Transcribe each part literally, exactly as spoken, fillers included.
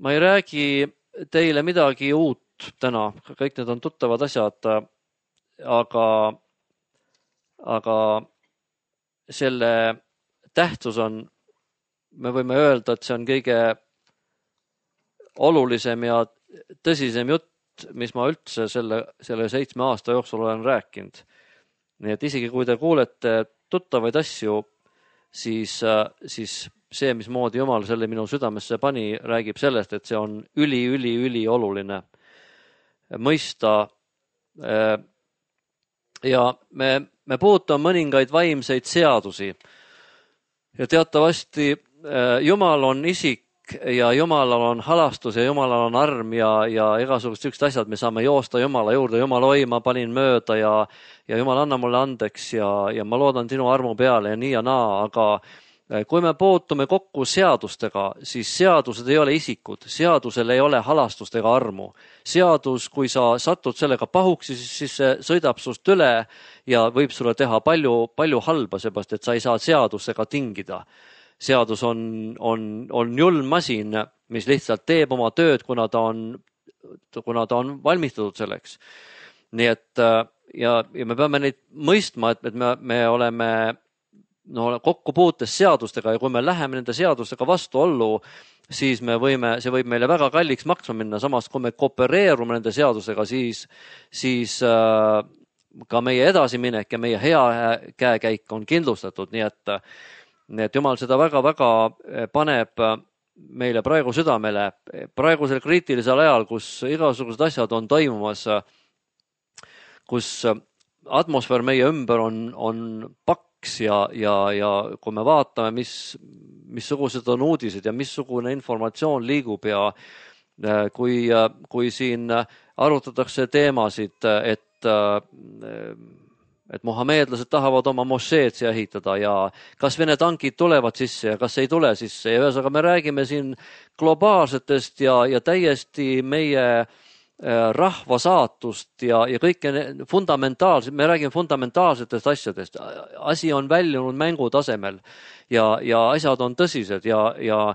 ma ei räägi teile midagi uut täna, kõik need on tuttavad asjad, aga, aga selle tähtsus on, me võime öelda, et see on kõige olulisem ja tõsisem jutt, mis ma üldse selle, selle seitsme aasta jooksul olen rääkinud. Nii et isegi kui te kuulete tuttavaid asju, siis, siis see, mismoodi Jumal selle minu südamesse pani, räägib sellest, et see on üli, üli, üli oluline mõista. Ja me, me puutume mõningaid vaimseid seadusi. Ja teatavasti Jumal on isik ja Jumalal on halastus ja Jumalal on arm ja, ja igasugused üksid asjad, me saame joosta Jumala juurde. Jumal, oi, ma panin mööda ja, ja Jumal, anna mulle andeks ja, ja ma loodan sinu armu peale ja nii ja naa, aga kui me puutume kokku seadustega, siis seadused ei ole isikud, seadusel ei ole halastust ega armu. Seadus, kui sa satud sellega pahuks, siis, siis see sõidab sust üle ja võib sulle teha palju, palju halba, seepärast, et sa ei saa seadusega tingida. Seadus on, on, on julm masin, mis lihtsalt teeb oma tööd, kuna ta on, kuna ta on valmistatud selleks. Nii et ja, ja me peame neid mõistma, et, et me, me oleme no, kokku puutes seadustega ja kui me läheme nende seadustega vastuollu, siis me võime, see võib meile väga kalliks maksma minna. Samas, kui me koopereerume nende seadusega, siis, siis äh, ka meie edasiminek ja meie hea käekäik on kindlustatud. Nii et Nii et Jumal seda väga-väga paneb meile praegu südamele. Praegusel kriitilisel ajal, kus igasugused asjad on toimumas, kus atmosfäär meie ümber on, on paks ja, ja, ja kui me vaatame, mis, missugused on uudised ja missugune informatsioon liigub ja kui, kui siin arutatakse teemasid, et et mohameedlased tahavad oma mošeed siia ehitada ja kas Vene tankid tulevad sisse ja kas ei tule sisse. Ja ühesõnaga me räägime siin globaalsetest ja, ja täiesti meie rahva saatust ja, ja kõike fundamentaalset, me räägime fundamentaalsetest asjadest. Asi on väljunud mängu tasemel ja, ja asjad on tõsised ja, ja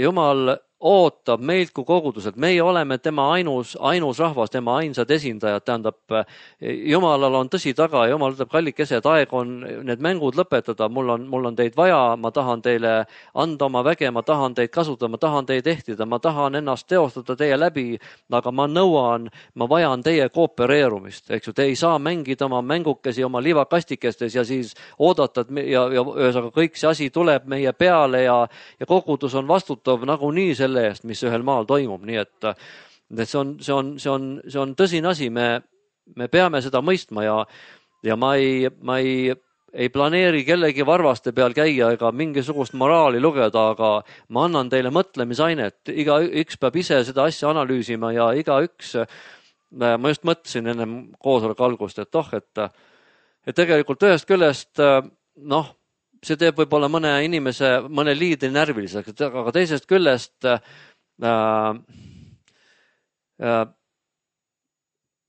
Jumal ootab meilt kui koguduselt. Meie oleme tema ainus, ainus rahvas, tema ainsad esindajad. Tähendab, Jumalal on tõsi taga ja Jumal ütleb, kallikesed, aeg on need mängud lõpetada. Mul on, mul on teid vaja, ma tahan teile anda oma väge, ma tahan teid kasutada, ma tahan teid ehtida, ma tahan ennast teostada teie läbi, aga ma nõuan, ma vajan teie koopereerumist. Eks ju, te ei saa mängida oma mängukesi oma liivakastikestes ja siis oodata, ja, ja ühesõnaga kõik see asi tuleb meie peale ja, ja kogudus on vastutav nagunii selle eest, mis ühel maal toimub. Nii et, et see, on, see, on, see, on, see on tõsine asi, me, me peame seda mõistma ja, ja ma, ei, ma ei, ei planeeri kellegi varvaste peal käia ega mingisugust moraali lugeda, aga ma annan teile mõtlemisainet. Iga üks peab ise seda asja analüüsima ja iga üks, ma just mõtlesin enne koosoleku algust, et oh, et, et tegelikult ühest küljest, noh, see teeb võib-olla mõne inimese, mõne liidri närviliseks, aga teisest küljest äh, äh,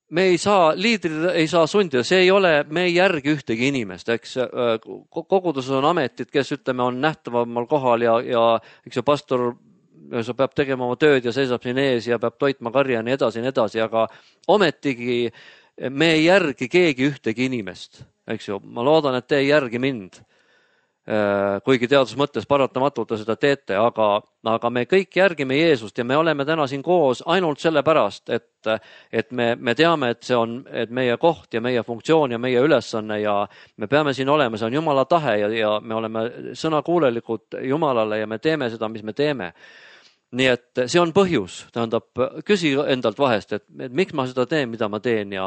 me ei saa, liidrid ei saa sundida, see ei ole, me ei järgi ühtegi inimest, eks koguduses on ametid, kes ütleme on nähtavamal kohal ja, ja eks ju pastor sa peab tegema oma tööd ja seisab siin ees ja peab toitma karja ja nii edasi, nii edasi, aga ometigi me ei järgi keegi ühtegi inimest, eks ju, ma loodan, et te ei järgi mind. Kuigi teadus mõttes paratamatult seda teete, aga, aga me kõik järgime Jeesust ja me oleme täna siin koos ainult sellepärast, et, et me, me teame, et see on et meie koht ja meie funktsioon ja meie ülesanne ja me peame siin olema, see on Jumala tahe ja, ja me oleme sõnakuulelikud Jumalale ja me teeme seda, mis me teeme. Nii et see on põhjus, tähendab, küsi endalt vahest, et, et miks ma seda teen, mida ma teen ja,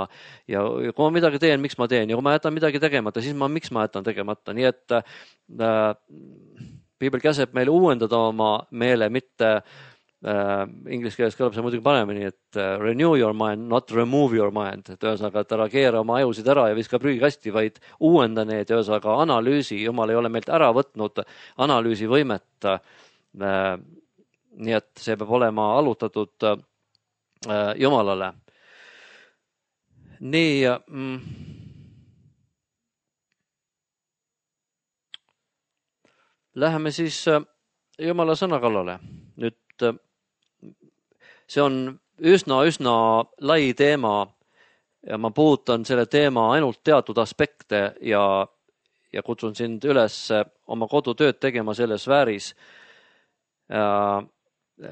ja kui ma midagi teen, miks ma teen ja kui ma jätan midagi tegemata, siis ma, miks ma jätan tegemata. Nii et äh, Piibel käseb meile uuendada oma meele, mitte äh, inglise keeles kõlab see muidugi paremini, et äh, renew your mind, not remove your mind. Et ühesõnaga, et ära keera oma ajusid ära ja viska prügikasti, vaid uuenda need, ühesõnaga analüüsi. Jumal ei ole meilt ära võtnud analüüsi võimet. Äh, Nii et see peab olema allutatud äh, Jumalale. Nii, mm, läheme siis äh, Jumala sõna kallale. Nüüd äh, see on üsna-üsna lai teema ja ma puudutan selle teema ainult teatud aspekte ja, ja kutsun sind üles oma kodutööd tegema selles sfääris.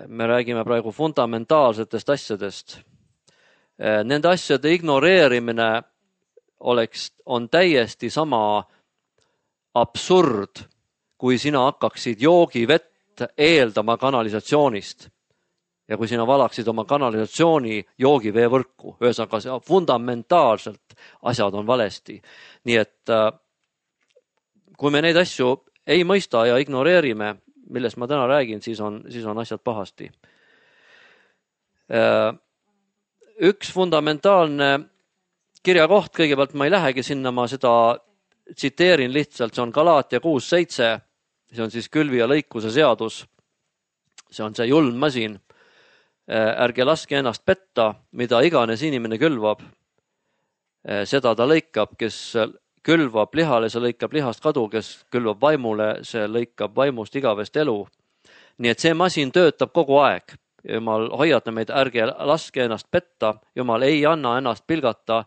Me räägime praegu fundamentaalsetest asjadest. Nende asjade ignoreerimine oleks, on täiesti sama absurd, kui sina hakkaksid joogivett eeldama kanalisatsioonist ja kui sina valaksid oma kanalisatsiooni joogiveevõrku. Ühesõnaga, fundamentaalselt asjad on valesti. Nii et kui me neid asju ei mõista ja ignoreerime, millest ma täna räägin, siis on, siis on asjad pahasti. Üks fundamentaalne kirjakoht, kõigepealt ma ei lähegi sinna, ma seda tsiteerin lihtsalt, see on Galaatia kuus seitse, see on siis külvi ja lõikuse seadus. See on see julm masin. Ärge laske ennast petta, mida iganes inimene külvab. Seda ta lõikab, kes külvab lihale, see lõikab lihast kadu, kes külvab vaimule, see lõikab vaimust igavest elu. Nii et see masin töötab kogu aeg. Jumal hoiata meid, ärge laske ennast petta. Jumal ei anna ennast pilgata.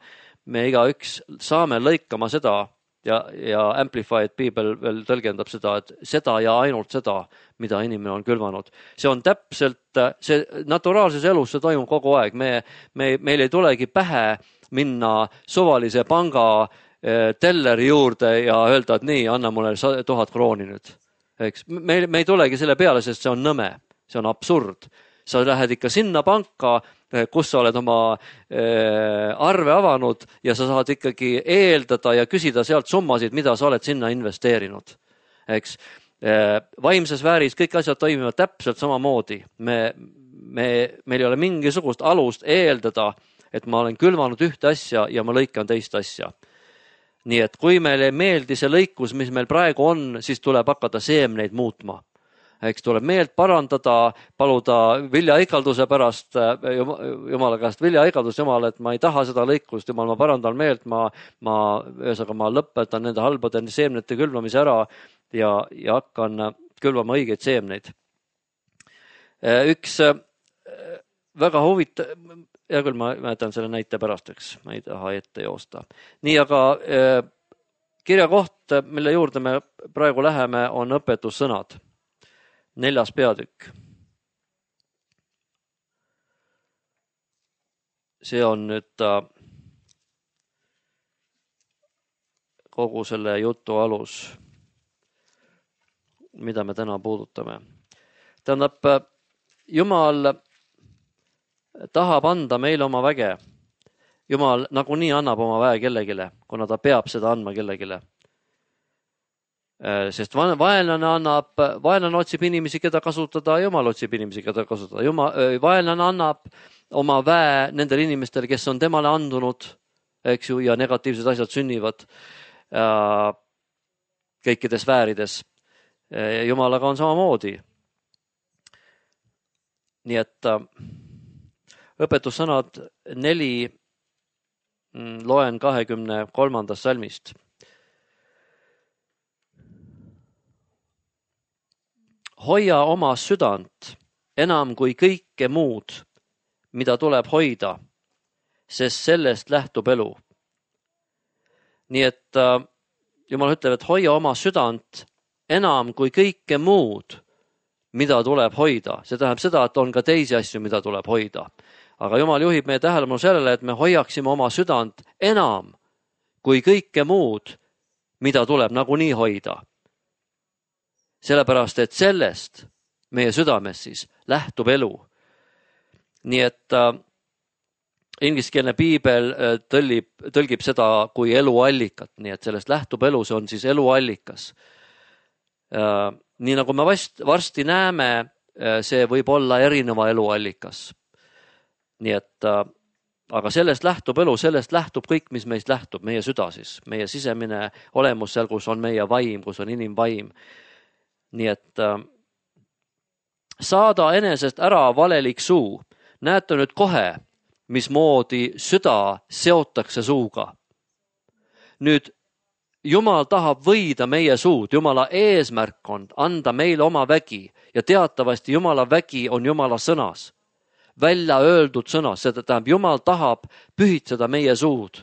Me igaüks saame lõikama seda ja, ja Amplified Bible veel tõlgendab seda, et seda ja ainult seda, mida inimene on külvanud. See on täpselt, see naturaalses elus see toimub kogu aeg. Me, me, meil ei tulegi pähe minna suvalise panga telleri juurde ja öelda, et nii, anna mulle tuhat krooni nüüd. Eks? Me, me ei tulegi selle peale, sest see on nõme, see on absurd. Sa lähed ikka sinna panka, kus sa oled oma arve avanud ja sa saad ikkagi eeldada ja küsida sealt summasid, mida sa oled sinna investeerinud. Eks? Vaimses vääris kõik asjad toimivad täpselt samamoodi. Me, me, meil ei ole mingisugust alust eeldada, et ma olen külvanud ühte asja ja ma lõikan teist asja. Nii et kui meile ei meeldi see lõikus, mis meil praegu on, siis tuleb hakata seemneid muutma. Eks tuleb meelt parandada, paluda viljaikalduse pärast, Jumala käest viljaikaldus, Jumal, et ma ei taha seda lõikust, Jumal, ma parandan meelt, ma, ma, ühesõnaga, ma lõpetan nende halbade seemnete külvamise ära ja, ja hakkan külvama õigeid seemneid. Üks väga huvitav, ja küll ma mäletan selle näite pärasteks, ma ei taha ette joosta. Nii, aga kirjakoht, mille juurde me praegu läheme, on õpetussõnad. Neljas peatükk. See on nüüd kogu selle jutu alus, mida me täna puudutame. Tähendab, Jumal tahab anda meile oma väge. Jumal nagunii annab oma väe kellegile, kuna ta peab seda andma kellegile. Sest vaenlane annab, vaenlane otsib inimesi, keda kasutada, Jumal otsib inimesi, keda kasutada. Jumal, vaenlane annab oma väe nendele inimestele, kes on temale andunud, eks ju, ja negatiivsed asjad sünnivad äh, kõikides väärides. Jumalaga on samamoodi. Nii et äh, õpetussõnad neli loen kahekümne kolmandast salmist. Hoia oma südant enam kui kõike muud, mida tuleb hoida, sest sellest lähtub elu. Nii et äh, Jumal ütleb, et hoia oma südant enam kui kõike muud, mida tuleb hoida. See tähendab seda, et on ka teisi asju, mida tuleb hoida. Aga Jumal juhib meie tähelepanu sellele, et me hoiaksime oma südant enam kui kõike muud, mida tuleb nagunii hoida. Sellepärast, et sellest meie südames siis lähtub elu. Nii et äh, ingliskeelne piibel äh, tõlgib, tõlgib seda kui eluallikat, nii et sellest lähtub elu, see on siis eluallikas. Äh, nii nagu me vast, varsti näeme, äh, see võib olla erineva eluallikas. Nii et, äh, aga sellest lähtub elu, sellest lähtub kõik, mis meist lähtub, meie süda siis, meie sisemine olemus seal, kus on meie vaim, kus on inimvaim. Nii et äh, saada enesest ära valelik suu. Näete nüüd kohe, mismoodi süda seotakse suuga. Nüüd Jumal tahab võida meie suud. Jumala eesmärk on anda meile oma vägi ja teatavasti Jumala vägi on Jumala sõnas. välja öeldud sõna, seda tähendab, Jumal tahab pühitseda meie suud.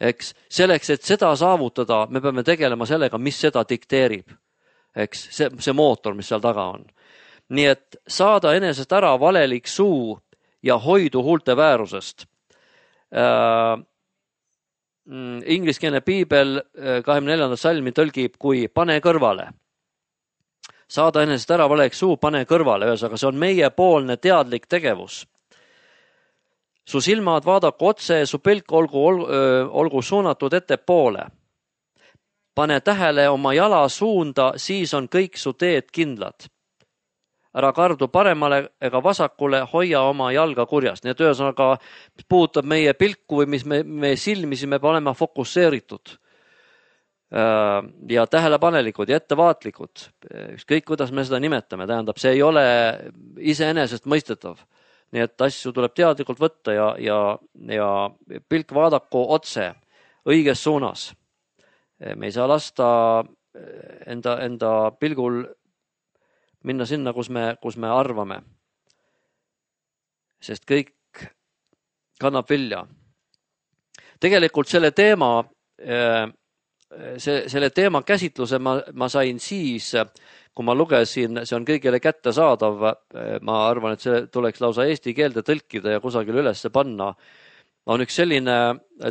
Eks selleks, et seda saavutada, me peame tegelema sellega, mis seda dikteerib. Eks see, see mootor, mis seal taga on. Nii et saada enesest ära valelik suu ja hoidu huulte väärusest. Äh, ingliskeelne piibel kahekümne neljanda salmi tõlgib kui pane kõrvale. Saada enesest ära valelik suu, pane kõrvale, ühesõnaga see on meiepoolne teadlik tegevus. Su silmad vaadaku otse, su pilk olgu, olgu suunatud ettepoole. Pane tähele oma jala suunda, siis on kõik su teed kindlad. Ära kardu paremale ega vasakule, hoia oma jalga kurjast. Nii et ühesõnaga, mis puudutab meie pilku või mis me, me silmisi, me peame olema fokusseeritud ja tähelepanelikud ja ettevaatlikud. Ükskõik, kuidas me seda nimetame, tähendab, see ei ole iseenesest mõistetav. Nii et asju tuleb teadlikult võtta ja, ja, ja pilk vaadaku otse õiges suunas. Me ei saa lasta enda, enda pilgul minna sinna, kus me, kus me arvame. Sest kõik kannab vilja. Tegelikult selle teema, see, selle teema käsitluse ma, ma sain siis, kui ma lugesin, see on kõigile kättesaadav, ma arvan, et see tuleks lausa eesti keelde tõlkida ja kusagil üles panna, on üks selline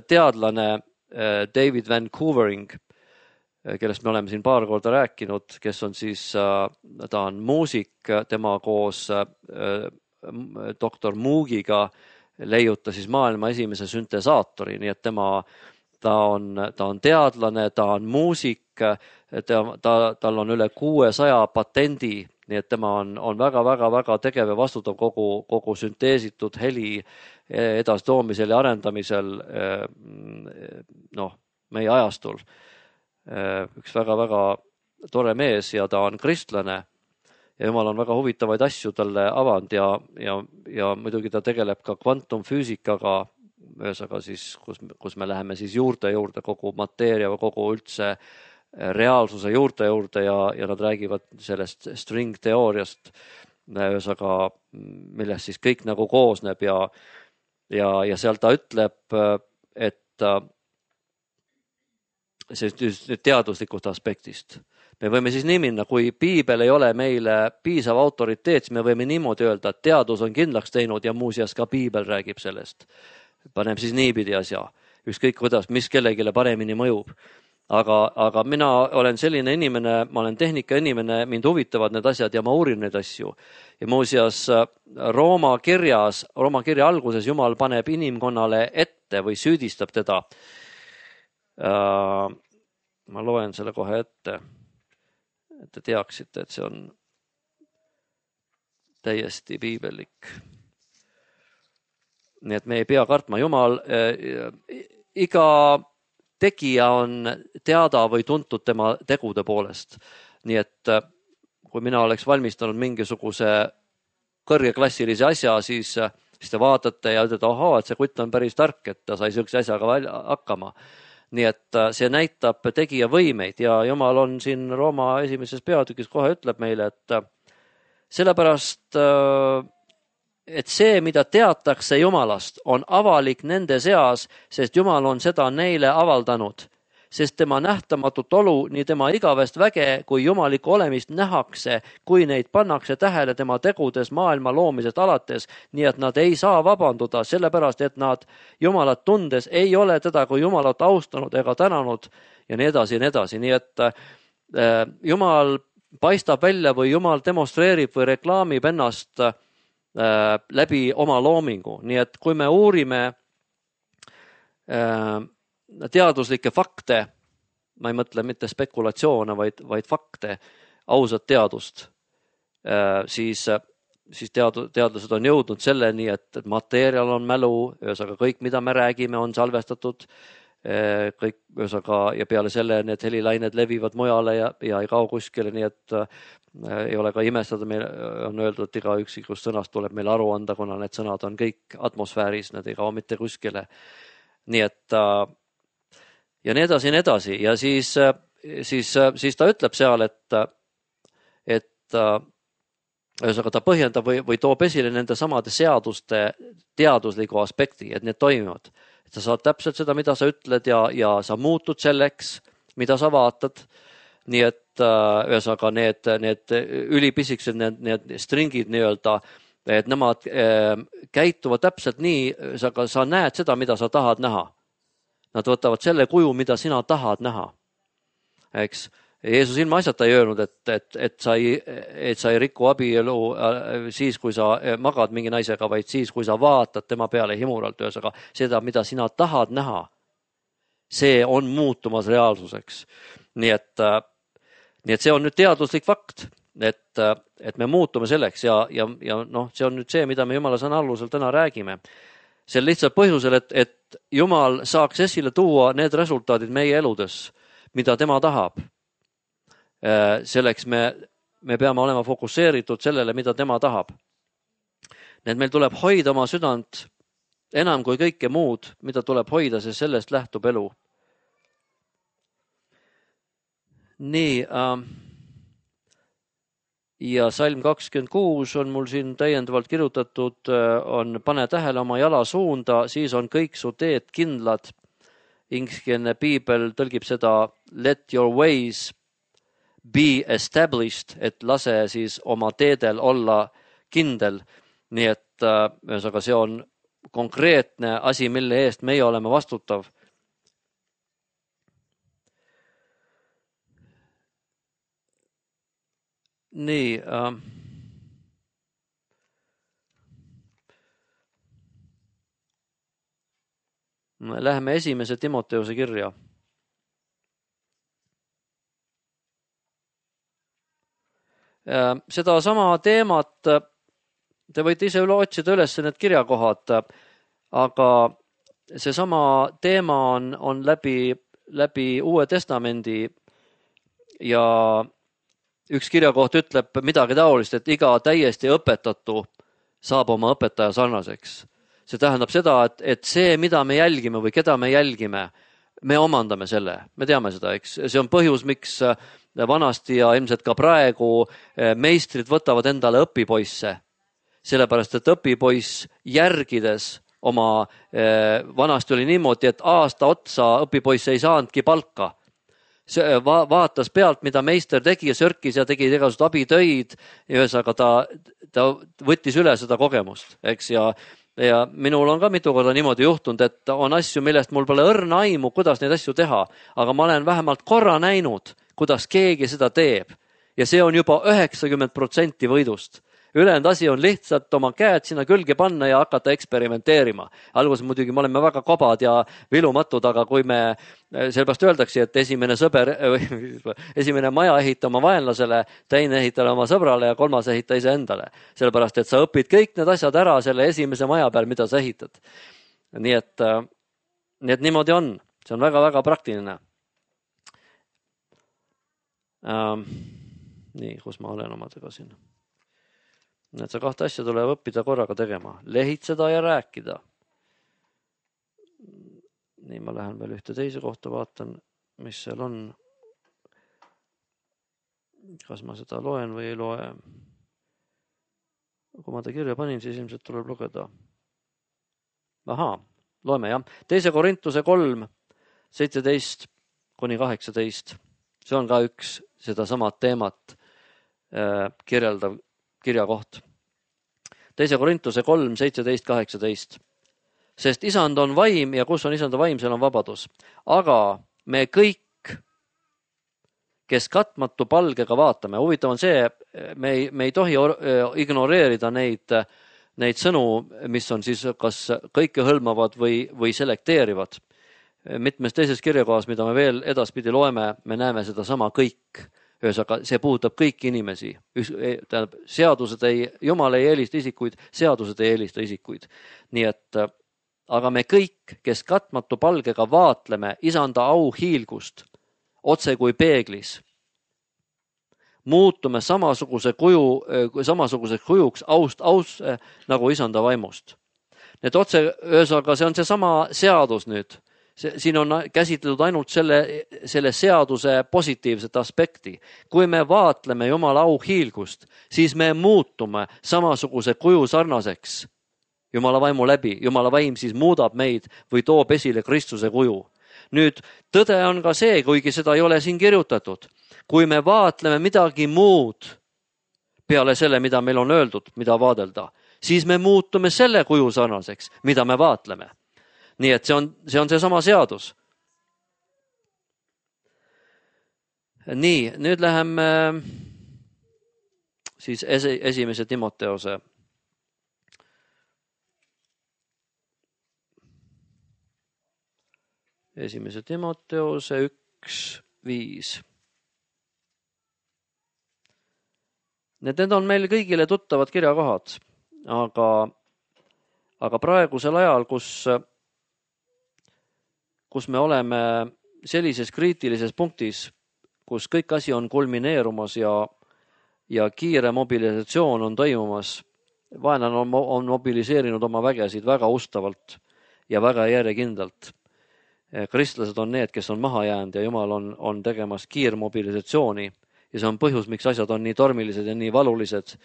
teadlane David Vancouvering, kellest me oleme siin paar korda rääkinud, kes on siis, ta on muusik, tema koos doktor Moogiga leiuta siis maailma esimese süntesaatori, nii et tema, ta on, ta on teadlane, ta on muusik, ta, ta, tal on üle kuuesaja patendi, nii et tema on, on väga, väga, väga tegev ja vastutav kogu, kogu sünteesitud heli edastoomisel ja arendamisel noh, meie ajastul. Üks väga-väga tore mees ja ta on kristlane ja Jumal on väga huvitavaid asju talle avanud ja, ja, ja muidugi ta tegeleb ka kvantumfüüsikaga, ühesõnaga siis, kus, kus me läheme siis juurde juurde kogu mateeria või kogu üldse reaalsuse juurde juurde ja, ja nad räägivad sellest string teooriast, ühesõnaga, millest siis kõik nagu koosneb ja, ja, ja seal ta ütleb, et see teaduslikust aspektist. Me võime siis nii minna, kui piibel ei ole meile piisav autoriteet, siis me võime niimoodi öelda, et teadus on kindlaks teinud ja muuseas ka piibel räägib sellest. Panem siis niipidi asja, ükskõik kuidas, mis kellegile paremini mõjub. Aga, aga mina olen selline inimene, ma olen tehnika inimene, mind huvitavad need asjad ja ma uurin neid asju. Ja muuseas Rooma kirjas, Rooma kirja alguses Jumal paneb inimkonnale ette või süüdistab teda. Uh, ma loen selle kohe ette, et te teaksite, et see on täiesti piibelik. Nii et me ei pea kartma. Jumal, uh, iga tegija on teada või tuntud tema tegude poolest. Nii et uh, kui mina oleks valmistanud mingisuguse kõrgeklassilise asja, siis, siis te vaatate ja ütlete, ohaa, et see kutt on päris tark, et ta sai sellise asjaga hakkama. Nii et see näitab tegija võimeid ja Jumal on siin Rooma esimeses peatükis kohe ütleb meile, et sellepärast, et see, mida teatakse Jumalast, on avalik nende seas, sest Jumal on seda neile avaldanud. Sest tema nähtamatut olu, nii tema igavest väge kui jumalikku olemist nähakse, kui neid pannakse tähele tema tegudes maailma loomisest alates, nii et nad ei saa vabanduda, sellepärast et nad Jumalat tundes ei ole teda kui Jumalat austanud ega tänanud ja nii edasi ja nii edasi. Nii et äh, Jumal paistab välja või Jumal demonstreerib või reklaamib ennast äh, läbi oma loomingu. Nii et kui me uurime äh, teaduslikke fakte, ma ei mõtle mitte spekulatsioone, vaid, vaid fakte, ausat teadust, siis, siis teadu, teadlased on jõudnud selleni, et, et mateerial on mälu, ühesõnaga kõik, mida me räägime, on salvestatud, kõik, ühesõnaga, ja peale selle need helilained levivad mujale ja, ja ei kao kuskile, nii et äh, ei ole ka imestada, meil on öeldud, et iga üksikust sõnast tuleb meil aru anda, kuna need sõnad on kõik atmosfääris, need ei kao mitte kuskile. Nii et äh, ja nii edasi ja nii edasi ja siis, siis, siis ta ütleb seal, et, et ühesõnaga ta põhjendab või, või toob esile nende samade seaduste teadusliku aspekti, et need toimivad. Et sa saad täpselt seda, mida sa ütled ja, ja sa muutud selleks, mida sa vaatad. Nii et ühesõnaga need, need ülipisikesed, need, need stringid nii-öelda, et nemad käituvad täpselt nii, aga sa näed seda, mida sa tahad näha. Nad võtavad selle kuju, mida sina tahad näha. Eks? Jeesus ilma asjata ei öelnud, et, et, et, sa ei, et sa ei riku abielu siis, kui sa magad mingi naisega, vaid siis, kui sa vaatad tema peale himuralt, ühesõnaga seda, mida sina tahad näha. See on muutumas reaalsuseks. Nii et, nii et see on nüüd teaduslik fakt, et, et me muutume selleks ja, ja, ja noh, see on nüüd see, mida me Jumala sõna alusel täna räägime. See lihtsalt põhjusel, et, et Jumal saaks esile tuua need resultaadid meie eludes, mida tema tahab. Selleks me, me peame olema fokusseeritud sellele, mida tema tahab. Need meil tuleb hoida oma südant enam kui kõike muud, mida tuleb hoida, sest sellest lähtub elu. Nii, äh, ja salm kakskümmend kuus on mul siin täiendavalt kirjutatud, on pane tähele oma jala suunda, siis on kõik su teed kindlad. Ingliskeelne piibel tõlgib seda let your ways be established, et lase siis oma teedel olla kindel. Nii et ühesõnaga see on konkreetne asi, mille eest meie oleme vastutav. Nii. Äh, Läheme esimese Timoteuse kirja. Seda sama teemat te võite ise üle otsida üles need kirjakohad, aga see sama teema on, on läbi, läbi Uue Testamendi ja üks kirjakoht ütleb midagi taolist, et iga täiesti õpetatu saab oma õpetaja sarnaseks. See tähendab seda, et, et see, mida me jälgime või keda me jälgime, me omandame selle. Me teame seda, eks. See on põhjus, miks vanasti ja ilmselt ka praegu meistrid võtavad endale õpipoisse. Sellepärast, et õpipoiss järgides oma, vanasti oli niimoodi, et aasta otsa õpipoiss ei saanudki palka. See va- vaatas pealt, mida meister tegi ja sörkis ja tegi igasugused abitöid ja ühesõnaga ta, ta võttis üle seda kogemust, eks, ja Ja minul on ka mitu korda niimoodi juhtunud, et on asju, millest mul pole õrna aimu, kuidas neid asju teha, aga ma olen vähemalt korra näinud, kuidas keegi seda teeb. Ja see on juba üheksakümmend protsenti võidust. Ülejäänud asi on lihtsalt oma käed sinna külge panna ja hakata eksperimenteerima. Alguses muidugi me oleme väga kobad ja vilumatud, aga kui me, sellepärast öeldakse, et esimene sõber, esimene maja ehita oma vaenlasele, teine ehitale oma sõbrale ja kolmas ehita ise endale. Sellepärast, et sa õpid kõik need asjad ära selle esimese maja peal, mida sa ehitad. Nii et, nii et niimoodi on. See on väga-väga praktiline. Ähm, nii, kus ma olen omadega siin? Need see kahte asja tuleb õppida korraga tegema. Lehitseda ja rääkida. Nii, ma lähen veel ühte teise kohta, vaatan, mis seal on. Kas ma seda loen või ei loe? Kui ma ta kirja panin, siis ilmselt tuleb lugeda. Ahaa, loeme jah. Teise Korintuse kolm, seitseteist kuni kaheksateist. See on ka üks seda samad teemat äh, kirjeldav kirjakoht. Teise Korintuse kolm, seitseteist, kaheksateist. Sest isand on vaim ja kus on isanda vaim, seal on vabadus. Aga me kõik, kes katmatu palgega vaatame, huvitav on see, me ei, me ei tohi ignoreerida neid, neid sõnu, mis on siis kas kõike hõlmavad või, või selekteerivad. Mitmes teises kirjakohas, mida me veel edaspidi loeme, me näeme seda sama kõik. Ühesõnaga, see puudutab kõiki inimesi. Tähendab, seadused ei, Jumal ei eelista isikuid, seadused ei eelista isikuid. Nii et, aga me kõik, kes katmatu palgega vaatleme isanda au hiilgust, otse kui peeglis, muutume samasuguse kuju, samasuguseks kujuks aust, aust nagu isanda vaimust. Need otse, ühesõnaga, see on see sama seadus nüüd. siin on käsitletud ainult selle, selle seaduse positiivset aspekti. Kui me vaatleme Jumala auhiilgust, siis me muutume samasuguse kuju sarnaseks Jumala vaimu läbi. Jumala vaim siis muudab meid või toob esile Kristuse kuju. Nüüd tõde on ka see, kuigi seda ei ole siin kirjutatud. Kui me vaatleme midagi muud peale selle, mida meil on öeldud, mida vaadelda, siis me muutume selle kuju sarnaseks, mida me vaatleme. Nii et see on, see on seesama seadus. Nii, nüüd läheme siis esi, esimese Timoteose. Esimese Timoteose üks viis. Need, need on meil kõigile tuttavad kirjakohad, aga, aga praegusel ajal, kus kus me oleme sellises kriitilises punktis, kus kõik asi on kulmineerumas ja, ja kiire mobilisatsioon on toimumas. Vaenlane on, on mobiliseerinud oma vägesid väga ustavalt ja väga järjekindlalt. Kristlased on need, kes on maha jäänud ja Jumal on, on tegemas kiirmobilisatsiooni ja see on põhjus, miks asjad on nii tormilised ja nii valulised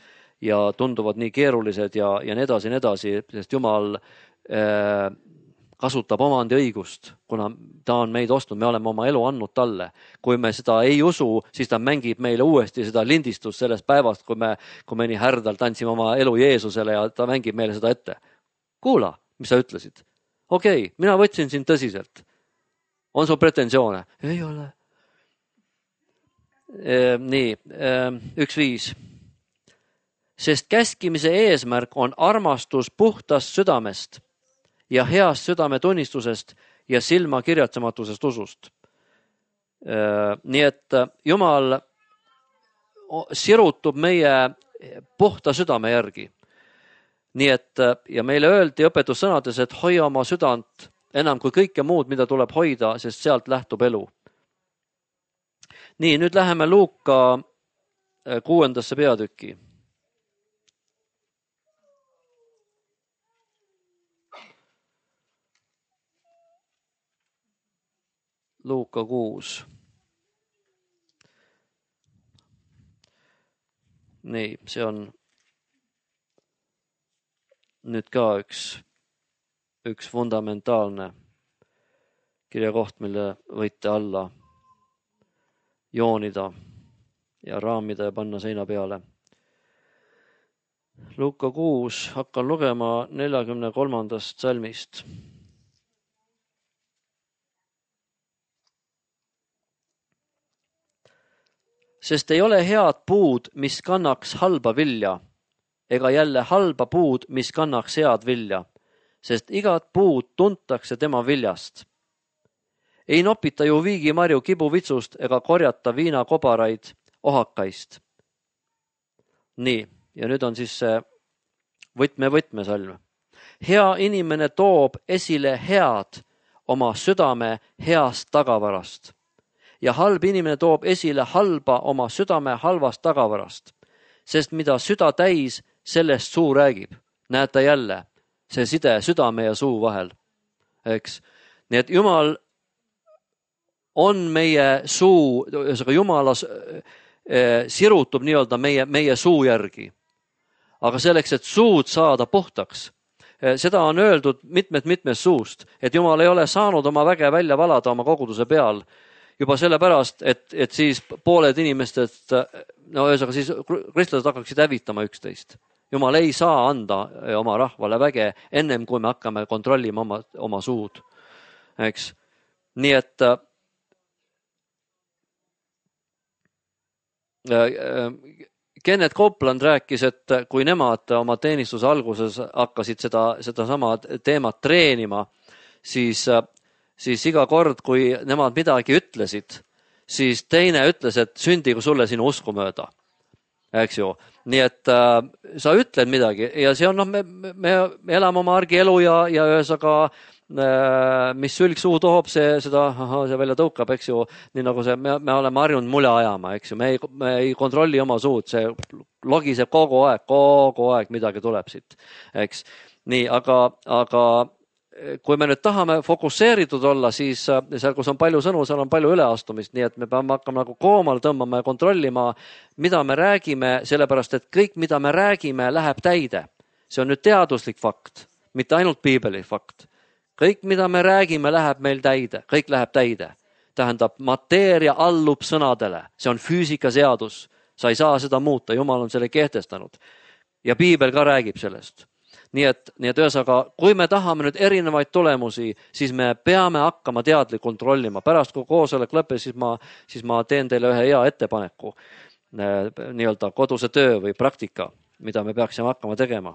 ja tunduvad nii keerulised ja, ja nii edasi, nii edasi, sest Jumal äh, kasutab omandi õigust, kuna ta on meid ostnud, me oleme oma elu andnud talle. Kui me seda ei usu, siis ta mängib meile uuesti seda lindistust sellest päevast, kui me, kui me nii härdalt andsime oma elu Jeesusele ja ta mängib meile seda ette. Kuula, mis sa ütlesid? Okei, okay, mina võtsin sind tõsiselt. On sul pretensioone? Ei ole. E, nii, e, üks viis. Sest käskimise eesmärk on armastus puhtast südamest ja heast südametunnistusest ja silma kirjatsematusest usust. Nii et Jumal sirutub meie puhta südame järgi. Nii et, ja meile öeldi õpetussõnades, et hoia oma südant enam kui kõike muud, mida tuleb hoida, sest sealt lähtub elu. Nii, nüüd läheme Luuka kuuendasse peatükki. Luuka kuus. Nii, see on nüüd ka üks, üks fundamentaalne kirjakoht, mille võite alla joonida ja raamida ja panna seina peale. Luuka kuus, hakkan lugema neljakümne kolmandast salmist. Sest ei ole head puud, mis kannaks halba vilja, ega jälle halba puud, mis kannaks head vilja, sest igat puud tuntakse tema viljast. Ei nopita ju viigimarju kibuvitsust ega korjata viinakobaraid ohakaist. Nii, ja nüüd on siis see võtme võtmesalm. Hea inimene toob esile head oma südame heast tagavarast. Ja halb inimene toob esile halba oma südame halvast tagavarast, sest mida süda täis, sellest suu räägib. Näete jälle, see side südame ja suu vahel. Eks? Nii et Jumal on meie suu, Jumala sirutub nii-öelda meie, meie suu järgi. Aga selleks, et suud saada puhtaks, seda on öeldud mitmed-mitmed suust, et Jumal ei ole saanud oma väge välja valada oma koguduse peal, juba sellepärast, et, et siis pooled inimestest, no ühesõnaga siis kristlased hakkaksid hävitama üksteist. Jumal ei saa anda oma rahvale väge ennem, kui me hakkame kontrollima oma, oma suud. Eks? Nii et äh, Kenneth Copeland rääkis, et kui nemad oma teenistuse alguses hakkasid seda, seda sama teemat treenima, siis siis iga kord, kui nemad midagi ütlesid, siis teine ütles, et sündigu sulle sinu usku mööda. Eks ju? Nii et äh, sa ütled midagi ja see on, noh, me, me, me elame oma argielu ja, ja ühesaga, äh, mis sülg suu toob, see, seda, aha, see välja tõukab, eks ju, nii nagu see, me, me oleme harjunud mule ajama, eks ju, me ei, me ei kontrolli oma suud, see logiseb kogu aeg, kogu aeg midagi tuleb siit, eks. Nii, aga, aga kui me nüüd tahame fokusseeritud olla, siis seal, kus on palju sõnu, seal on palju üleastumist, nii et me peame hakkama nagu koomale tõmbama ja kontrollima, mida me räägime, sellepärast et kõik, mida me räägime, läheb täide. See on nüüd teaduslik fakt, mitte ainult piibeli fakt. Kõik, mida me räägime, läheb meil täide, kõik läheb täide. Tähendab, mateeria allub sõnadele, see on füüsikaseadus, sa ei saa seda muuta, Jumal on selle kehtestanud. Ja piibel ka räägib sellest. Nii et, nii et ühesõnaga, kui me tahame nüüd erinevaid tulemusi, siis me peame hakkama teadlik kontrollima. Pärast kui koosolek lõppes, siis ma, siis ma teen teile ühe hea ettepaneku, nii-öelda koduse töö või praktika, mida me peaksime hakkama tegema.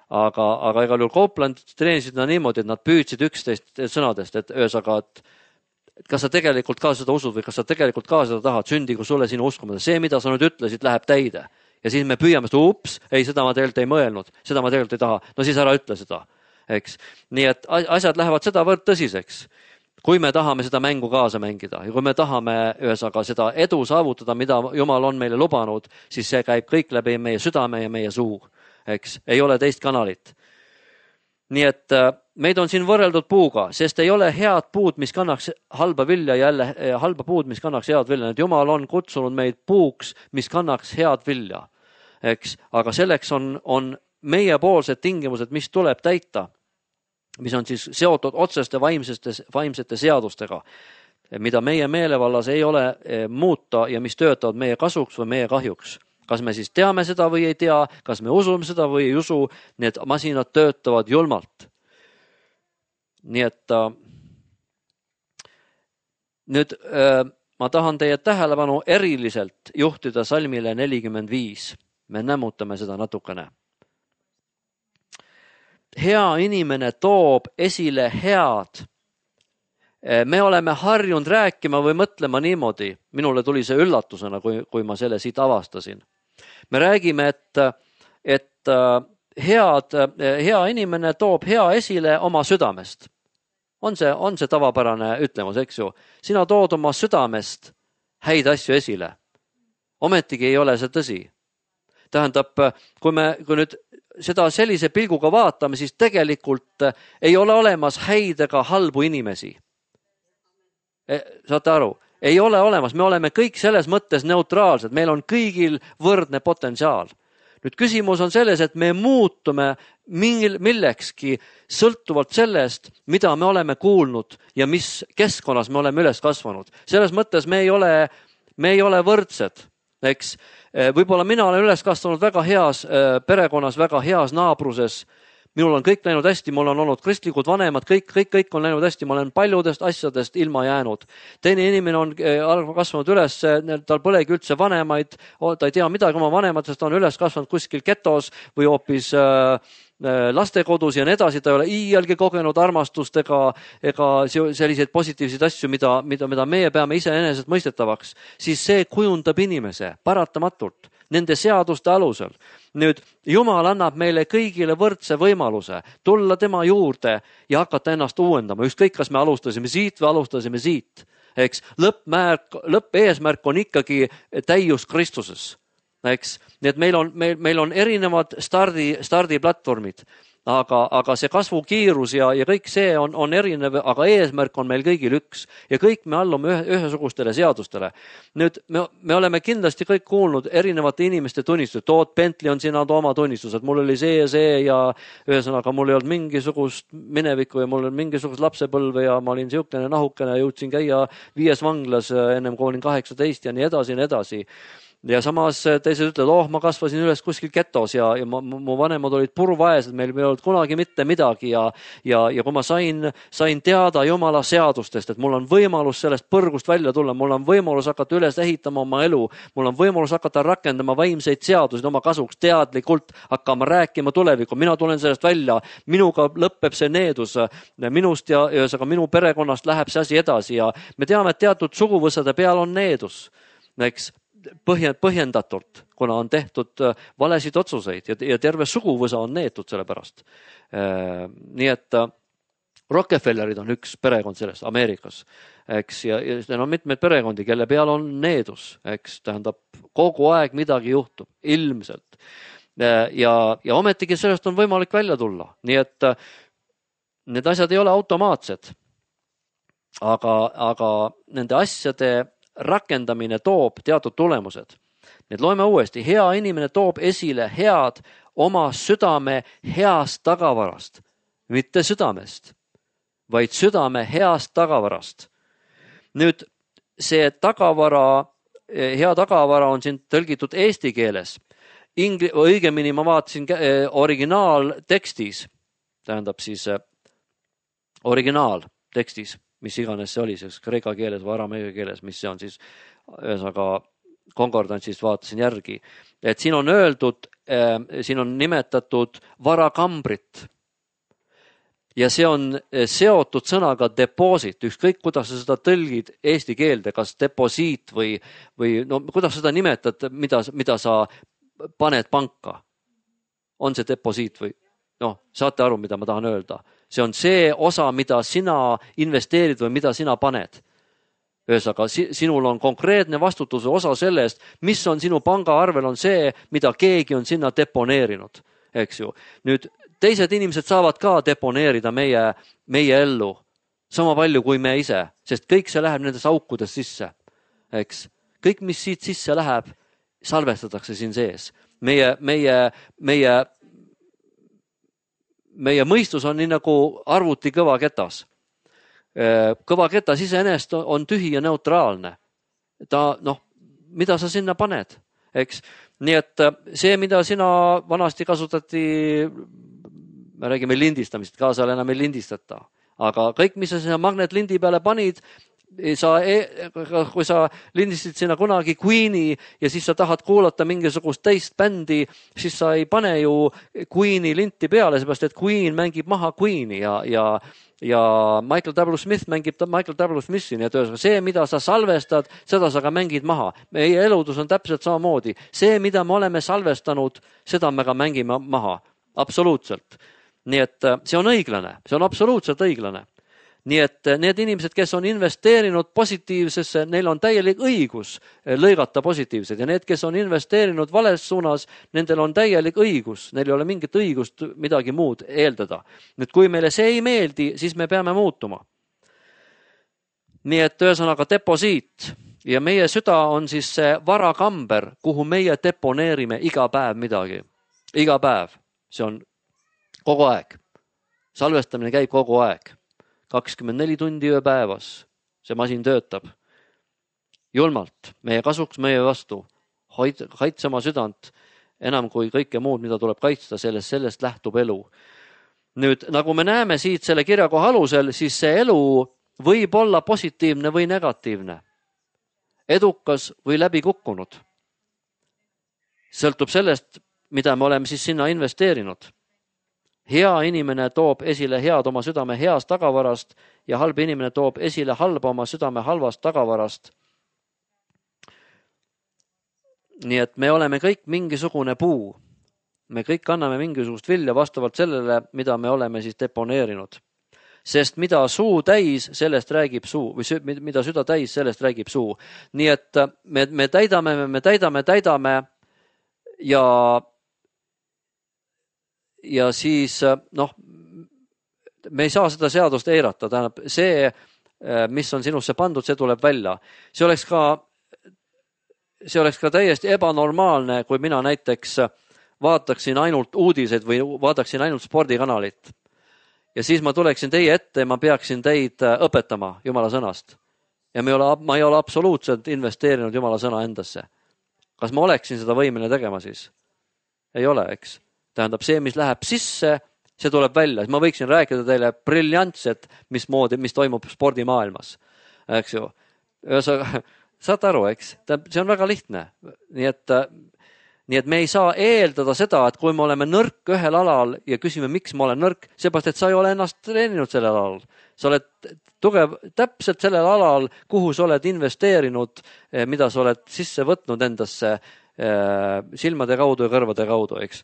Aga, aga igal juhul Copeland treenisid nad niimoodi, et nad püüdsid üksteist sõnadest, et ühesõnaga, et kas sa tegelikult ka seda usud või kas sa tegelikult ka seda tahad, sündigu sulle sinu uskumata. See, mida sa nüüd ütlesid, läheb täide. Ja siis me püüame seda, ups, ei, seda ma tegelikult ei mõelnud, seda ma tegelikult ei taha. No siis ära ütle seda, eks. Nii et asjad lähevad seda võrd tõsiseks, kui me tahame seda mängu kaasa mängida ja kui me tahame ühesõnaga seda edu saavutada, mida Jumal on meile lubanud, siis see käib kõik läbi meie südame ja meie suu, eks. Ei ole teist kanalit. Nii et meid on siin võrreldud puuga, sest ei ole head puud, mis kannaks halba vilja, jälle halba puud, mis kannaks head vilja. Et Jumal on kutsunud meid puuks, mis kannaks head vilja. Eks, aga selleks on, on meiepoolsed tingimused, mis tuleb täita, mis on siis seotud otseste vaimsete, vaimsete seadustega, mida meie meelevallas ei ole muuta ja mis töötavad meie kasuks või meie kahjuks. Kas me siis teame seda või ei tea, kas me usume seda või ei usu, need masinad töötavad julmalt. Nii et äh, nüüd äh, ma tahan teie tähelepanu eriliselt juhtida salmile nelikümmend viis. Me nämmutame seda natukene. Hea inimene toob esile head. Me oleme harjunud rääkima või mõtlema niimoodi. Minule tuli see üllatusena, kui, kui ma selle siit avastasin. Me räägime, et, et head, hea inimene toob hea esile oma südamest. On see, on see tavapärane ütlemus, eks ju? Sina tood oma südamest häid asju esile. Ometigi ei ole see tõsi. Tähendab, kui me kui nüüd seda sellise pilguga vaatame, siis tegelikult ei ole olemas häid ega halbu inimesi. Saate aru? Ei ole olemas. Me oleme kõik selles mõttes neutraalsed. Meil on kõigil võrdne potentsiaal. Nüüd küsimus on selles, et me muutume mingil, millekski sõltuvalt sellest, mida me oleme kuulnud ja mis keskkonnas me oleme üles kasvanud. Selles mõttes me ei ole, me ei ole võrdsed. Eks, võib-olla mina olen üles kasvanud väga heas perekonnas, väga heas naabruses. Minul on kõik läinud hästi, mul on olnud kristlikud vanemad, kõik, kõik, kõik on läinud hästi, ma olen paljudest asjadest ilma jäänud. Teine inimene on kasvanud üles, tal polegi üldse vanemaid, ta ei tea midagi oma vanematest, ta on üles kasvanud kuskil getos või hoopis lastekodus ja nii edasi, ta ei ole iialgi kogenud armastust ega, ega selliseid positiivseid asju, mida, mida, mida meie peame iseenesest mõistetavaks, siis see kujundab inimese paratamatult nende seaduste alusel. Nüüd Jumal annab meile kõigile võrdse võimaluse tulla tema juurde ja hakata ennast uuendama. Ükskõik, kas me alustasime siit või alustasime siit. Eks, lõppmärk, lõppeesmärk on ikkagi täius Kristuses. Eks, nii et meil on, meil, meil on erinevad stardi, stardiplatvormid, aga, aga see kasvukiirus ja, ja kõik see on, on erinev, aga eesmärk on meil kõigil üks ja kõik me allume ühe, ühesugustele seadustele. Nüüd me, me oleme kindlasti kõik kuulnud erinevate inimeste tunnistused. Toot Bentley on siin oma tunnistused, mul oli see ja see ja ühesõnaga mul ei olnud mingisugust minevikku ja mul oli mingisugust lapsepõlve ja ma olin siukene nahukene, jõudsin käia viies vanglas ennem kui olin kaheksateist ja nii edasi ja nii edasi. Ja samas teised ütlevad, oh, ma kasvasin üles kuskil getos ja, ja ma, mu vanemad olid purvaesed, meil ei olnud kunagi mitte midagi ja, ja, ja kui ma sain, sain teada Jumala seadustest, et mul on võimalus sellest põrgust välja tulla, mul on võimalus hakata üles ehitama oma elu, mul on võimalus hakata rakendama vaimseid seaduseid oma kasuks, teadlikult hakkama rääkima tulevikku, mina tulen sellest välja, minuga lõpeb see needus, minust ja ühesõnaga minu perekonnast läheb see asi edasi ja me teame, et teatud suguvõsade peal on needus, eks, põhjendatult, kuna on tehtud valesid otsuseid ja, ja terve suguvõsa on neetud selle pärast. Nii et Rockefellerid on üks perekond sellest Ameerikas, eks, ja, ja on mitmeid perekondi, kelle peal on needus, eks, tähendab kogu aeg midagi juhtub, ilmselt. Ja, ja ometigi sellest on võimalik välja tulla. Nii et need asjad ei ole automaatsed, aga, aga nende asjade rakendamine toob teatud tulemused. Need loeme uuesti. Hea inimene toob esile head oma südame heast tagavarast, mitte südamest, vaid südame heast tagavarast. Nüüd see tagavara, hea tagavara on siin tõlgitud eesti keeles. Ingli, õigemini ma vaatasin originaaltekstis, tähendab siis originaaltekstis, mis iganes see oli, siis kreeka keeles või arameia keeles, mis see on siis, ühesõnaga konkordantsist vaatasin järgi, et siin on öeldud, siin on nimetatud varakambrit ja see on seotud sõnaga deposit, ükskõik kuidas sa seda tõlgid eesti keelde, kas deposiit või, või no kuidas seda nimetad, mida, mida sa paned panka. On see deposiit või noh, saate aru, mida ma tahan öelda. See on see osa, mida sina investeerid või mida sina paned. Ühesõnaga, sinul on konkreetne vastutuse osa sellest, mis on sinu pangaarvel, on see, mida keegi on sinna deponeerinud. Eks ju. Nüüd teised inimesed saavad ka deponeerida meie, meie ellu sama palju kui me ise, sest kõik see läheb nendes aukudes sisse. Eks? Kõik, mis siit sisse läheb, salvestatakse siin sees. Meie, meie, meie, meie mõistus on nii nagu arvuti kõva ketas. Kõva ketas iseenesest on tühi ja neutraalne. Ta, noh, mida sa sinna paned, eks? Nii et see, mida sina vanasti kasutati, me räägime lindistamist, kaasal enam ei lindistata. Aga kõik, mis sa sinna magnetlindi peale panid, sa, kui sa lindisid sinna kunagi Queeni ja siis sa tahad kuulata mingisugust teist bändi, siis sa ei pane ju Queeni linti peale, seepärast et Queen mängib maha Queeni ja, ja, ja Michael W. Smith mängib Michael W. Smithi. Nii et see, mida sa salvestad, seda sa ka mängid maha. Meie eludus on täpselt samamoodi. See, mida me oleme salvestanud, seda me ka mängime maha. Absoluutselt. Nii et see on õiglane. See on absoluutselt õiglane. Nii et need inimesed, kes on investeerinud positiivsesse, neil on täielik õigus lõigata positiivsed ja need, kes on investeerinud vales suunas, nendel on täielik õigus, neil ei ole mingit õigust midagi muud eeldada. Nüüd, kui meile see ei meeldi, siis me peame muutuma. Nii et ühesõnaga deposiit ja meie süda on siis see varakamber, kuhu meie deponeerime iga päev midagi. Iga päev. See on kogu aeg. Salvestamine käib kogu aeg. kakskümmend neli tundi ööpäevas. See masin töötab. Julmalt, meie kasuks, meie vastu. Kaitse oma südant enam kui kõike muud, mida tuleb kaitsta, sellest, sellest lähtub elu. Nüüd, nagu me näeme siit selle kirjakoha alusel, siis see elu võib olla positiivne või negatiivne. Edukas või läbi kukkunud. Sõltub sellest, mida me oleme siis sinna investeerinud. Hea inimene toob esile head oma südame heast tagavarast ja halb inimene toob esile halba oma südame halvast tagavarast. Nii et me oleme kõik mingisugune puu. Me kõik anname mingisugust vilja vastavalt sellele, mida me oleme siis deponeerinud. Sest mida suu täis, sellest räägib suu, või mida süda täis, sellest räägib suu. Nii et me, me täidame, me täidame, täidame ja ja siis, noh, me ei saa seda seadust eirata. Tähendab, see, mis on sinusse pandud, see tuleb välja. See oleks ka, see oleks ka täiesti ebanormaalne, kui mina näiteks vaataksin ainult uudiseid või vaataksin ainult spordikanalit. Ja siis ma tuleksin teie ette ja ma peaksin teid õpetama Jumala sõnast. Ja ma ei ole, ma ei ole absoluutselt investeerinud Jumala sõna endasse. Kas ma oleksin seda võimeline tegema siis? Ei ole, eks? Tähendab, see, mis läheb sisse, see tuleb välja. Ma võiksin rääkida teile briljantset, mis moodi, mis toimub spordimaailmas. Eks ju? Saate aru, eks? See on väga lihtne. Nii et, nii et me ei saa eeldada seda, et kui me oleme nõrk ühel alal ja küsime, miks ma olen nõrk, seepärast, et sa ei ole ennast treeninud sellel alal. Sa oled tugev täpselt sellel alal, kuhu sa oled investeerinud, mida sa oled sisse võtnud endasse silmade kaudu ja kõrvade kaudu, eks?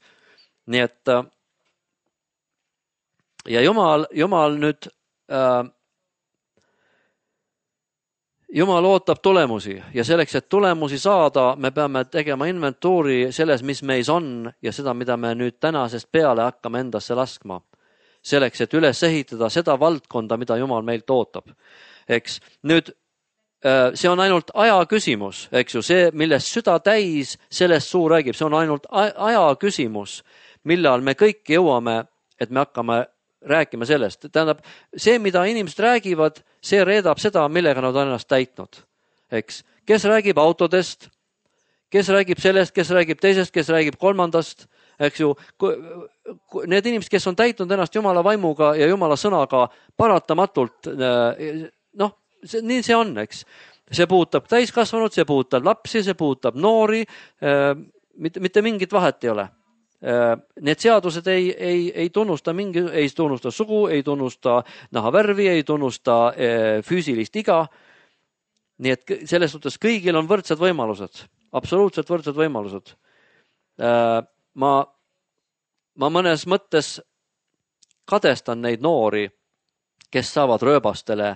Nii et ja Jumal, Jumal nüüd äh, Jumal ootab tulemusi ja selleks, et tulemusi saada, me peame tegema inventuuri selles, mis meis on ja seda, mida me nüüd tänasest peale hakkame endasse laskma. selleks, et üles ehitada seda valdkonda, mida Jumal meilt ootab. Eks nüüd see on ainult aja küsimus, eks ju, see, millest süda täis, sellest suu räägib, see on ainult aja küsimus, millal me kõik jõuame, et me hakkame rääkima sellest. Tähendab, see, mida inimesed räägivad, see reedab seda, millega nad on ennast täitnud. Eks, kes räägib autodest, kes räägib sellest, kes räägib teisest, kes räägib kolmandast, eks ju, need inimesed, kes on täitnud ennast Jumala vaimuga ja Jumala sõnaga paratamatult, noh, See, nii see on, eks. See puudutab täiskasvanud, see puudutab lapsi, see puudutab noori, äh, mitte, mitte mingit vahet ei ole. Äh, need seadused ei, ei, ei tunnusta mingi, ei tunnusta sugu, ei tunnusta nahavärvi, ei tunnusta äh, füüsilist iga. Nii et selles suhtes kõigil on võrdsed võimalused, absoluutselt võrdsed võimalused. Äh, ma, ma mõnes mõttes kadestan neid noori, kes saavad rööbastele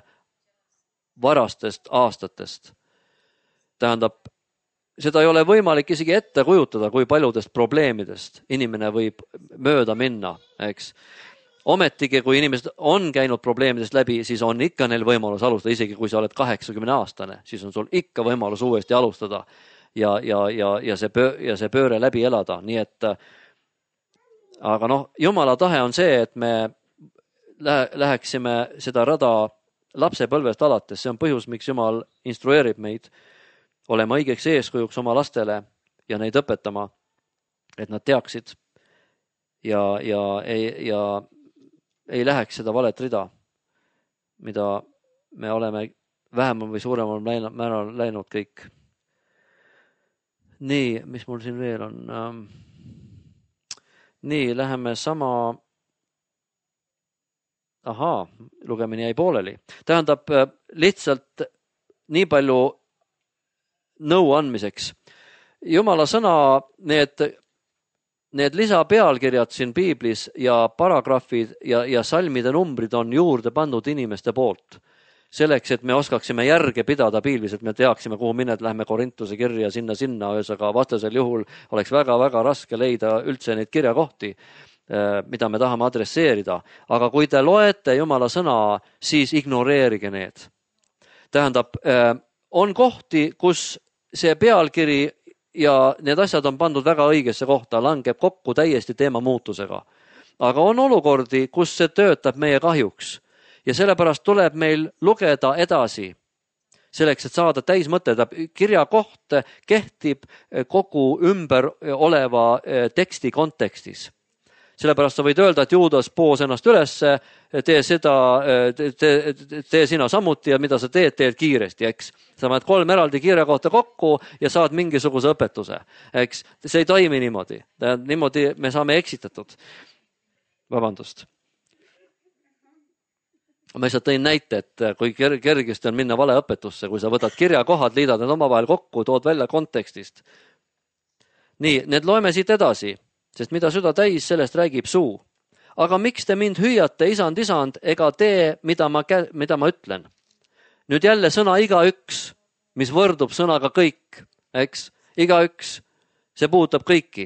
varastest aastatest. Tähendab, seda ei ole võimalik isegi ette kujutada, kui paljudest probleemidest inimene võib mööda minna, eks. Ometigi, kui inimesed on käinud probleemidest läbi, siis on ikka neil võimalus alustada, isegi kui sa oled kaheksakümne aastane, siis on sul ikka võimalus uuesti alustada ja, ja, ja, ja, see, pöö, ja see pööre läbi elada. Nii et, aga noh, Jumala tahe on see, et me läheksime seda rada lapsepõlvest alates, see on põhjus, miks Jumal instrueerib meid olema õigeks eeskujuks oma lastele ja neid õpetama, et nad teaksid ja, ja, ei, ja ei läheks seda valet rida, mida me oleme vähemal või suuremal määral läinud kõik. Nii, mis mul siin veel on? Nii, läheme sama... Ahaa, lugemine jäi pooleli. Tähendab, lihtsalt nii palju nõu andmiseks. Jumala sõna, need, need lisapealkirjad siin piiblis ja paragrahvid ja, ja salmide numbrid on juurde pandud inimeste poolt. Selleks, et me oskaksime järge pidada piiblis, et me teaksime, kuhu mined, lähme Korintuse kirja sinna-sinna, öösaga vastasel juhul oleks väga-väga raske leida üldse neid kirjakohti, mida me tahame adresseerida. Aga kui te loete Jumala sõna, siis ignoreerige need. Tähendab, on kohti, kus see pealkiri ja need asjad on pandud väga õigesse kohta, langeb kokku täiesti teema muutusega. Aga on olukordi, kus see töötab meie kahjuks ja sellepärast tuleb meil lugeda edasi. Selleks, et saada täis mõtted, kirja koht kehtib kogu ümber oleva teksti kontekstis. Sellepärast sa võid öelda, et Juudas poos ennast üles, tee seda, tee, tee sina samuti ja mida sa teed, teed kiiresti, eks. Sa paned kolm eraldi kirja kohta kokku ja saad mingisuguse õpetuse, eks. See ei toimi niimoodi. Niimoodi me saame eksitatud. Vabandust. Ma lihtsalt tõin näite, et kui kergesti on minna vale õpetusse, kui sa võtad kirjakohad, liidad need omavahel kokku, tood välja kontekstist. Nii, need loeme siit edasi. Sest mida süda täis, sellest räägib suu. Aga miks te mind hüüate, isand, isand, ega tee, mida ma, mida ma ütlen? Nüüd jälle sõna igaüks, mis võrdub sõnaga kõik, eks? Igaüks, see puudutab kõiki.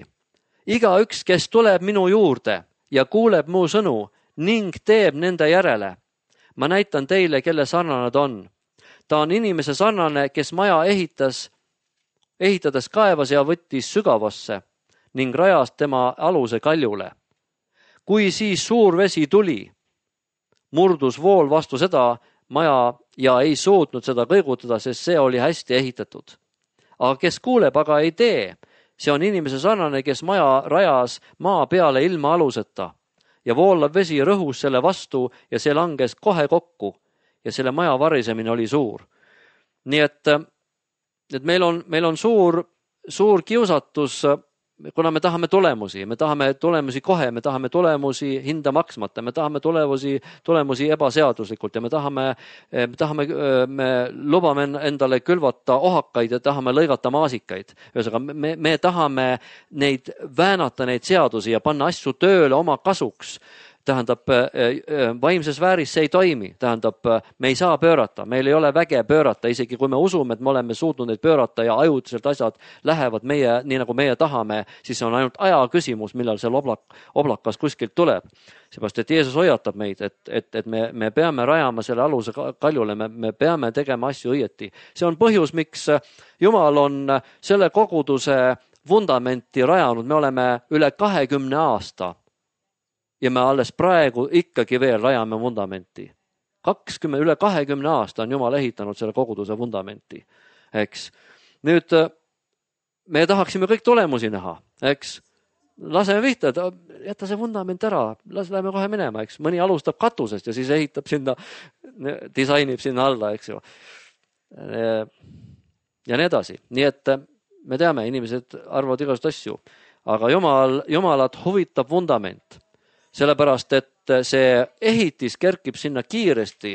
Igaüks, kes tuleb minu juurde ja kuuleb mu sõnu ning teeb nende järele. Ma näitan teile, kelle sarnane ta on. Ta on inimese sarnane, kes maja ehitas, ehitades kaevas ja võttis sügavasse ning rajas tema aluse kaljule. Kui siis suur vesi tuli, murdus vool vastu seda maja ja ei suutnud seda kõigutada, sest see oli hästi ehitatud. Aga kes kuuleb, aga ei tee, see on inimese sarnane, kes maja rajas maa peale ilma aluseta ja voolav vesi rõhus selle vastu ja see langes kohe kokku ja selle maja varisemine oli suur. Nii et, et meil on, meil on suur, suur kiusatus, kuna me tahame tulemusi, me tahame tulemusi kohe, me tahame tulemusi hinda maksmata, me tahame tulemusi, tulemusi ebaseaduslikult ja me tahame, me tahame, me lubame endale külvata ohakaid ja tahame lõigata maasikaid. Ühesõnaga, me, me tahame neid väänata neid seadusi ja panna asju tööle oma kasuks. tähendab, vaimses vääris see ei toimi, tähendab, me ei saa pöörata, meil ei ole väge pöörata, isegi kui me usume, et me oleme suutnud neid pöörata ja ajutiselt asjad lähevad meie, nii nagu meie tahame, siis on ainult aja küsimus, millal see oblak, oblakas kuskilt tuleb. Seepärast, et Jeesus hoiatab meid, et, et, et me, me peame rajama selle aluse kaljule, me, me peame tegema asju õieti. See on põhjus, miks Jumal on selle koguduse vundamenti rajanud, me oleme üle kahekümne aasta ja me alles praegu ikkagi veel rajame vundamenti. kakskümmend, üle kahekümne aasta on Jumal ehitanud selle koguduse vundamenti, eks. Nüüd me tahaksime kõik tulemusi näha, eks. Laseme vihta, et jätta see vundament ära, las läheme kohe minema, eks. Mõni alustab katusest ja siis ehitab sinna, disainib sinna alla, eks ju. Ja nii edasi. Nii et me teame, inimesed arvavad igast asju, aga Jumal, Jumalat huvitab vundament. Sellepärast, et see ehitis kerkib sinna kiiresti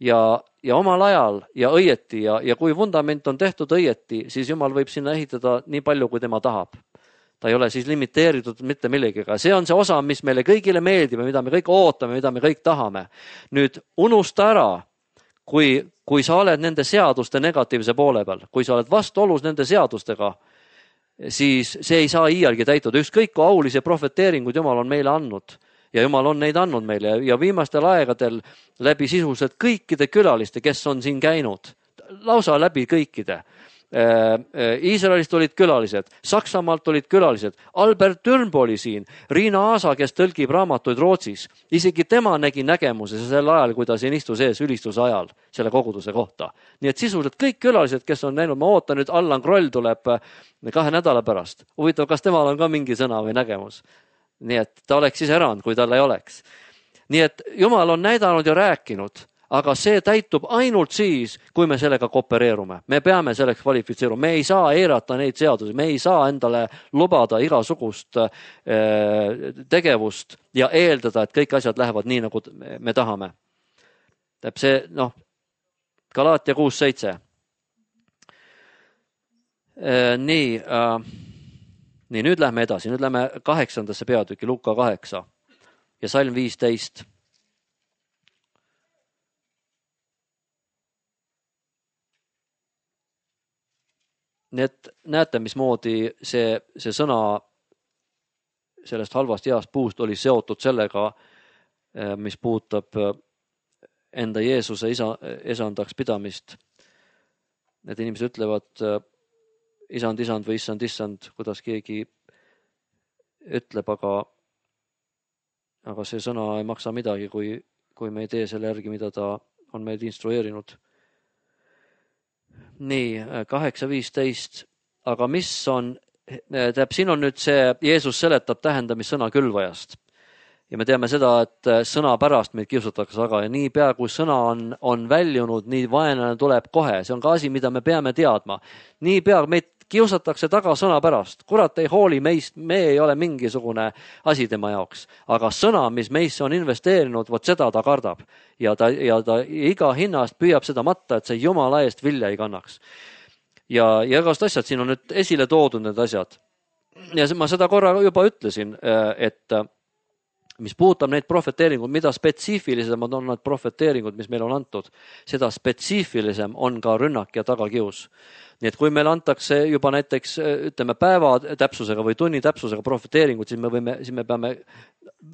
ja, ja omal ajal ja õieti ja, ja kui vundament on tehtud õieti, siis Jumal võib sinna ehitada nii palju, kui tema tahab. Ta ei ole siis limiteeritud mitte millegiga. See on see osa, mis meile kõigile meeldib ja mida me kõik ootame, mida me kõik tahame. Nüüd unusta ära, kui, kui sa oled nende seaduste negatiivse poole peal, kui sa oled vastuolus nende seadustega, siis see ei saa iialgi täituda. Ükskõik kui aulisi profeteeringuid Jumal on meile andnud ja Jumal on neid andnud meile ja viimastel aegadel läbi sisuliselt kõikide külaliste, kes on siin käinud, lausa läbi kõikide. Iisraelist olid külalised, Saksamaalt olid külalised, Albert Dürnbo oli siin, Riina Aasa, kes tõlgib raamatuid Rootsis, isegi tema nägi nägemuse sel ajal, kui ta siin istus ees ülistuse ajal selle koguduse kohta. Nii et sisuliselt kõik külalised, kes on näinud, ma ootan nüüd, Allan Kroll tuleb kahe nädala pärast. Huvitav, kas temal on ka mingi sõna või nägemus? Nii et ta oleks siis erand, kui tal ei oleks. Nii et Jumal on näidanud ja rääkinud, aga see täitub ainult siis, kui me sellega koopereerume. Me peame selleks kvalifitseeruma. Me ei saa eirata neid seadusi, me ei saa endale lubada igasugust tegevust ja eeldada, et kõik asjad lähevad nii, nagu me tahame. Tähendab see, noh, Galaatia kuus seitse. Nii, nii, nüüd lähme edasi. Nüüd lähme kaheksandasse peatüki, Luka kaheksa ja salm viisteist. Nii et näete, mismoodi see, see sõna sellest halvast heast puust oli seotud sellega, mis puudutab enda Jeesuse isa, esandaks pidamist. Need inimesed ütlevad isand, isand või issand, issand, kuidas keegi ütleb, aga, aga see sõna ei maksa midagi, kui, kui me ei tee selle järgi, mida ta on meid instrueerinud. Nii, kaheksa viisteist, aga mis on, tähendab, siin on nüüd see, Jeesus seletab tähendamissõna külvajast. Ja me teame seda, et sõna pärast meid kiusatakse taga ja nii pea, kui sõna on, on väljunud, nii vaenlane tuleb kohe. See on ka asi, mida me peame teadma. Nii pea meid kiusatakse taga sõna pärast. Kurat ei hooli meist, me ei ole mingisugune asi tema jaoks. Aga sõna, mis meisse on investeerinud, vot seda ta kardab. Ja ta, ja ta iga hinnast püüab seda matta, et see Jumala eest vilja ei kannaks. Ja, ja igast asjad, siin on nüüd esile toodud need asjad. Ja ma seda korra juba ütlesin, et mis puudutab neid profeteeringud, mida spetsiifilisem on need profeteeringud, mis meil on antud, seda spetsiifilisem on ka rünnak ja tagakius. Nii et kui meil antakse juba näiteks, ütleme, päeva täpsusega või tunni täpsusega profeteeringud, siis me, võime, siis me peame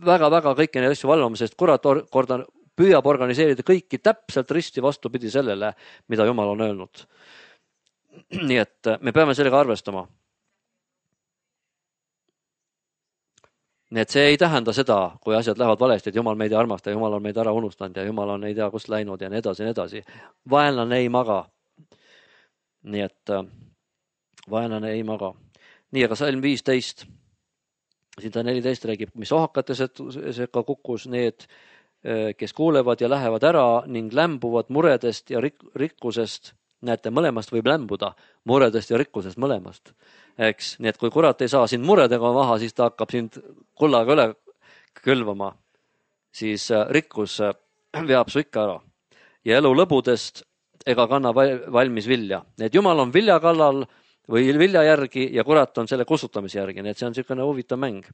väga-väga kõiki neid asju valvama, sest kurat korda püüab organiseerida kõiki täpselt risti vastupidi sellele, mida Jumal on öelnud. Nii et me peame sellega arvestama. Nii et see ei tähenda seda, kui asjad lähevad valesti, et Jumal meid ei armasta, Jumal on meid ära unustanud ja Jumal on ei tea, kust läinud ja nii edasi ja nii edasi. Vaenlane ei maga. Nii et vaenlane ei maga. Nii, aga salm viisteist, siin ta neliteist räägib, mis ohakate sekka kukkus need, kes kuulevad ja lähevad ära ning lämbuvad muredest ja rik- rikkusest. Näete, mõlemast võib lämbuda, muredest ja rikkusest mõlemast. Eks? Nii et kui kurat ei saa sind muredega maha, siis ta hakkab sind kullaga üle külvama. Siis rikkus veab su ikka ära. Ja elu lõbudest ega kanna valmis vilja. Nii et Jumal on vilja kallal või vilja järgi ja kurat on selle kustutamise järgi. Nii et see on niisugune huvitav mäng.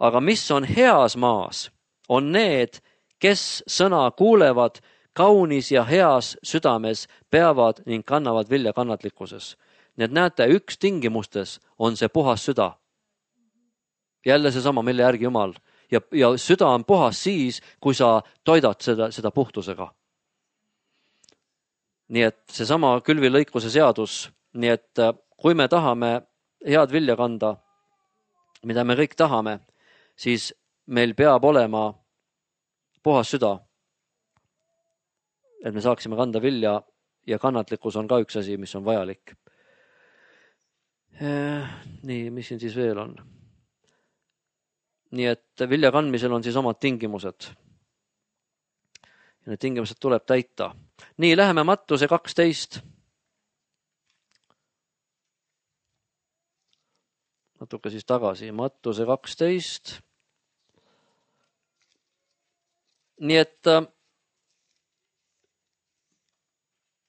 Aga mis on heas maas, on need, kes sõna kuulevad, kaunis ja heas südames peavad ning kannavad vilja kannatlikkuses. Nii et näete, üks tingimustes on see puhas süda. Jälle seesama, mille järgi Jumal. Ja, ja süda on puhas siis, kui sa toidad seda, seda puhtusega. Nii et seesama külvilõikuse seadus, nii et kui me tahame head vilja kanda, mida me kõik tahame, siis meil peab olema puhas süda, et me saaksime kanda vilja ja kannatlikkus on ka üks asi, mis on vajalik. Nii, mis siin siis veel on? Nii et vilja kandmisel on siis omad tingimused. Ja need tingimused tuleb täita. Nii, läheme Mattuse kaksteist. Natuke siis tagasi. Mattuse kaksteist. Nii et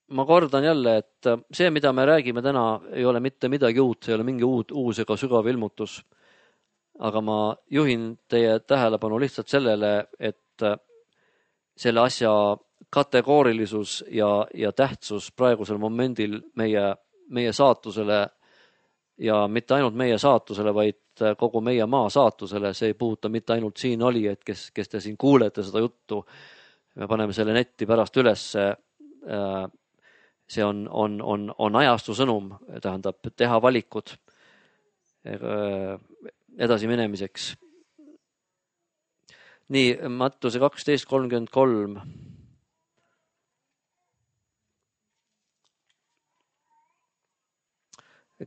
ma kordan jälle, et see, mida me räägime täna, ei ole mitte midagi uut, see ei ole mingi uut, uus ega sügav ilmutus. Aga ma juhin teie tähelepanu lihtsalt sellele, et selle asja kategoorilisus ja, ja tähtsus praegusel momendil meie, meie saatusele ja mitte ainult meie saatusele, vaid kogu meie maa saatusele. See ei puuduta mitte ainult siin oli, et kes, kes te siin kuulete seda juttu. Me paneme selle netti pärast ülesse. See on, on, on, on ajastu sõnum, tähendab teha valikud edasi minemiseks. Nii, Mattuse kaksteist kolmkümmend kolm.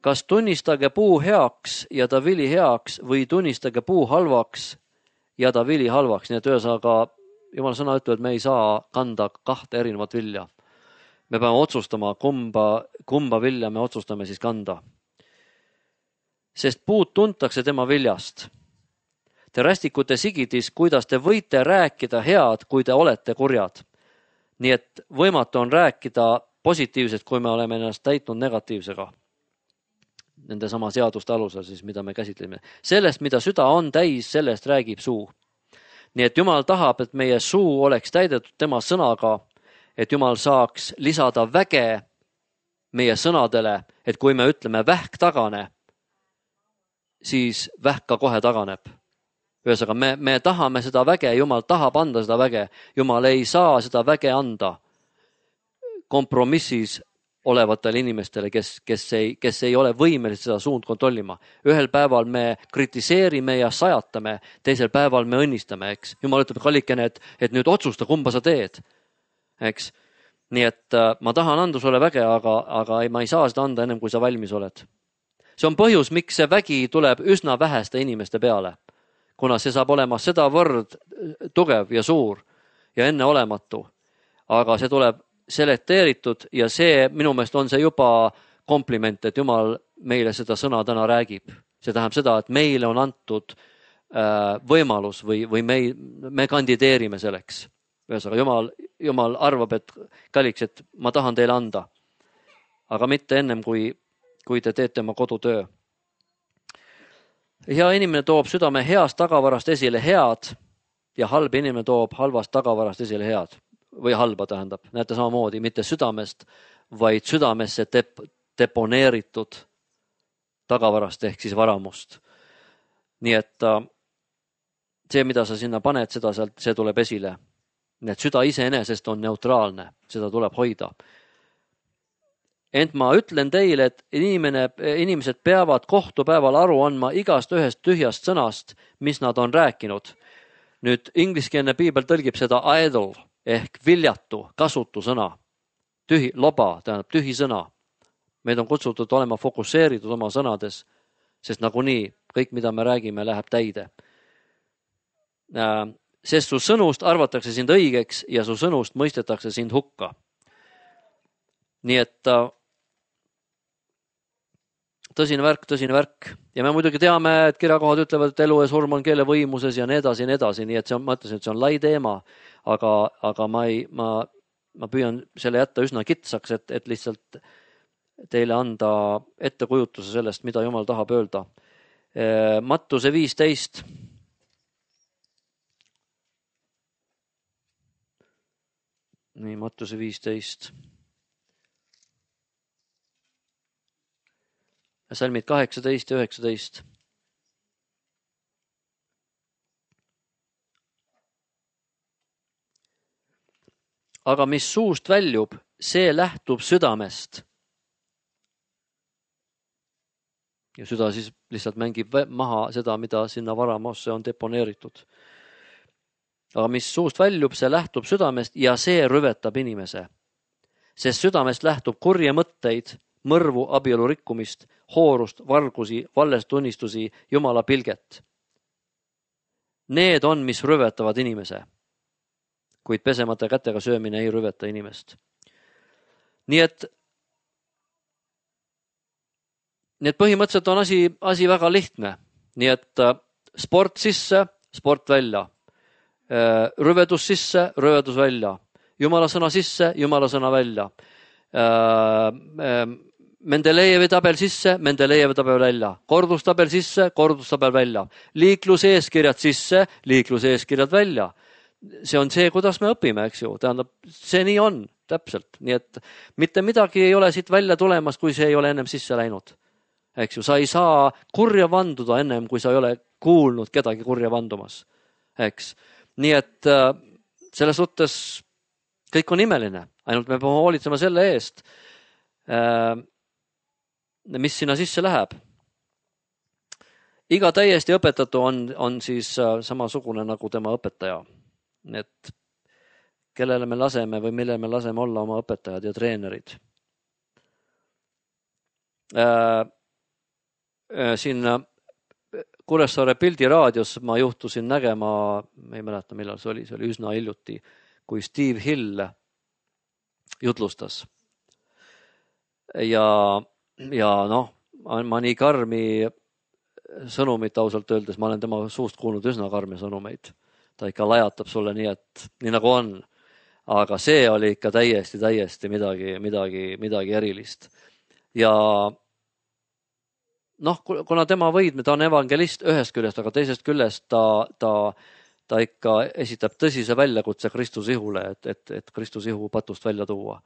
Kas tunnistage puu heaks ja ta vili heaks või tunnistage puu halvaks ja ta vili halvaks. Nii et ühesõnaga, Jumala sõna ütleb, et me ei saa kanda kahte erinevat vilja. Me peame otsustama, kumba, kumba vilja me otsustame siis kanda. Sest puud tuntakse tema viljast. Te rästikute sigidis, kuidas te võite rääkida head, kui te olete kurjad. Nii et võimatu on rääkida positiivselt, kui me oleme ennast täitnud negatiivsega. Nende sama seaduste alusel, siis, mida me käsitleme. Sellest, mida süda on täis, sellest räägib suu. Nii et Jumal tahab, et meie suu oleks täidetud tema sõnaga, et Jumal saaks lisada väge meie sõnadele, et kui me ütleme vähk tagane, siis vähk ka kohe taganeb. Ühesõnaga, me, me tahame seda väge, Jumal tahab anda seda väge. Jumal ei saa seda väge anda kompromissis olevatele inimestele, kes, kes, ei, kes ei ole võimelised seda suund kontrollima. Ühel päeval me kritiseerime ja sajatame, teisel päeval me õnnistame, eks. Jumal ütleb kallikene, et, et nüüd otsusta, kumba sa teed. Eks. Nii et äh, ma tahan anda sulle väge, aga, aga ei, ma ei saa seda anda ennem, kui sa valmis oled. See on põhjus, miks see vägi tuleb üsna väheste inimeste peale. Kuna see saab olema sedavõrd tugev ja suur ja enneolematu. Aga see tuleb selekteeritud ja see, minu meelest on see juba kompliment, et Jumal meile seda sõna täna räägib. See tähendab seda, et meile on antud äh, võimalus või, või me, me kandideerime selleks. Ühesõnaga, Jumal, Jumal arvab, et kalliks, et ma tahan teile anda. Aga mitte ennem, kui, kui te teete oma kodutöö. Hea inimene toob südame heast tagavarast esile head ja halb inimene toob halvast tagavarast esile head. Või halba tähendab. Näete samamoodi, mitte südamest, vaid südamesse dep- deponeeritud tagavarast ehk siis varamust. Nii et see, mida sa sinna paned, seda sealt, see tuleb esile. Nii et süda iseenesest on neutraalne, seda tuleb hoida. Ent ma ütlen teile, et inimene, inimesed peavad kohtupäeval aru andma igast ühest tühjast sõnast, mis nad on rääkinud. Nüüd ingliskeelne piibel tõlgib seda idle ehk viljatu, kasutu sõna. Tühi, loba, tähendab tühi sõna. Meid on kutsutud olema fokusseeritud oma sõnades, sest nagunii kõik, mida me räägime, läheb täide. Sest su sõnust arvatakse sind õigeks ja su sõnust mõistetakse sind hukka. Nii et tõsine värk, tõsine värk. Ja me muidugi teame, et kirjakohad ütlevad, et elu ja surm on keele võimuses ja nii edasi ja nii edasi. Nii et see on, ma ütlesin, et see on lai teema, aga, aga ma, ei, ma, ma püüan selle jätta üsna kitsaks, et, et lihtsalt teile anda ettekujutuse sellest, mida Jumal tahab öelda. Mattuse viisteist. nii, Mattiuse viisteist. Salmid kaheksateist ja üheksateist. Aga mis suust väljub, see lähtub südamest. Ja süda siis lihtsalt mängib maha seda, mida sinna varamosse on deponeeritud. Aga mis suust väljub, see lähtub südamest ja see rüvetab inimese. Sest südamest lähtub kurje mõtteid, mõrvu, abielu rikkumist, hoorust, vargusi, valestunnistusi, Jumala pilget. Need on, mis rüvetavad inimese. Kuid pesemata kätega söömine ei rüveta inimest. Nii et Need põhimõtteliselt on asi, asi väga lihtne. Nii et sport sisse, sport välja. Rüvedus sisse, rüvedus välja. Jumala sõna sisse, Jumala sõna välja. Mendelejevi tabel sisse, Mendelejevi tabel välja. Kordustabel sisse, kordustabel välja. Liikluseeskirjad sisse, liikluseeskirjad välja. See on see, kuidas me õpime, eks ju. Tähendab, see nii on, täpselt. Nii et mitte midagi ei ole siit välja tulemas, kui see ei ole ennem sisse läinud. Eks ju, sa ei saa kurja vanduda ennem, kui sa ei ole kuulnud kedagi kurja vandumas. Eks. Nii et selles suhtes kõik on imeline. Ainult me peame hoolitsema selle eest, mis sinna sisse läheb. Iga täiesti õpetatu on, on siis samasugune nagu tema õpetaja. Et kellele me laseme või mille me laseme olla oma õpetajad ja treenerid. Siin Kuressaare Pildiraadios ma juhtusin nägema, ma ei mäleta millal see oli, see oli üsna hiljuti, kui Steve Hill jutlustas. Ja, ja noh, ma nii karmi sõnumit ausalt öeldes, ma olen tema suust kuulnud üsna karmi sõnumeid. Ta ikka lajatab sulle nii, et nii nagu on. Aga see oli ikka täiesti, täiesti midagi, midagi, midagi erilist. Ja noh, kuna tema võidme, ta on evangelist ühest küljest, aga teisest küljest ta, ta, ta ikka esitab tõsise väljakutse Kristuse ihule, et, et, et Kristuse ihu patust välja tuua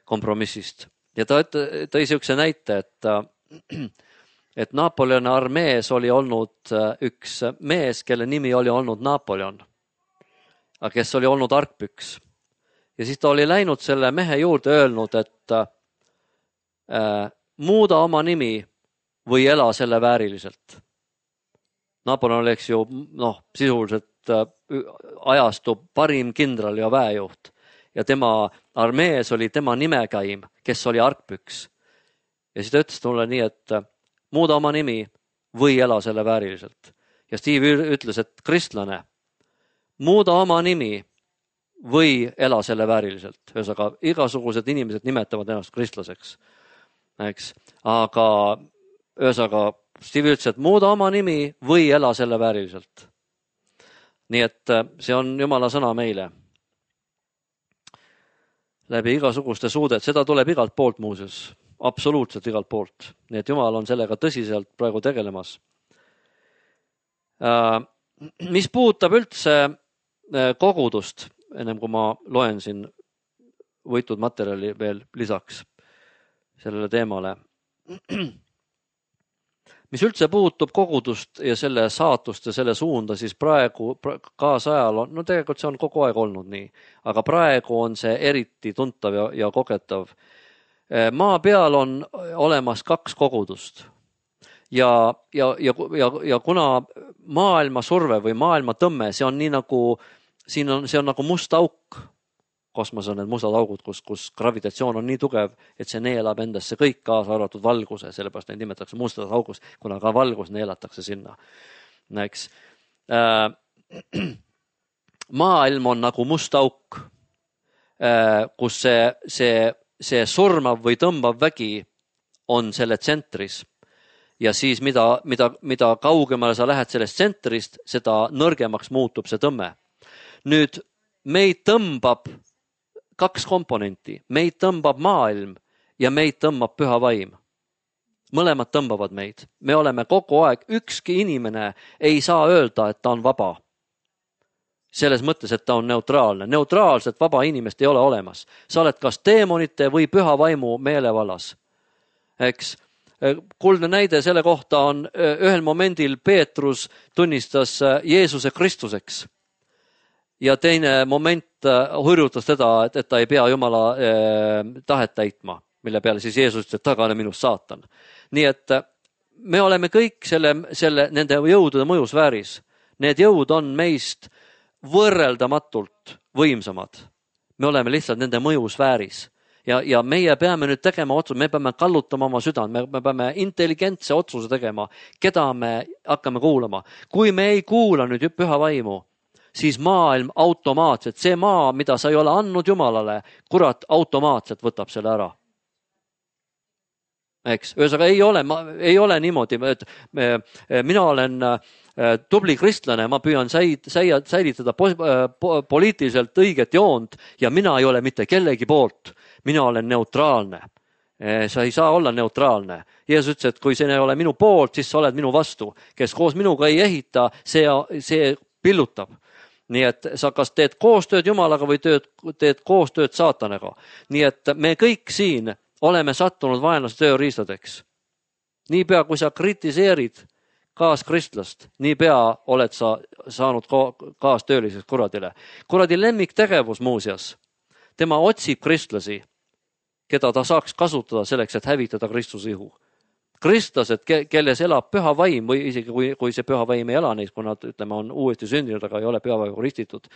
kompromissist. Ja ta tõi siukse näite, et, et Napoleoni armees oli olnud üks mees, kelle nimi oli olnud Napoleon, aga kes oli olnud argpüks. Ja siis ta oli läinud selle mehe juurde öelnud, et äh, muuda oma nimi või ela selle vääriliselt. Napoleon oleks ju noh, sisuliselt ajastu parim kindral ja väejuht. Ja tema armees oli tema nimekäim, kes oli argpüks. Ja siis ta ütles mulle nii, et muuda oma nimi või ela selle vääriliselt. Ja Steve ütles, et kristlane, muuda oma nimi või ela selle vääriliselt. Ühesõnaga, igasugused inimesed nimetavad ennast kristlaseks. Eks? Aga ühesõnaga, Steve ütles, et muuda oma nimi või ela selle vääriliselt. Nii et see on Jumala sõna meile. Läbi igasuguste suudet, seda tuleb igalt poolt muuseas, absoluutselt igalt poolt. Nii et Jumal on sellega tõsiselt praegu tegelemas. Mis puudutab üldse kogudust, ennem kui ma loen siin võitud materjali veel lisaks sellele teemale. Mis üldse puutub kogudust ja selle saatust ja selle suunda, siis praegu kaasajal on, no tegelikult see on kogu aeg olnud nii, aga praegu on see eriti tuntav ja, ja kogetav. Maa peal on olemas kaks kogudust ja, ja, ja, ja, ja kuna maailma surve või maailma tõmme, see on nii nagu, siin on, see on nagu must auk. Kosmos on need mustad augud, kus, kus gravitatsioon on nii tugev, et see neelab endasse kõik kaasa arvatud valguse, sellepärast neid nimetatakse mustad augus, kuna ka valgus neelatakse sinna. Näeks. Maailm on nagu must auk, kus see, see, see surmav või tõmbav vägi on selle tsentris. Ja siis mida, mida, mida kaugemale sa lähed sellest tsentrist, seda nõrgemaks muutub see tõmme. Nüüd meid tõmbab kaks komponenti. Meid tõmbab maailm ja meid tõmbab püha vaim. Mõlemad tõmbavad meid. Me oleme kogu aeg, ükski inimene ei saa öelda, et ta on vaba. selles mõttes, et ta on neutraalne. Neutraalset vaba inimest ei ole olemas. Sa oled kas teemonite või püha vaimu meelevallas. Eks? Kuldne näide selle kohta on ühel momendil Peetrus tunnistas Jeesuse Kristuseks. Ja teine moment hurjutas teda, et, et ta ei pea Jumala eh, tahet täitma, mille peale siis Jeesus ütles, et tagane minust saatan. Nii et me oleme kõik selle, selle, nende jõudude mõjusfääris. Need jõud on meist võrreldamatult võimsamad. Me oleme lihtsalt nende mõjusfääris. Ja, ja meie peame nüüd tegema otsus, me peame kallutama oma südant, me, me peame intelligentse otsuse tegema, keda me hakkame kuulama. Kui me ei kuula nüüd püha vaimu, siis maailm automaatselt, see maa, mida sa ei ole andnud Jumalale, kurat automaatselt võtab selle ära. Eks, ühesõnaga ei ole, ma, ei ole niimoodi, et me, mina olen tubli kristlane, ma püüan säid, säid, säilitada po, po, poliitiliselt õiget joont ja mina ei ole mitte kellegi poolt. Mina olen neutraalne. Sa ei saa olla neutraalne. Jeesus ütles, et kui see ei ole minu poolt, siis sa oled minu vastu. Kes koos minuga ei ehita, see, see pillutab. Nii et sa kas teed koostööd Jumalaga või teed, teed koostööd saatanaga. Nii et me kõik siin oleme sattunud vaenlase tööriistadeks. Niipea, kui sa kritiseerid kaaskristlast, niipea oled sa saanud kaastööliseks kuradile. Kuradi lemmiktegevus muuseas. Tema otsib kristlasi, keda ta saaks kasutada selleks, et hävitada Kristuse ihu. Kristlased, kelles elab püha vaim või isegi kui, kui see püha vaim ei ela neis, kui nad ütleme, on uuesti sündinud, aga ei ole püha vaimu ristitud.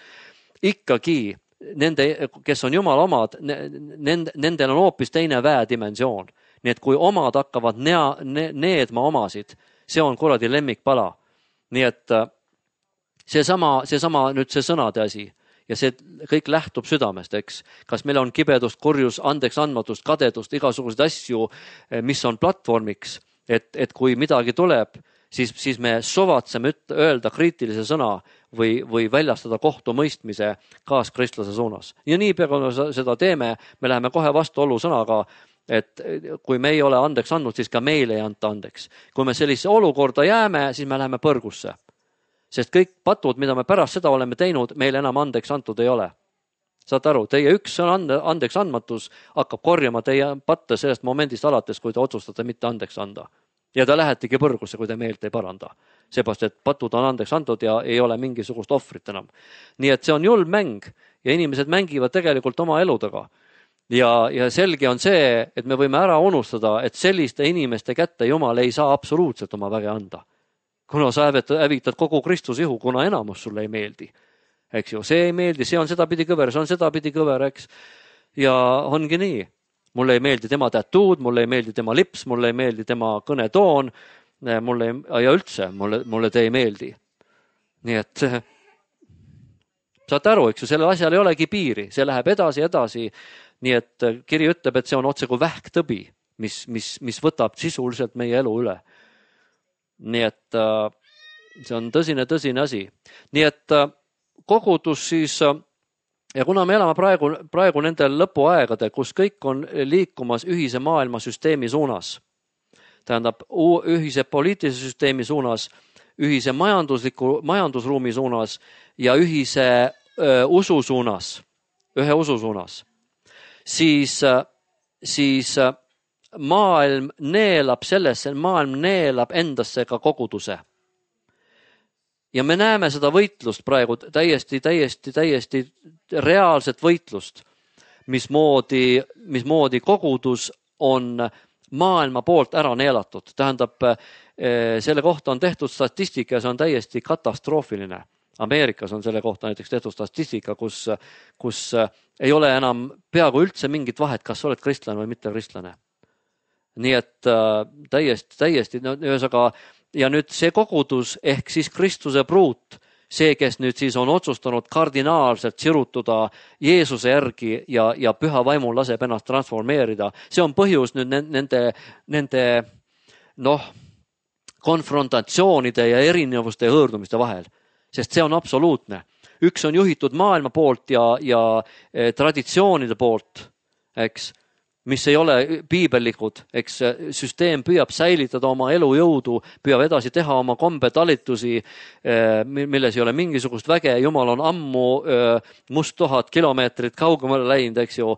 Ikkagi nende, kes on Jumala omad, nend, nendel on hoopis teine väedimensioon. Nii et kui omad hakkavad nea, ne, needma omasid, see on kuradi lemmikpala. Nii et see sama, see sama nüüd see sõnade asi. Ja see kõik lähtub südamest, eks. Kas meil on kibedust, kurjus, andeks andmatust, kadedust, igasuguseid asju, mis on platvormiks, et, et kui midagi tuleb, siis, siis me sovatseme öelda kriitilise sõna või, või väljastada kohtu mõistmise kaaskristlase suunas. Ja nii peale, kui seda teeme, me läheme kohe vastuolu sõnaga, et kui me ei ole andeks andnud, siis ka meile ei anta andeks. Kui me sellise olukorda jääme, siis me läheme põrgusse. Sest kõik patud, mida me pärast seda oleme teinud, meile enam andeks antud ei ole. Saad aru, teie üks ande, andeks andmatus hakkab korjama teie patte sellest momendist alates, kui te otsustate mitte andeks anda. Ja te lähetegi põrgusse, kui te meelt ei paranda. Seepärast, et patud on andeks antud ja ei ole mingisugust ohvrit enam. Nii et see on julm mäng ja inimesed mängivad tegelikult oma eludega. Ja, ja selge on see, et me võime ära unustada, et selliste inimeste kätte Jumal ei saa absoluutselt oma väge anda. Kuna sa hävitad kogu Kristuse ihu, kuna enamus sulle ei meeldi. Eks ju, see ei meeldi, see on seda pidi kõver, see on seda pidi kõver, eks. Ja ongi nii. Mulle ei meeldi tema tätuud, mulle ei meeldi tema lips, mulle ei meeldi tema kõnetoon, mulle ei, ja üldse mulle, mulle te ei meeldi. Nii et saate aru, eks ju, sellel asjal ei olegi piiri, see läheb edasi, edasi. Nii et kiri ütleb, et see on otse kui vähktõbi, mis, mis, mis võtab sisuliselt meie elu üle. Nii et äh, see on tõsine, tõsine asi. Nii et äh, kogudus siis, äh, ja kuna me elame praegu, praegu nendel lõpuaegade, kus kõik on liikumas ühise maailmasüsteemi suunas, tähendab ühise poliitilise süsteemi suunas, ühise majandusliku, majandusruumi suunas ja ühise öö, usu suunas, ühe usu suunas, siis, siis maailm neelab sellesse, maailm neelab endasse ka koguduse. Ja me näeme seda võitlust praegu täiesti, täiesti, täiesti reaalset võitlust, mismoodi, mismoodi kogudus on maailma poolt ära neelatud. Tähendab, selle kohta on tehtud statistika ja see on täiesti katastroofiline. Ameerikas on selle kohta näiteks tehtud statistika, kus, kus ei ole enam peaaegu üldse mingit vahet, kas oled kristlane või mitte kristlane. Nii et täiesti, täiesti, no, ühesõnaga, ja nüüd see kogudus ehk siis Kristuse pruut, see, kes nüüd siis on otsustanud kardinaalselt sirutuda Jeesuse järgi ja, ja püha vaimul laseb ennast transformeerida, see on põhjus nüüd nende, nende noh, konfrontatsioonide ja erinevuste ja hõõrdumiste vahel, sest see on absoluutne. Üks on juhitud maailma poolt ja, ja traditsioonide poolt, eks, mis ei ole piibellikud, eks süsteem püüab säilitada oma elujõudu, püüab edasi teha oma kombetalitusi, milles ei ole mingisugust väge. Jumal on ammu must tuhat kilomeetrit kaugemale läinud, eks ju,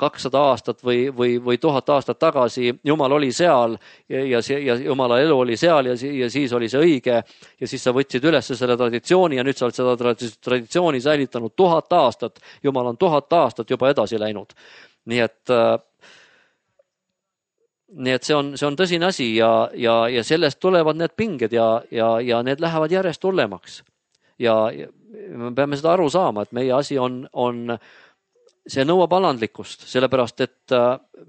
kakssada aastat või, või, või tuhat aastat tagasi. Jumal oli seal ja, ja Jumala elu oli seal ja, ja siis oli see õige ja siis sa võtsid üles selle traditsiooni ja nüüd sa oled seda traditsiooni säilitanud tuhat aastat. Jumal on tuhat aastat juba edasi läinud. Nii et, nii et see on, see on tõsine asi ja, ja, ja sellest tulevad need pinged ja, ja, ja need lähevad järjest hullemaks. Ja, ja me peame seda aru saama, et meie asi on, on see nõuab alandlikkust, sellepärast et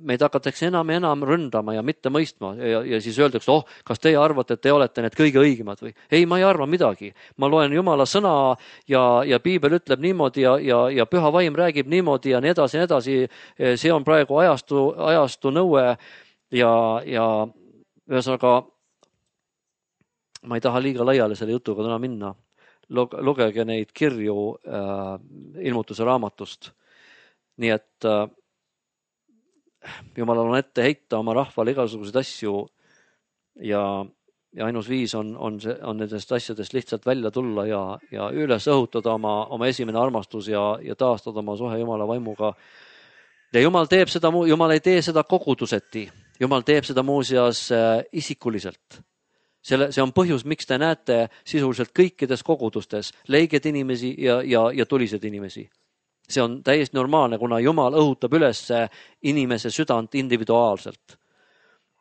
meid hakatakse enam ja enam ründama ja mitte mõistma ja, ja siis öeldakse, oh, kas teie arvate, et te olete need kõige õigemad või? Ei, ma ei arva midagi. Ma loen Jumala sõna ja, ja Piibel ütleb niimoodi ja, ja, ja Püha Vaim räägib niimoodi ja nii edasi, nii edasi. See on praegu ajastu, ajastu nõue ja, ja ühesõnaga ma ei taha liiga laiale selle jutuga täna minna. Lugege neid kirju äh, ilmutuse raamatust. Nii et äh, Jumalal on ette heita oma rahvale igasuguseid asju ja, ja ainus viis on, on, see, on nendest asjadest lihtsalt välja tulla ja, ja üles õhutada oma, oma esimene armastus ja, ja taastada oma suhe Jumala vaimuga. Ja Jumal teeb seda, Jumal ei tee seda koguduseti, Jumal teeb seda muuseas äh, isikuliselt. Selle, see on põhjus, miks te näete sisuliselt kõikides kogudustes leiged inimesi ja, ja, ja tulised inimesi. See on täiesti normaalne, kuna Jumal õhutab üles inimese südant individuaalselt.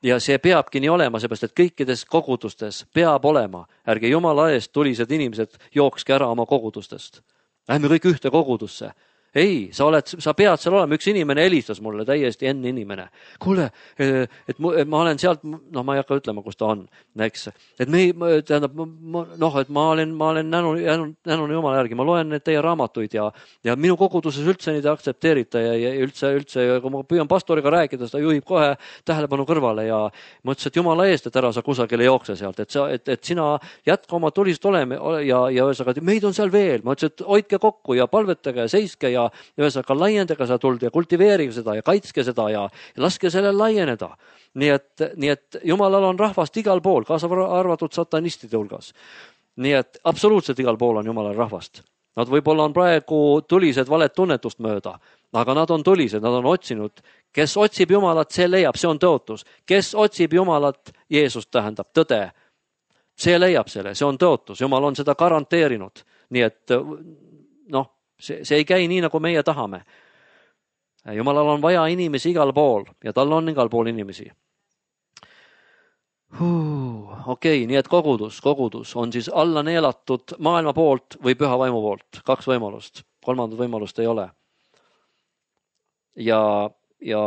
Ja see peabki nii olema, seepärast, et kõikides kogudustes peab olema. Ärge Jumala eest tulised inimesed jookske ära oma kogudustest. Lähme kõik ühte kogudusse. Ei, sa, oled, sa pead seal olema. Üks inimene helistas mulle, täiesti enne inimene. Kuule, et ma olen sealt, noh, ma ei hakka ütlema, kus ta on, eks. Et me, tähendab, noh, et ma olen, ma olen nänu, nänu Jumala järgi, ma loen need teie raamatuid ja, ja minu koguduses üldse neid aktsepteerita ja, ja üldse, üldse, kui ma püüan pastoriga rääkida, seda juhib kohe tähelepanu kõrvale ja ma ütlesin, et Jumala eest, et ära sa kusagile jookse sealt, et, sa, et, et sina jätka oma tulised oleme ja, ja ühesõnaga, et meid on seal veel. Ma ütlesin, et hoidke kokku ja palvetage ja seiske ja ja ühesõnaga laiendage seda tuld ja kultiveerige seda ja kaitske seda ja, ja laske sellel laieneda. Nii et, nii et Jumalal on rahvast igal pool, kaasa arvatud satanistide hulgas. Nii et absoluutselt igal pool on Jumalal rahvast. Nad võib-olla on praegu tulised valet tunnetust mööda, aga nad on tulised, nad on otsinud. Kes otsib Jumalat, see leiab, see on tõotus. Kes otsib Jumalat, Jeesus tähendab tõde. See leiab selle, see on tõotus. Jumal on seda garanteerinud. Nii et noh, See, see ei käi nii, nagu meie tahame. Jumalal on vaja inimesi igal pool ja tal on igal pool inimesi. Huh, okei, nii et kogudus, kogudus on siis alla neelatud maailma poolt või Püha Vaimu poolt. Kaks võimalust. Kolmandat võimalust ei ole. Ja, ja,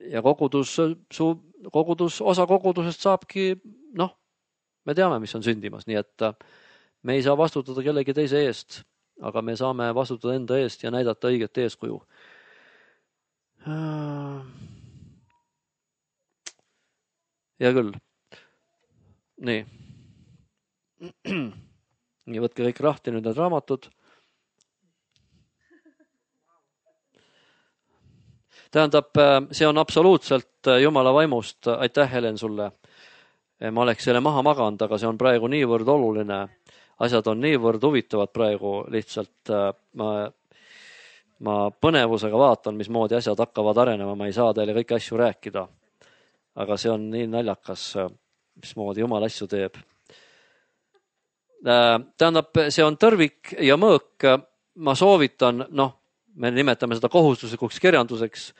ja kogudus, su, kogudus, osa kogudusest saabki, noh, me teame, mis on sündimas, nii et me ei saa vastutada kellegi teise eest. Aga me saame vastutada enda eest ja näidata õiget eeskuju. Hea küll. Nii. Nii, võtke kõik rahti nüüd need raamatud. Tähendab, see on absoluutselt Jumala vaimust. Aitäh, Helen, sulle. Ma oleks selle maha maganud, aga see on praegu niivõrd oluline. Asjad on niivõrd huvitavad praegu, lihtsalt ma, ma põnevusega vaatan, mismoodi asjad hakkavad arenema, ma ei saa teile kõiki asju rääkida. Aga see on nii naljakas, mismoodi Jumal asju teeb. Tähendab, see on tõrvik ja mõõk. Ma soovitan, noh, me nimetame seda kohustuslikuks kirjanduseks,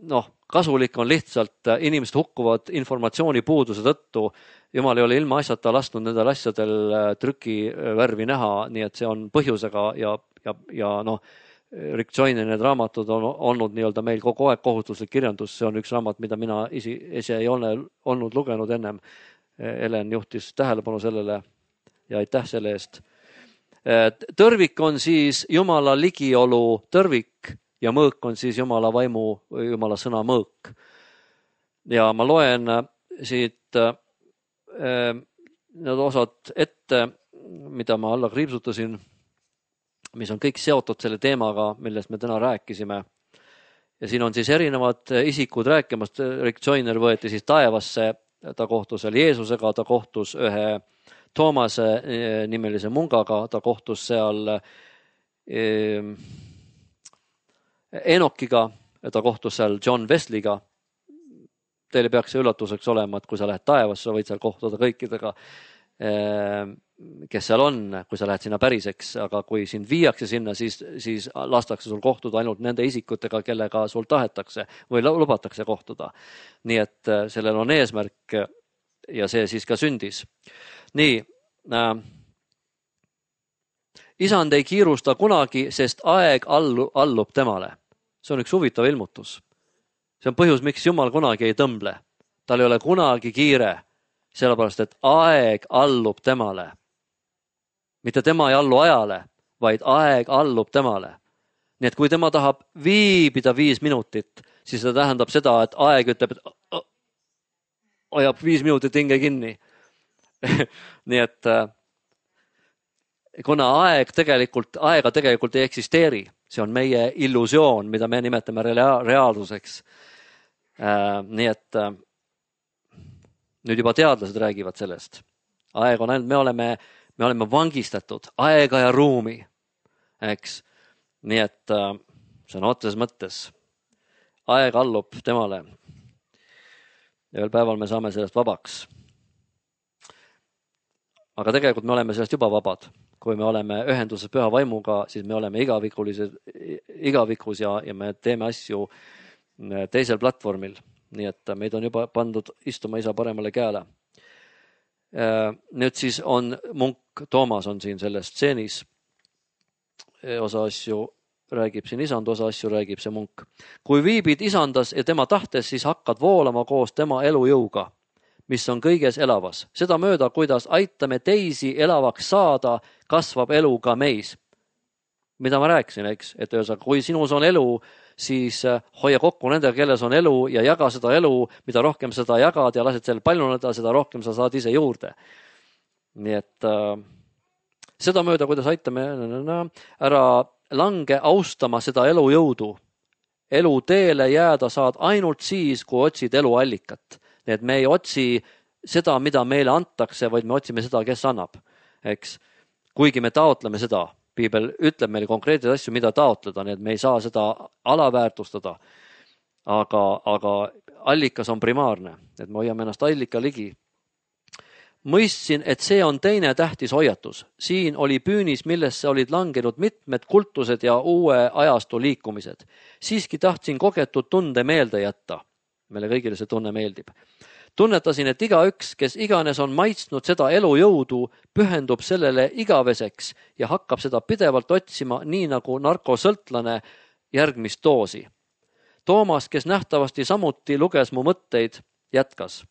noh, kasulik on lihtsalt, inimesed hukkuvad informatsiooni puuduse tõttu. Jumal ei ole ilma asjata lasknud nendel asjadel trükivärvi näha, nii et see on põhjusega ja, ja, ja noh, Rick Joyne'i need raamatud on olnud nii-öelda meil kogu aeg kohustuslik kirjandus. See on üks raamat, mida mina isi, ise ei ole olnud lugenud ennem. Helen juhtis tähelepanu sellele ja aitäh selle eest. Tõrvik on siis Jumala ligiolu tõrvik ja mõõk on siis Jumala vaimu, Jumala sõna mõõk. Ja ma loen siit need osad ette, mida ma alla kriipsutasin, mis on kõik seotud selle teemaga, millest me täna rääkisime. ja siin on siis erinevad isikud rääkimast. Rick Joyner võeti siis taevasse, ta kohtus seal Jeesusega, ta kohtus ühe Toomase nimelise mungaga, ta kohtus seal Enokiga, ta kohtus seal John Wesleyga. Teile peaks see üllatuseks olema, et kui sa lähed taevasse, võid seal kohtuda kõikidega, kes seal on, kui sa lähed sinna päriseks, aga kui sind viiakse sinna, siis, siis lastakse sul kohtuda ainult nende isikutega, kellega sul tahetakse või lubatakse kohtuda. Nii et sellel on eesmärk ja see siis ka sündis. Nii, äh, isand ei kiirusta kunagi, sest aeg allu, allub temale. See on üks huvitav ilmutus. See on põhjus, miks Jumal kunagi ei tõmble. Tal ei ole kunagi kiire, sellepärast et aeg allub temale. Mitte tema ei allu ajale, vaid aeg allub temale. Nii et kui tema tahab viibida viis minutit, siis see tähendab seda, et aeg ütleb, et ajab viis minutit hinge kinni. Nii et kuna aeg tegelikult, aega tegelikult ei eksisteeri, see on meie illusioon, mida me nimetame rea- reaalsuseks. Nii et nüüd juba teadlased räägivad sellest. Aeg on ainult, me oleme, me oleme vangistatud aega ja ruumi, eks. Nii et see on otses mõttes. Aeg allub temale. Ja veel päeval me saame sellest vabaks. Aga tegelikult me oleme sellest juba vabad. Kui me oleme ühenduses püha vaimuga, siis me oleme igavikulised, igavikus ja, ja me teeme asju teisel platvormil. Nii et meid on juba pandud istuma isa paremale käele. Nüüd siis on munk Toomas on siin selles stseenis. Osa asju räägib siin isand, osa asju räägib see munk. Kui viibid isandas ja tema tahtes, siis hakkad voolama koos tema elujõuga, mis on kõiges elavas. Seda mööda, kuidas aitame teisi elavaks saada, kasvab elu ka meis. Mida ma rääkisin, eks? Et ühesõnaga, kui sinus on elu, siis hoia kokku nendega, kelles on elu ja jaga seda elu, mida rohkem seda jagad ja lased selle paljuneda, seda rohkem sa saad ise juurde. Nii et äh, seda mööda, kuidas aitame, ära lange austama seda elujõudu. Elu teele jääda saad ainult siis, kui otsid eluallikat. Nii et me ei otsi seda, mida meile antakse, vaid me otsime seda, kes annab. Eks? Kuigi me taotleme seda, Piibel ütleb meile konkreetseid asju, mida taotleda, nii et me ei saa seda alaväärtustada. Aga, aga allikas on primaarne, et me hoiame ennast allika ligi. Mõistsin, et see on teine tähtis hoiatus. Siin oli püünis, millesse olid langenud mitmed kultused ja uue ajastu liikumised. Siiski tahtsin kogetud tunde meelde jätta. Meile kõigile see tunne meeldib. Tunnetasin, et igaüks, kes iganes on maitsnud seda elujõudu, pühendub sellele igaveseks ja hakkab seda pidevalt otsima, nii nagu narkosõltlane järgmist doosi. Toomas, kes nähtavasti samuti luges mu mõtteid, jätkas.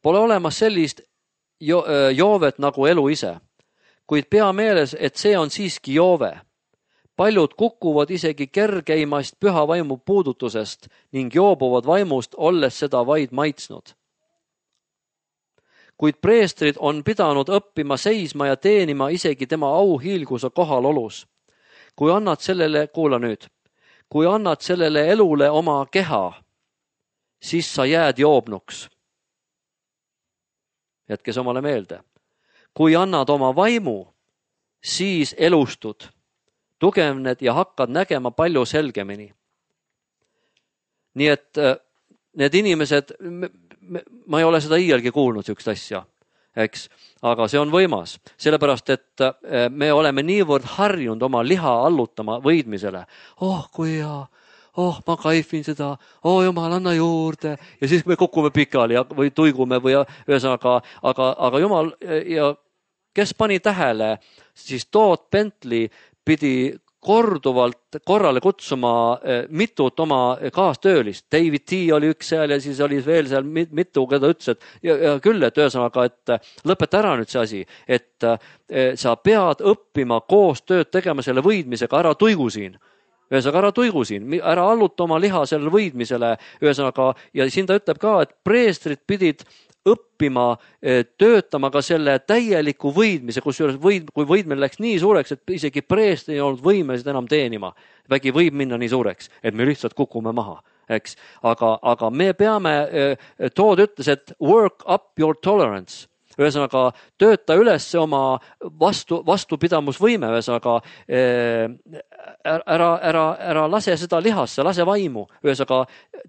Pole olemas sellist jo- joovet nagu elu ise, kuid pea meeles, et see on siiski joove. Paljud kukuvad isegi kergeimast püha vaimu puudutusest ning joobuvad vaimust, olles seda vaid maitsnud. Kuid preestrid on pidanud õppima seisma ja teenima isegi tema auhiilguse kohalolus. Kui annad sellele, kuula nüüd, kui annad sellele elule oma keha, siis sa jääd joobnuks. Jätkes omale meelde. Kui annad oma vaimu, siis elustud. Tugevned ja hakkad nägema palju selgemini. Nii et need inimesed, ma ei ole seda iialgi kuulnud sükst asja, eks, aga see on võimas, sellepärast, et me oleme niivõrd harjunud oma liha allutama võidmisele. Oh, kui hea, oh, ma kaifin seda, oh, Jumal, anna juurde, ja siis me kukume pikali või tuigume või ühesõnaga, aga, aga Jumal, ja kes pani tähele, siis Todd Bentley pidi korduvalt korrale kutsuma mitut oma kaastöölist. David T oli üks seal ja siis oli veel seal mitu, keda ütles, et ja, ja küll, et ühesõnaga, et lõpeta ära nüüd see asi, et sa pead õppima koos tööd tegema selle võidmisega, ära tuigu siin. Ühesõnaga, ära tuigu siin, ära alluta oma liha sellele võidmisele. Ühesõnaga, ja siin ta ütleb ka, et preestrid pidid õppima, töötama ka selle täieliku võidmise, kusjuures võid, kui võidmine läks nii suureks, et isegi preestrid ei olnud võimelised enam teenima. Vägi võib minna nii suureks, et me lihtsalt kukume maha, eks. Aga, aga me peame, Tood ütles, et work up your tolerance. Ühesõnaga, tööta üles oma vastu, vastupidamusvõime, ühesõnaga ära, ära, ära lase seda lihasse, lase vaimu. Ühesõnaga,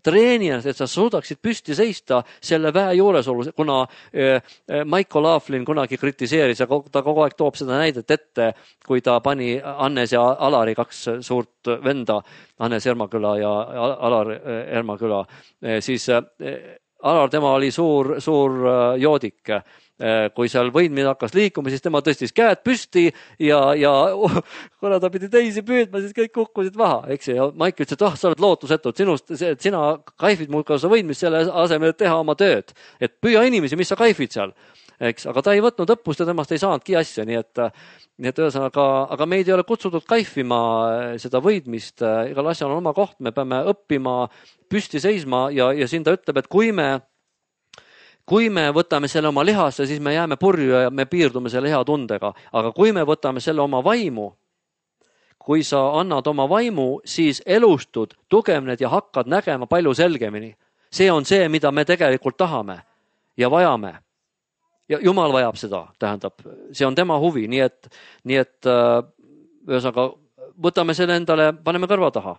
treeni ennast, et sa suudaksid püsti seista selle väe juuresolus, kuna Michael Laughlin kunagi kritiseeris ja ta kogu aeg toob seda näidet ette, kui ta pani Hannes ja Alari kaks suurt venda, Hannes Ermaküla ja Alar Ermaküla, siis Alar, tema oli suur, suur joodik. Kui seal võidmine hakkas liikuma, siis tema tõstis käed püsti ja, ja oh, kuna ta pidi teisi püüdma, siis kõik kukkusid maha, eks. Ja Mike ütles, et oh, sa oled lootusetu, et sinust, et sina kaifid muidugi sa võidmist selle asemel, et teha oma tööd. Et püüa inimesi, mis sa kaifid seal, eks. Aga ta ei võtnud õppust ja temast ei saanudki asja, nii et, nii et ühesõnaga, aga meid ei ole kutsutud kaifima seda võidmist. Igal asjal on oma koht, me peame õppima püsti seisma ja, ja siin ta ütleb, et kui me Kui me võtame selle oma lihasse, siis me jääme purju ja me piirdume selle hea tundega. Aga kui me võtame selle oma vaimu, kui sa annad oma vaimu, siis elustud, tugevned ja hakkad nägema palju selgemini. See on see, mida me tegelikult tahame ja vajame. Ja Jumal vajab seda, tähendab, see on tema huvi. Nii et, nii et ühesõnaga, võtame selle endale, paneme kõrva taha.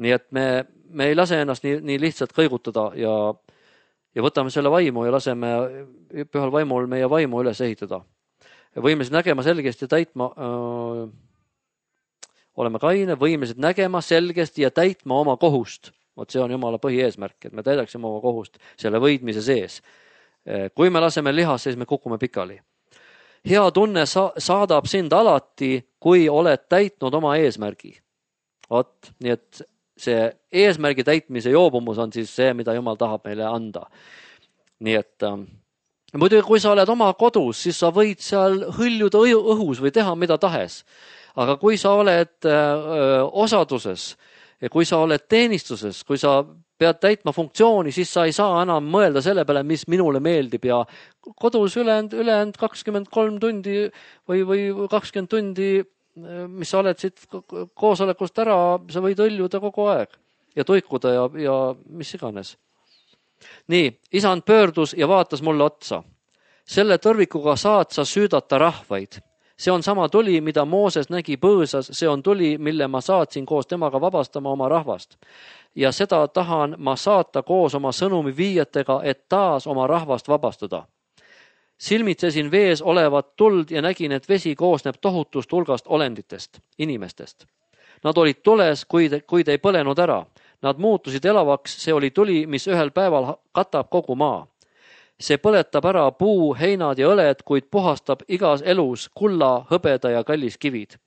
Nii et me, me ei lase ennast nii, nii lihtsalt kõigutada ja ja võtame selle vaimu ja laseme pühal vaimul meie vaimu üles ehitada. Võimelised nägema selgesti ja täitma, öö, oleme kaine, võimelised nägema selgesti ja täitma oma kohust. Vot see on Jumala põhieesmärk, et me täidaksime oma kohust selle võidmise sees. Kui me laseme lihas, siis me kukume pikali. Hea tunne sa- saadab sind alati, kui oled täitnud oma eesmärgi. Vot, nii et see eesmärgi täitmise joobumus on siis see, mida Jumal tahab meile anda. Nii et äh, muidugi, kui sa oled oma kodus, siis sa võid seal hõljuda õhus või teha mida tahes. Aga kui sa oled äh, osaduses ja kui sa oled teenistuses, kui sa pead täitma funktsiooni, siis sa ei saa enam mõelda selle peale, mis minule meeldib ja kodus ülejäänud, ülejäänud kakskümmend kolm tundi või, või kakskümmend tundi mis sa oled siit koosolekust ära, sa võid õljuda kogu aeg ja tuikuda ja, ja mis iganes. Nii, isand pöördus ja vaatas mulle otsa. Selle tõrvikuga saad sa süüdata rahvaid. See on sama tuli, mida Mooses nägi põõsas, see on tuli, mille ma saatsin koos temaga vabastama oma rahvast. Ja seda tahan ma saata koos oma sõnumi viijatega, et taas oma rahvast vabastada. Silmitsesin vees olevat tuld ja nägin, et vesi koosneb tohutust hulgast olenditest, inimestest. Nad olid tules, kuid, kuid ei põlenud ära. Nad muutusid elavaks, see oli tuli, mis ühel päeval katab kogu maa. See põletab ära puu, heinad ja õled, kuid puhastab igas elus kulla, hõbeda ja kallis kivid.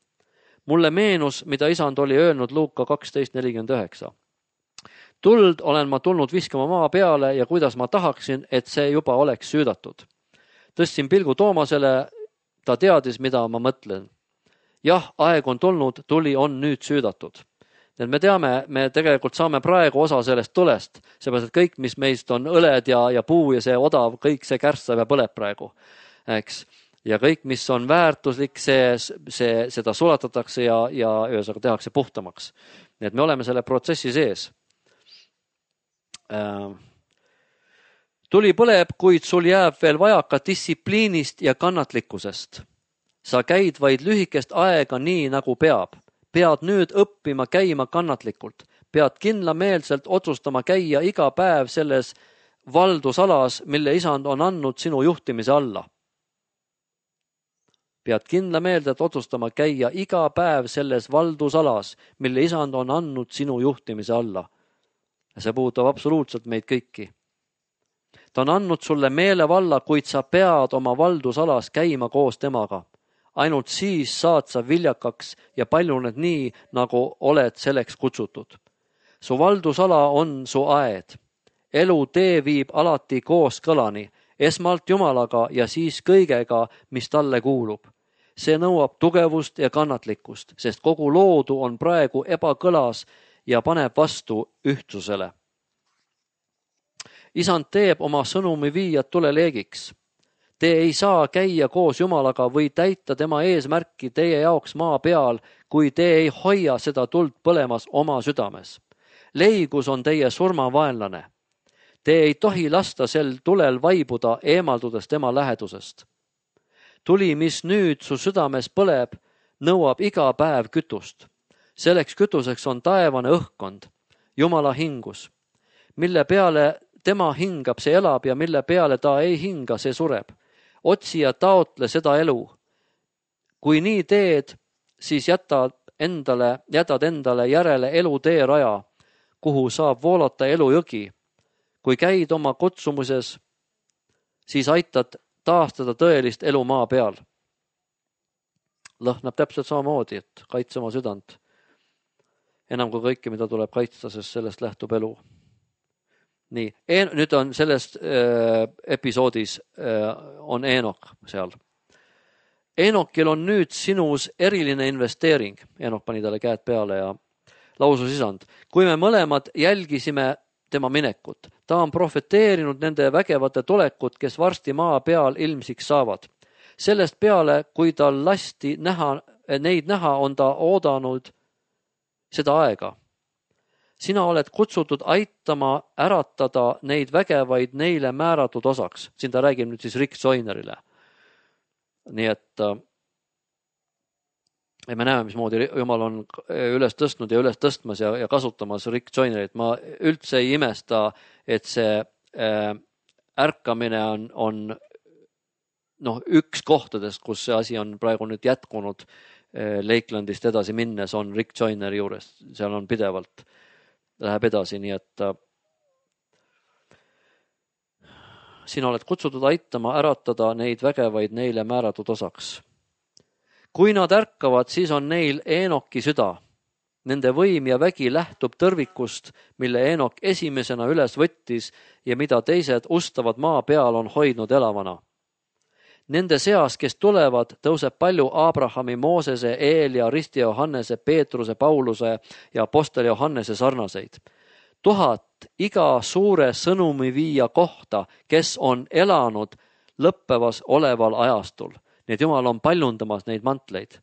Mulle meenus, mida isand oli öelnud Luuka kaksteist nelikümmend üheksa. Tuld olen ma tulnud viskama maa peale ja kuidas ma tahaksin, et see juba oleks süüdatud. Tõstsin pilgu Toomasele, ta teadis, mida ma mõtlen. Jah, aeg on tulnud, tuli on nüüd süüdatud. Et me teame, me tegelikult saame praegu osa sellest tulest, seepärast, et kõik, mis meist on õled ja, ja puu ja see odav, kõik see kärstab ja põleb praegu. Eks? Ja kõik, mis on väärtuslik, see, see, seda sulatatakse ja, ja ühesõnaga tehakse puhtamaks. Nii et me oleme selle protsessi sees. Äh, Tuli põleb, kuid sul jääb veel vajaka distsipliinist ja kannatlikkusest. Sa käid vaid lühikest aega nii, nagu peab. Pead nüüd õppima käima kannatlikult. Pead kindlameelselt otsustama käia iga päev selles valdusalas, mille isand on andnud sinu juhtimise alla. Pead kindlameelselt otsustama käia iga päev selles valdusalas, mille isand on andnud sinu juhtimise alla. Ja see puudutab absoluutselt meid kõiki. Ta on andnud sulle meelevalla, kuid sa pead oma valdusalas käima koos temaga. Ainult siis saad sa viljakaks ja paljuned nii, nagu oled selleks kutsutud. Su valdusala on su aed. Elu tee viib alati koos kõlani, esmalt Jumalaga ja siis kõigega, mis talle kuulub. See nõuab tugevust ja kannatlikkust, sest kogu loodu on praegu ebakõlas ja paneb vastu ühtsusele. Isand teeb oma sõnumi viijad tuleleegiks. Te ei saa käia koos Jumalaga või täita tema eesmärki teie jaoks maa peal, kui te ei hoia seda tuld põlemas oma südames. Leigus on teie surmavaenlane. Te ei tohi lasta sel tulel vaibuda, eemaldudes tema lähedusest. Tuli, mis nüüd su südames põleb, nõuab iga päev kütust. Selleks kütuseks on taevane õhkkond, Jumala hingus, mille peale tema hingab, see elab ja mille peale ta ei hinga, see sureb. Otsi ja taotle seda elu. Kui nii teed, siis jätad endale, jätad endale järele elu teeraja, kuhu saab voolata elujõgi. Kui käid oma kutsumuses, siis aitad taastada tõelist elu maa peal. Lõhnab täpselt samamoodi, et kaitse oma südant. Enam kui kõike, mida tuleb kaitsta, sest sellest lähtub elu. Nii, nüüd on sellest äh, episoodis äh, on Eenok seal. Eenokil on nüüd sinus eriline investeering. Eenok pani talle käed peale ja lausus isand. Kui me mõlemad jälgisime tema minekut, ta on profeteerinud nende vägevate tulekut, kes varsti maa peal ilmsiks saavad. Sellest peale, kui tal lasti näha, neid näha, on ta oodanud seda aega. Sina oled kutsutud aitama äratada neid vägevaid neile määratud osaks. Siin ta räägib nüüd siis Rick Joynerile. Nii et ja me näeme, mismoodi Jumal on üles tõstnud ja üles tõstmas ja, ja kasutamas Rick Joynerit. Ma üldse ei imesta, et see äh, ärkamine on, on noh, üks kohtadest, kus see asi on praegu nüüd jätkunud äh, Lakelandist edasi minnes, on Rick Joyneri juures. Seal on pidevalt, läheb edasi, nii et äh, sina oled kutsutud aitama äratada neid vägevaid neile määratud osaks. Kui nad ärkavad, siis on neil Eenoki süda. Nende võim ja vägi lähtub tõrvikust, mille Eenok esimesena üles võttis ja mida teised ustavad maa peal on hoidnud elavana. Nende seas, kes tulevad, tõuseb palju Abrahami, Moosese, Eelia, Risti Johannese, Peetruse, Pauluse ja apostel Johannese sarnaseid. Tuhat iga suure sõnumi viia kohta, kes on elanud lõppevas oleval ajastul. Nii et Jumal on paljundamas neid mantleid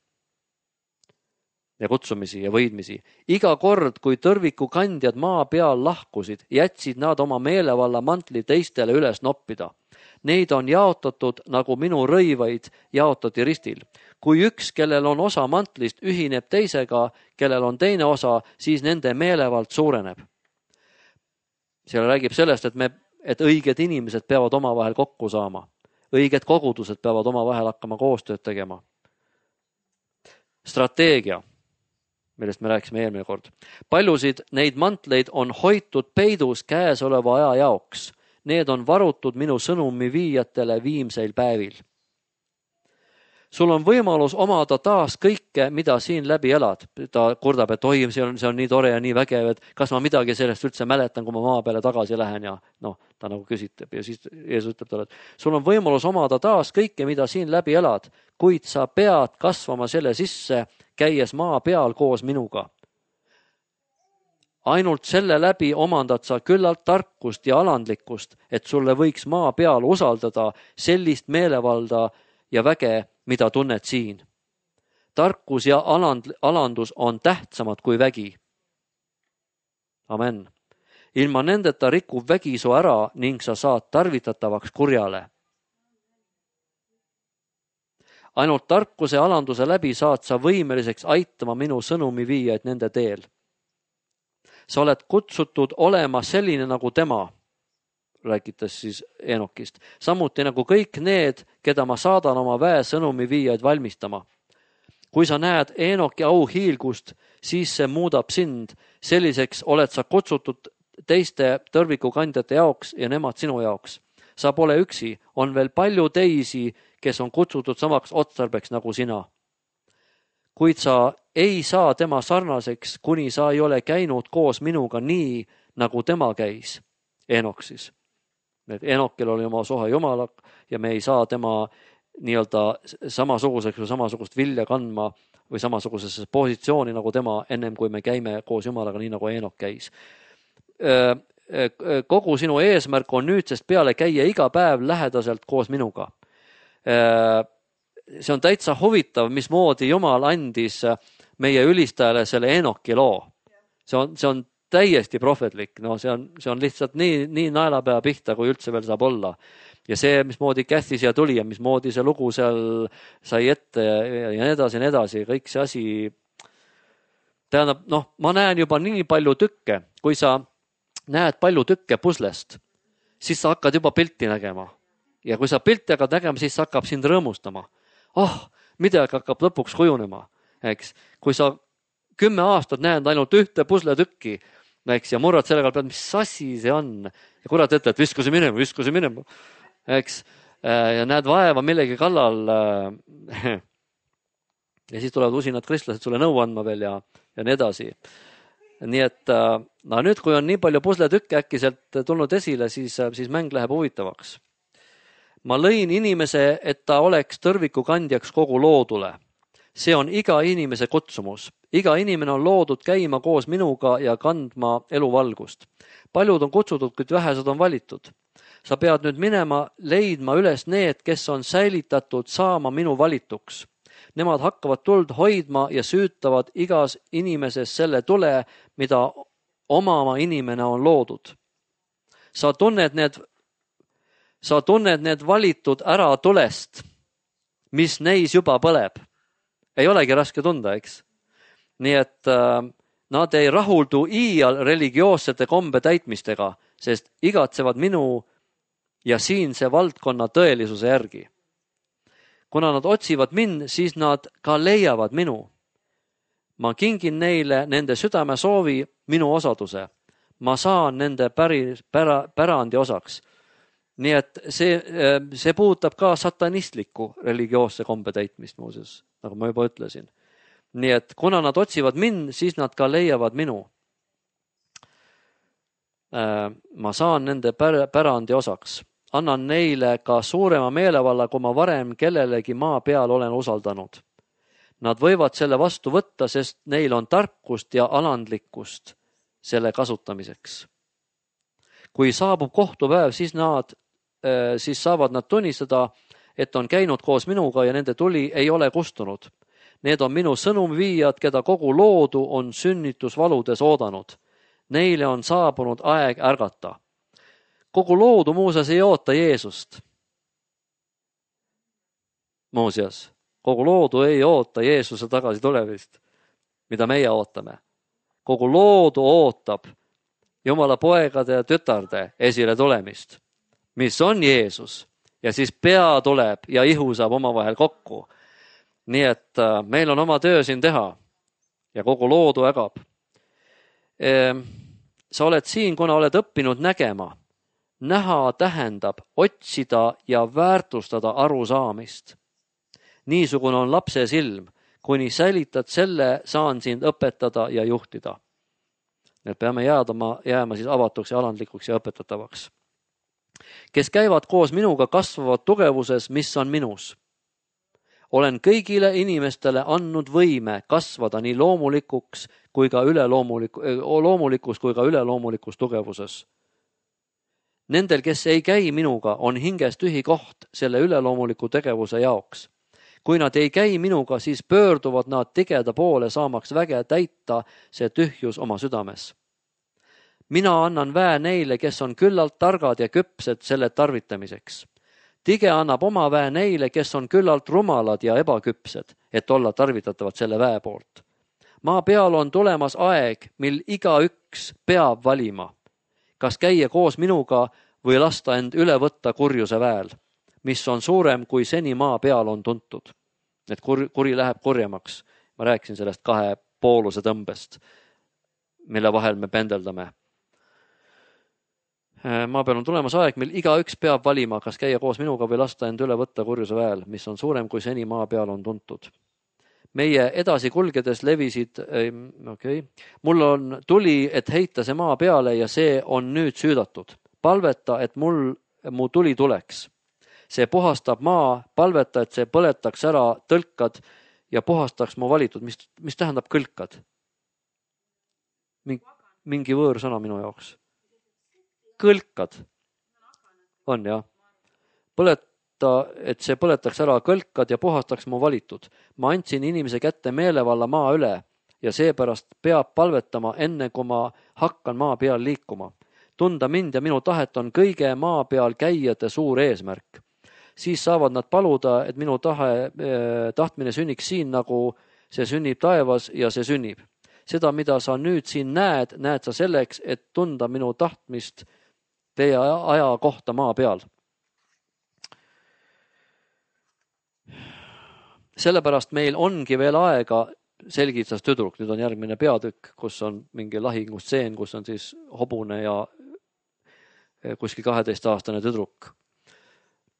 ja kutsumisi ja võidmisi. Iga kord, kui tõrviku kandjad maa peal lahkusid, jätsid nad oma meelevalla mantli teistele üles noppida. Neid on jaotatud, nagu minu rõivaid jaotati ristil. Kui üks, kellel on osa mantlist, ühineb teisega, kellel on teine osa, siis nende meelevald suureneb. Seal räägib sellest, et, me, et õiged inimesed peavad oma vahel kokku saama. Õiged kogudused peavad oma vahel hakkama koostööd tegema. Strateegia, millest me rääkisime eelmine kord. Paljusid neid mantleid on hoitud peidus käesoleva aja jaoks. Need on varutud minu sõnumi viijatele viimseil päevil. Sul on võimalus omada taas kõike, mida siin läbi elad. Ta kurdab, et oi, see on, see on nii tore ja nii vägev, et kas ma midagi sellest üldse mäletan, kui ma maa peale tagasi lähen ja noh, ta nagu küsitab ja siis Jeesus ütleb talle, et sul on võimalus omada taas kõike, mida siin läbi elad, kuid sa pead kasvama selle sisse, käies maa peal koos minuga. Ainult selle läbi omandad sa küllalt tarkust ja alandlikkust, et sulle võiks maa peal usaldada sellist meelevalda ja väge, mida tunned siin. Tarkus ja aland, alandus on tähtsamad kui vägi. Amen. Ilma nendeta rikub vägi su ära ning sa saad tarvitatavaks kurjale. Ainult tarkuse ja alanduse läbi saad sa võimeliseks aitama minu sõnumi viijaid nende teel. Sa oled kutsutud olema selline nagu tema, rääkides siis Eenokist. Samuti nagu kõik need, keda ma saadan oma väe sõnumi viijaid valmistama. Kui sa näed Eenoki au hiilgust, siis see muudab sind. Selliseks oled sa kutsutud teiste tõrvikukandjate jaoks ja nemad sinu jaoks. Sa pole üksi, on veel palju teisi, kes on kutsutud samaks otstarbeks nagu sina. Kuid sa ei saa tema sarnaseks, kuni sa ei ole käinud koos minuga nii, nagu tema käis. Eenok siis. Eenokil oli oma soha Jumala ja me ei saa tema nii-öelda samasuguseks või samasugust vilja kandma või samasugusesse positsiooni nagu tema ennem, kui me käime koos Jumalaga nii nagu Eenok käis. kogu sinu eesmärk on nüüdsest peale käia iga päev lähedaselt koos minuga. See on täitsa huvitav, mismoodi Jumal andis meie ülistajale selle Enoki loo. See on, see on täiesti prohvetlik, no see on, see on lihtsalt nii, nii naelapea pihta, kui üldse veel saab olla. Ja see, mismoodi Käthi siia tuli ja mismoodi see lugu seal sai ette ja, ja nii edasi ja nii edasi, kõik see asi. Tähendab, noh, ma näen juba nii palju tükke, kui sa näed palju tükke puslest, siis sa hakkad juba pilti nägema. Ja kui sa pilti hakkad nägema, siis sa hakkab sind rõõmustama. Oh, midagi hakkab lõpuks kujunema, eks. Kui sa kümme aastat näed ainult ühte pusletükki, eks, ja murrad sellega pead, mis asi see on. Ja kurat ette, et visku see minema, visku see minema, eks. Ja näed vaeva millegi kallal. Ja siis tulevad usinad kristlased sulle nõu andma veel ja, ja nii edasi. Nii et no nüüd, kui on nii palju pusletükke äkkiselt tulnud esile, siis, siis mäng läheb huvitavaks. Ma lõin inimese, et ta oleks tõrviku kandjaks kogu loodule. See on iga inimese kutsumus. Iga inimene on loodud käima koos minuga ja kandma eluvalgust. Paljud on kutsutud, kuid vähesed on valitud. Sa pead nüüd minema, leidma üles need, kes on säilitatud saama minu valituks. Nemad hakkavad tuld hoidma ja süütavad igas inimeses selle tule, mida omama inimene on loodud. Sa tunned need, sa tunned need valitud ära tulest, mis neis juba põleb. Ei olegi raske tunda, eks? Nii et äh, nad ei rahuldu iial religioossete kombe täitmistega, sest igatsevad minu ja siinse valdkonna tõelisuse järgi. Kuna nad otsivad mind, siis nad ka leiavad minu. Ma kingin neile nende südame soovi minu osaduse. Ma saan nende päri, pära, pärandi osaks. Nii et see, see puudutab ka satanistlikku religioosse kombe täitmist muuseas, nagu ma juba ütlesin. Nii et kuna nad otsivad mind, siis nad ka leiavad minu. Ma saan nende pärandi osaks. Annan neile ka suurema meelevalla, kui ma varem kellelegi maa peal olen usaldanud. Nad võivad selle vastu võtta, sest neil on tarkust ja alandlikkust selle kasutamiseks. Kui saabub kohtupäev, siis, nad, siis saavad nad tunnistada, et on käinud koos minuga ja nende tuli ei ole kustunud. Need on minu sõnumviijad, keda kogu loodu on sünnitusvaludes oodanud. Neile on saabunud aeg ärgata. Kogu loodu muuseas ei oota Jeesust. Muuseas, kogu loodu ei oota Jeesuse tagasi tulemist, mida meie ootame. Kogu loodu ootab Jumala poegade ja tütarde esile tulemist, mis on Jeesus. Ja siis pea tuleb ja ihu saab omavahel kokku. Nii et meil on oma töö siin teha ja kogu loodu ägab. Sa oled siin, kuna oled õppinud nägema. Näha tähendab otsida ja väärtustada arusaamist. Niisugune on lapse silm, kuni säilitad selle, saan sind õpetada ja juhtida. Need peame jäädama, jääma siis avatuks ja alandlikuks ja õpetatavaks. Kes käivad koos minuga, kasvavad tugevuses, mis on minus. Olen kõigile inimestele andnud võime kasvada nii loomulikuks kui ka üleloomuliku, loomulikus kui ka üleloomulikus tugevuses. Nendel, kes ei käi minuga, on hinges tühi koht selle üleloomuliku tegevuse jaoks. Kui nad ei käi minuga, siis pöörduvad nad tigeda poole saamaks väge täita see tühjus oma südames. Mina annan väe neile, kes on küllalt targad ja küpsed selle tarvitamiseks. Tige annab oma väe neile, kes on küllalt rumalad ja ebaküpsed, et olla tarvitatavad selle väe poolt. Maa peal on tulemas aeg, mil igaüks peab valima, kas käia koos minuga või lasta end üle võtta kurjuse väel, mis on suurem kui seni maa peal on tuntud. Et kuri, kuri läheb kurjemaks. Ma rääkisin sellest kahe pooluse tõmbest, mille vahel me pendeldame. Maa peal on tulemas aeg, mil igaüks peab valima, kas käia koos minuga või lasta end üle võtta kurjuse väel, mis on suurem kui seni maa peal on tuntud. Meie edasi kulgedes levisid, okei, okay. Mul on tuli, et heita see maa peale ja see on nüüd süüdatud. Palveta, et mul, mu tuli tuleks. See puhastab maa, palveta, et see põletaks ära tõlkad ja puhastaks mu valitud. Mis, mis tähendab kõlkad? Mingi võõrsõna minu jaoks. kõlkad. On jah. Põleta, et see põletaks ära kõlkad ja puhastaks mu valitud. Ma andsin inimese kätte meelevalla maa üle ja seepärast peab palvetama enne, kui ma hakkan maa peal liikuma. Tunda mind ja minu tahet on kõige maa peal käijate suur eesmärk. Siis saavad nad paluda, et minu tahe, tahtmine sünniks siin, nagu see sünnib taevas ja see sünnib. Seda, mida sa nüüd siin näed, näed sa selleks, et tunda minu tahtmist teie aja kohta maa peal. Sellepärast meil ongi veel aega, selgitas tüdruk. Nüüd on järgmine peatükk, kus on mingi lahingusseen, kus on siis hobune ja kuskil kaheteistaastane tüdruk.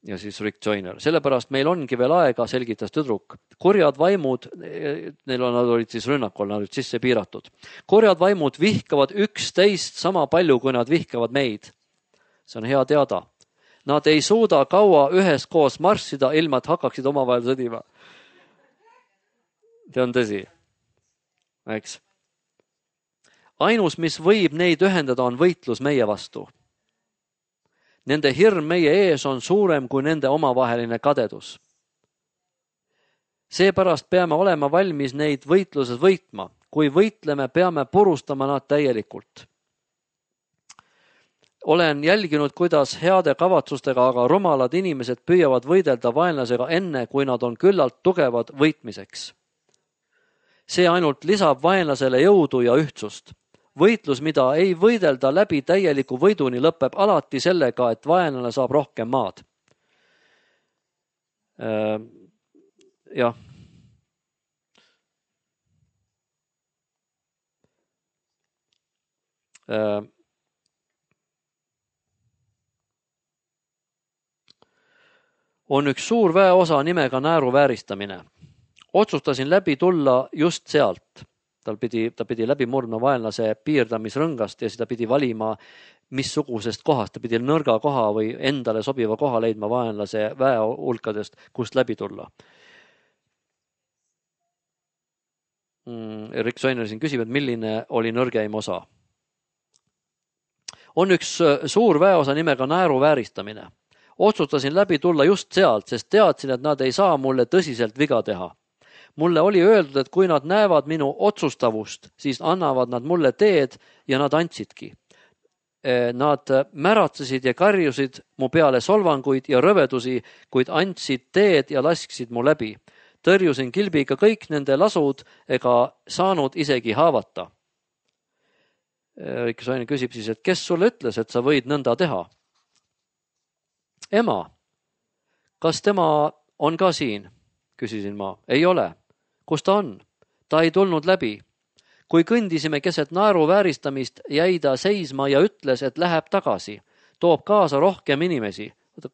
Ja siis Rick Joyner. Sellepärast meil ongi veel aega, selgitas tüdruk. Korjad vaimud, neil on, nad olid siis rünnakul, nad olid sisse piiratud. Korjad vaimud vihkavad üksteist sama palju, kui nad vihkavad meid. See on hea teada. Nad ei suuda kaua üheskoos marssida, ilma et hakkaksid omavahel sõdima. See on tõsi. Eks? Ainus, mis võib neid ühendada, on võitlus meie vastu. Nende hirm meie ees on suurem kui nende omavaheline kadedus. Seepärast peame olema valmis neid võitluses võitma. Kui võitleme, peame purustama nad täielikult. Olen jälginud, kuidas heade kavatsustega, aga rumalad inimesed püüavad võidelda vaenlasega enne, kui nad on küllalt tugevad võitmiseks. See ainult lisab vaenlasele jõudu ja ühtsust. Võitlus, mida ei võidelda läbi täieliku võiduni, lõpeb alati sellega, et vaenlane saab rohkem maad. Äh, jah. Äh, on üks suur väeosa nimega naeruvääristamine. Otsustasin läbi tulla just sealt. Tal pidi, ta pidi läbi murdma vaenlase piirdamisrõngast ja siis ta pidi valima, missugusest kohast. Ta pidi nõrga koha või endale sobiva koha leidma vaenlase väe hulkadest, kust läbi tulla. Rick Joyner siin küsib, et milline oli nõrgeim osa. On üks suur väeosa nimega naeruvääristamine. Otsustasin läbi tulla just sealt, sest teadsin, et nad ei saa mulle tõsiselt viga teha. Mulle oli öeldud, et kui nad näevad minu otsustavust, siis annavad nad mulle teed ja nad andsidki. Nad märatsesid ja karjusid mu peale solvanguid ja rõvedusi, kuid andsid teed ja lasksid mu läbi. Tõrjusin kilbiga kõik nende lasud ega saanud isegi haavata. Rick Joyner küsib siis, et kes sulle ütles, et sa võid nõnda teha? Ema, kas tema on ka siin? Küsisin ma. Ei ole. Kus ta on? Ta ei tulnud läbi. Kui kõndisime keset naeruvääristamist, jäi ta seisma ja ütles, et läheb tagasi. Toob kaasa rohkem inimesi.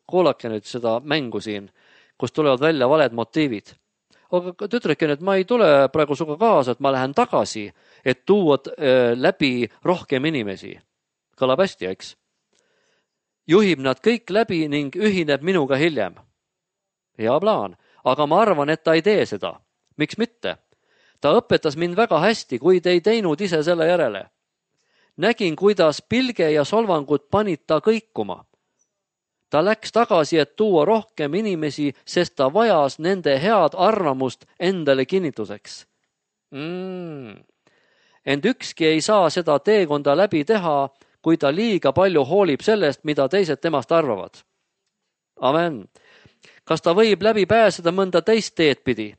Kuulake nüüd seda mängu siin, kus tulevad välja valed motiivid. Aga tütrekin, et ma ei tule praegu suga kaasa, et ma lähen tagasi, et tuua läbi rohkem inimesi. Kõlab hästi, eks? Juhib nad kõik läbi ning ühineb minuga hiljem. Hea plaan, aga ma arvan, et ta ei tee seda. Miks mitte? Ta õpetas mind väga hästi, kuid ei teinud ise selle järele. Nägin, kuidas pilge ja solvangud panid ta kõikuma. Ta läks tagasi, et tuua rohkem inimesi, sest ta vajas nende head arvamust endale kinnituseks. Mm. Ent ükski ei saa seda teekonda läbi teha, kui ta liiga palju hoolib sellest, mida teised temast arvavad. Amen. Kas ta võib läbi pääseda mõnda teist teed pidi?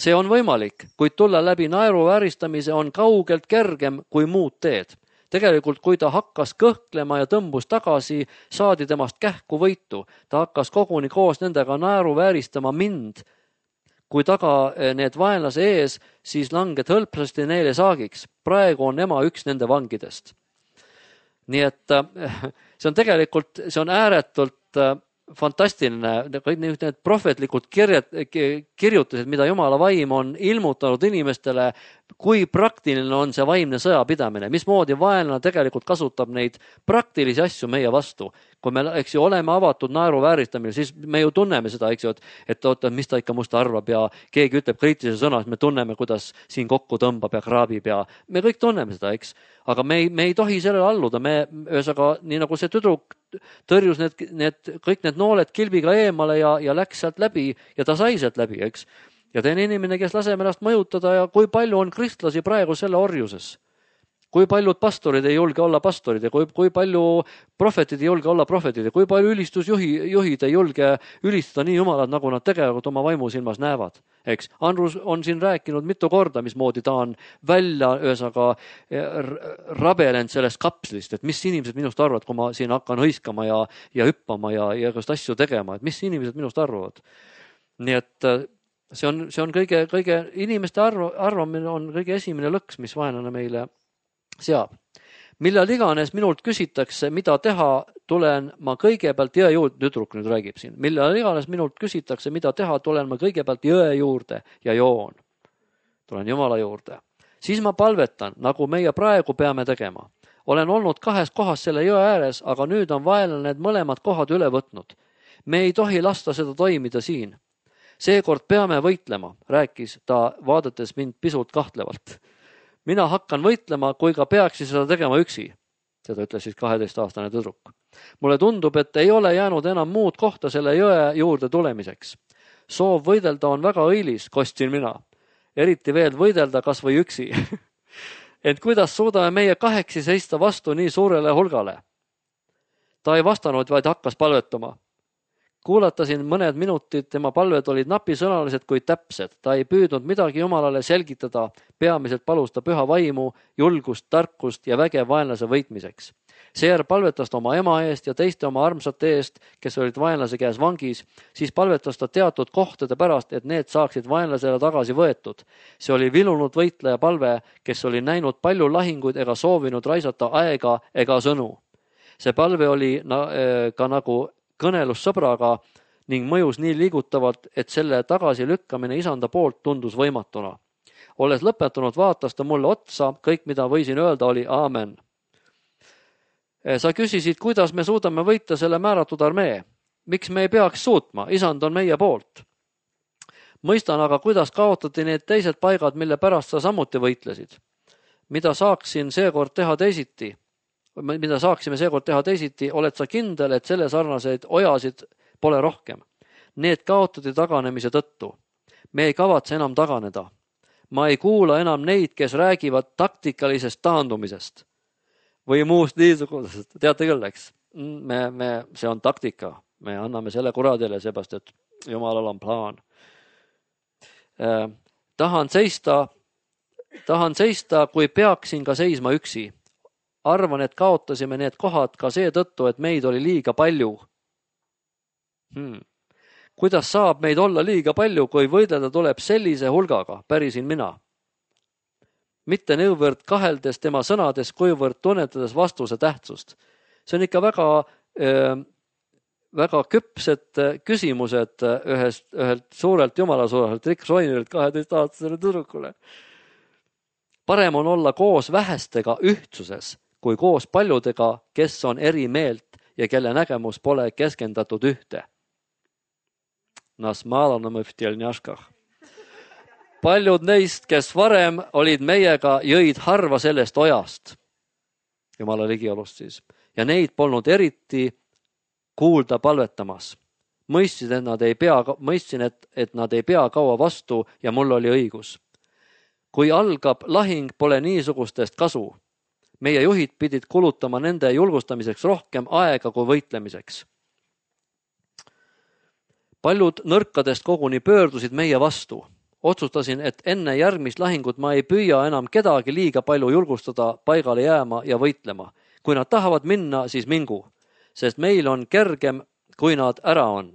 See on võimalik, kuid tulla läbi naeruvääristamise on kaugelt kergem kui muud teed. Tegelikult, kui ta hakkas kõhklema ja tõmbus tagasi, saadi temast kähku võitu. Ta hakkas koguni koos nendega naeruvääristama mind. Kui taga need vaenlase ees, siis langed hõlpsasti neile saagiks. Praegu on ema üks nende vangidest. Nii et see on tegelikult, see on ääretult fantastiline, kõik need prohvetlikud kirjad, kirjutused, mida Jumala vaim on ilmutanud inimestele kui praktiline on see vaimne sõjapidamine, mismoodi vaenlane tegelikult kasutab neid praktilisi asju meie vastu. Kui me, eks ju, oleme avatud naeruvääristamine, siis me ju tunneme seda, eks ju, et, et oota, mis ta ikka musta arvab ja keegi ütleb kriitilise sõna, me tunneme, kuidas siin kokku tõmbab ja kraabib ja me kõik tunneme seda, eks. Aga me ei, me ei tohi sellele alluda, me ühesõnaga, nii nagu see tüdruk tõrjus need, need, kõik need nooled kilbiga eemale ja, ja läks sealt läbi ja ta sai sealt läbi, eks. Ja teine inimene, kes laseb ennast mõjutada ja kui palju on kristlasi praegu selle orjuses. Kui paljud pastorid ei julge olla pastorid ja kui, kui palju prohvetid ei julge olla prohvetid ja kui palju ülistusjuhi, juhid ei julge ülistada nii jumalad, nagu nad tegelikult oma vaimusilmas näevad. Eks? Andrus on siin rääkinud mitu korda, mismoodi ta on välja ühesõnaga rabelenud sellest kapslist, et mis inimesed minust arvavad, kui ma siin hakkan hõiskama ja, ja hüppama ja, ja just asju tegema, et mis inimesed minust arvavad. Nii et see on, see on kõige, kõige inimeste arv, arvamine on kõige esimene lõks, mis vaenlane meile seab. Millal iganes minult küsitakse, mida teha, tulen ma kõigepealt jõe juurde, tüdruk nüüd räägib siin, millal iganes minult küsitakse, mida teha, tulen ma kõigepealt jõe juurde ja joon. Tulen Jumala juurde. Siis ma palvetan, nagu meie praegu peame tegema. Olen olnud kahes kohas selle jõe ääres, aga nüüd on vaenlane need mõlemad kohad üle võtnud. Me ei tohi lasta seda toimida siin. Seekord peame võitlema, rääkis ta vaadates mind pisut kahtlevalt. Mina hakkan võitlema, kui ka peaksin seda tegema üksi. Seda ütles siis kaheteistaastane tüdruk. Mulle tundub, et ei ole jäänud enam muud kohta selle jõe juurde tulemiseks. Soov võidelda on väga õilis, kostsin mina. Eriti veel võidelda kas või üksi. Et kuidas suudame meie kaheksi seista vastu nii suurele hulgale? Ta ei vastanud, vaid hakkas palvetama. Kuulatasin mõned minutid, tema palved olid napisõnalised kui täpsed. Ta ei püüdnud midagi Jumalale selgitada, peamiselt palus ta püha vaimu, julgust, tarkust ja väge vaenlase võitmiseks. Seejärel palvetas ta oma ema eest ja teiste oma armsate eest, kes olid vaenlase käes vangis, siis palvetas ta teatud kohtade pärast, et need saaksid vaenlasele tagasi võetud. See oli vilunud võitleja palve, kes oli näinud palju lahinguid ega soovinud raisata aega ega sõnu. See palve oli na, ka nagu kõnelus sõbraga ning mõjus nii liigutavalt, et selle tagasi lükkamine isanda poolt tundus võimatuna. Olles lõpetanud, vaatas ta mulle otsa, kõik mida võisin öelda oli aamen. Sa küsisid, kuidas me suudame võita selle määratud armee. Miks me ei peaks suutma? Isand on meie poolt. Mõistan aga, kuidas kaotati need teised paigad, mille pärast sa samuti võitlesid. Mida saaksin seekord teha teisiti? mida saaksime seekord teha teisiti, oled sa kindel, et selle sarnaseid ojasid pole rohkem. Need kaotati taganemise tõttu. Me ei kavatse enam taganeda. Ma ei kuula enam neid, kes räägivad taktikalisest taandumisest või muust niisugusest. Teate küll, eks? Me, me, see on taktika. Me anname selle kuradile, seepärast, et Jumalal on plaan. Eh, tahan seista, tahan seista, kui peaksin ka seisma üksi. Arvan, et kaotasime need kohad ka seetõttu, et meid oli liiga palju. Hmm. Kuidas saab meid olla liiga palju, kui võidelda tuleb sellise hulgaga, pärisin mina. Mitte nõuvõrd kaheldes tema sõnades, kuivõrd tunnetades vastuse tähtsust. See on ikka väga, äh, väga küpsed küsimused ühest, ühelt suurelt jumalasuurelt Rick Schreinilt kaheteistaastasele tüdrukule. Parem on olla koos vähestega ühtsuses, kui koos paljudega, kes on eri meelt ja kelle nägemus pole keskendatud ühte. Nas maalana mõftil njaškah. Paljud neist, kes varem olid meiega, jõid harva sellest ojast, Jumala ligiolust siis, ja neid polnud eriti kuulda palvetamas. Mõistsin, et nad ei pea, mõistsin, et, et nad ei pea kaua vastu ja mul oli õigus. Kui algab lahing, pole niisugustest kasu. Meie juhid pidid kulutama nende julgustamiseks rohkem aega kui võitlemiseks. Paljud nõrkadest koguni pöördusid meie vastu. Otsustasin, et enne järgmist lahingut ma ei püüa enam kedagi liiga palju julgustada paigale jääma ja võitlema. Kui nad tahavad minna, siis mingu, sest meil on kergem, kui nad ära on.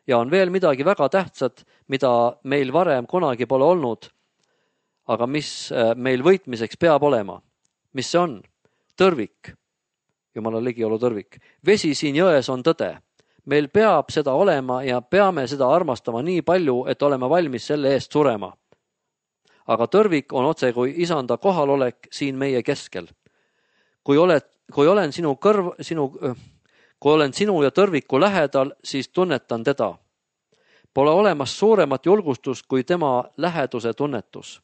Ja on veel midagi väga tähtsat, mida meil varem kunagi pole olnud, aga mis meil võitmiseks peab olema. Mis see on? Tõrvik. Jumala ligiolu tõrvik. Vesi siin jões on tõde. Meil peab seda olema ja peame seda armastama nii palju, et oleme valmis selle eest surema. aga tõrvik on otse kui isanda kohalolek siin meie keskel. Kui, oled, kui, olen sinu kõrv, sinu, kui olen sinu ja tõrviku lähedal, siis tunnetan teda. Pole olemas suuremat julgustust kui tema läheduse tunnetus.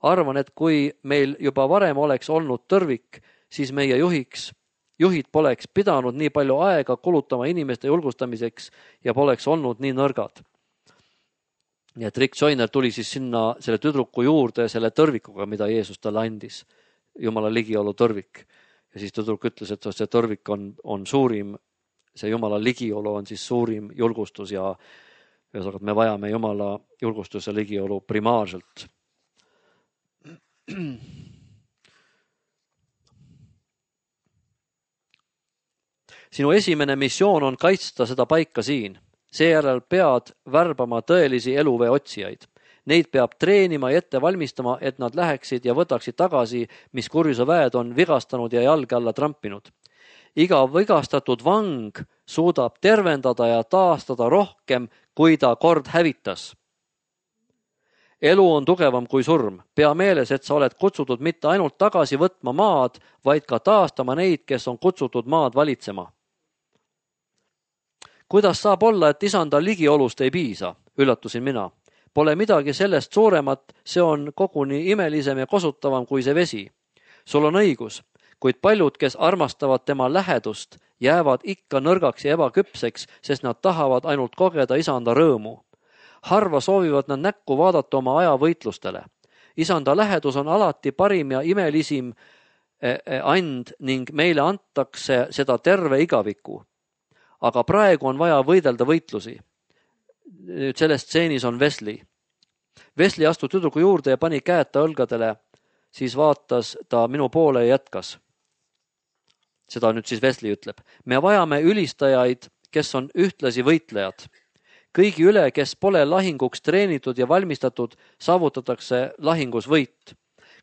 Arvan, et kui meil juba varem oleks olnud tõrvik, siis meie juhiks, juhid poleks pidanud nii palju aega kulutama inimeste julgustamiseks ja poleks olnud nii nõrgad. Nii et Rick Joyner tuli siis sinna selle tüdruku juurde selle tõrvikuga, mida Jeesus talle andis. Jumala ligiolu tõrvik. Ja siis tüdruk ütles, et see tõrvik on, on suurim, see Jumala ligiolu on siis suurim julgustus ja ühesõnaga, me vajame Jumala julgustuse ligiolu primaarselt. Sinu esimene missioon on kaitsta seda paika siin. Seejärel pead värbama tõelisi eluvee otsijaid. Neid peab treenima ja ette valmistama, et nad läheksid ja võtaksid tagasi, mis kurjuse väed on vigastanud ja jalge alla trampinud. Iga vigastatud vang suudab tervendada ja taastada rohkem, kui ta kord hävitas. Elu on tugevam kui surm. Pea meeles, et sa oled kutsutud mitte ainult tagasi võtma maad, vaid ka taastama neid, kes on kutsutud maad valitsema. Kuidas saab olla, et isanda ligiolust ei piisa? Üllatusin mina. Pole midagi sellest suuremat, see on koguni imelisem ja kosutavam kui see vesi. Sul on õigus, kuid paljud, kes armastavad tema lähedust, jäävad ikka nõrgaks ja ebaküpseks, sest nad tahavad ainult kogeda isanda rõõmu. Harva soovivad nad näkku vaadata oma aja võitlustele. Isanda lähedus on alati parim ja imelisim and ning meile antakse seda terve igaviku. Aga praegu on vaja võidelda võitlusi. Nüüd selles stseenis on Wesley. Wesley astus tüdruku juurde ja pani käed ta õlgadele, siis vaatas ta minu poole ja jätkas. Seda nüüd siis Wesley ütleb. Me vajame ülistajaid, kes on ühtlasi võitlejad. Kõigi üle, kes pole lahinguks treenitud ja valmistatud, saavutatakse lahingus võit.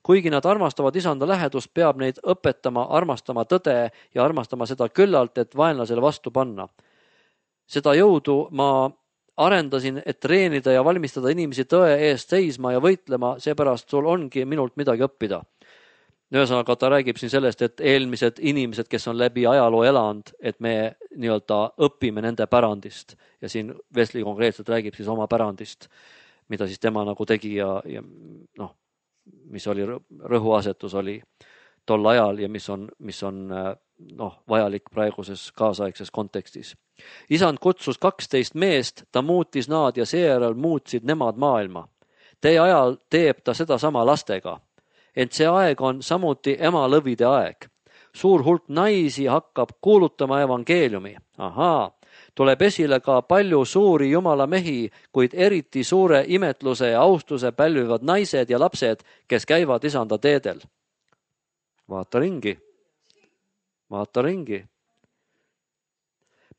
Kuigi nad armastavad isanda lähedust, peab neid õpetama, armastama tõde ja armastama seda küllalt, et vaenlasele vastu panna. Seda jõudu ma arendasin, et treenida ja valmistada inimesi tõe eest seisma ja võitlema, seepärast sul ongi minult midagi õppida. Ühesõnaga, ta räägib siin sellest, et eelmised inimesed, kes on läbi ajaloo elanud, et me nii-öelda õpime nende pärandist. Ja siin Wesley konkreetselt räägib siis oma pärandist, mida siis tema nagu tegi ja, ja noh, mis oli rõhuasetus oli tol ajal ja mis on, mis on noh, vajalik praeguses kaasaegses kontekstis. Isand kutsus kaksteist meest, ta muutis nad ja seejärel muutsid nemad maailma. Teie ajal teeb ta seda sama lastega. Ent see aeg on samuti emalõvide aeg. Suur hulk naisi hakkab kuulutama evangeeliumi. Ahaa, tuleb esile ka palju suuri Jumala mehi, kuid eriti suure imetluse ja austuse pälvivad naised ja lapsed, kes käivad isanda teedel. Vaata ringi. Vaata ringi.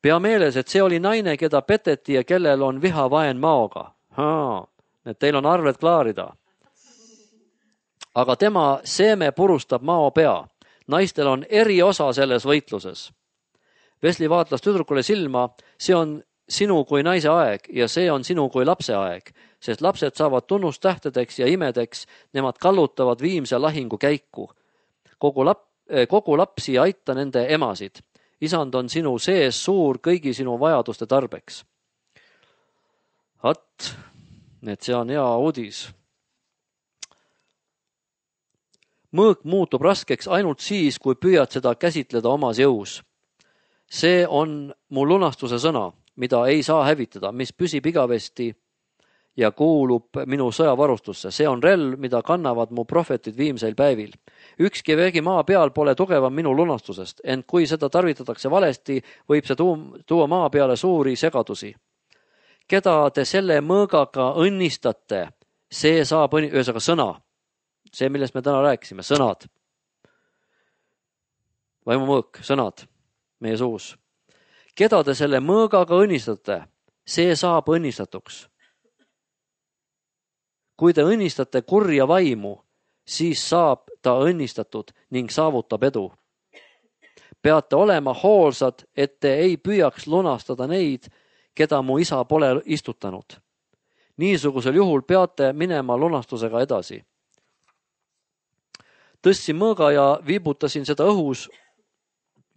Pea meeles, et see oli naine, keda peteti ja kellel on viha vaen maoga. Haa, et teil on arved klaarida. Aga tema seeme purustab mao pea. Naistel on eri osa selles võitluses. Wesley vaatlas tüdrukule silma, see on sinu kui naise aeg ja see on sinu kui lapse aeg, sest lapsed saavad tunnustähtedeks ja imedeks, nemad kallutavad viimse lahingu käiku. Kogu, lap, kogu lapsi aita nende emasid. Isand on sinu sees suur kõigi sinu vajaduste tarbeks. At, et see on hea uudis. Mõõk muutub raskeks ainult siis, kui püüad seda käsitleda omas jõus. See on mu lunastuse sõna, mida ei saa hävitada, mis püsib igavesti ja kuulub minu sõjavarustusse. See on relv, mida kannavad mu prohvetid viimseil päevil. Ükski vägi maa peal pole tugevam minu lunastusest, ent kui seda tarvitatakse valesti, võib see tuua maa peale suuri segadusi. Keda te selle mõõgaga õnnistate, see saab õnni... ühesõnaga sõna. See, millest me täna rääkisime, sõnad. Vaimumõõk, sõnad meie suus. Keda te selle mõõgaga õnnistate, see saab õnnistatuks. Kui te õnnistate kurja vaimu, siis saab ta õnnistatud ning saavutab edu. Peate olema hoolsad, et te ei püüaks lunastada neid, keda mu isa pole istutanud. Niisugusel juhul peate minema lunastusega edasi. Tõstsin mõõga ja viibutasin seda õhus.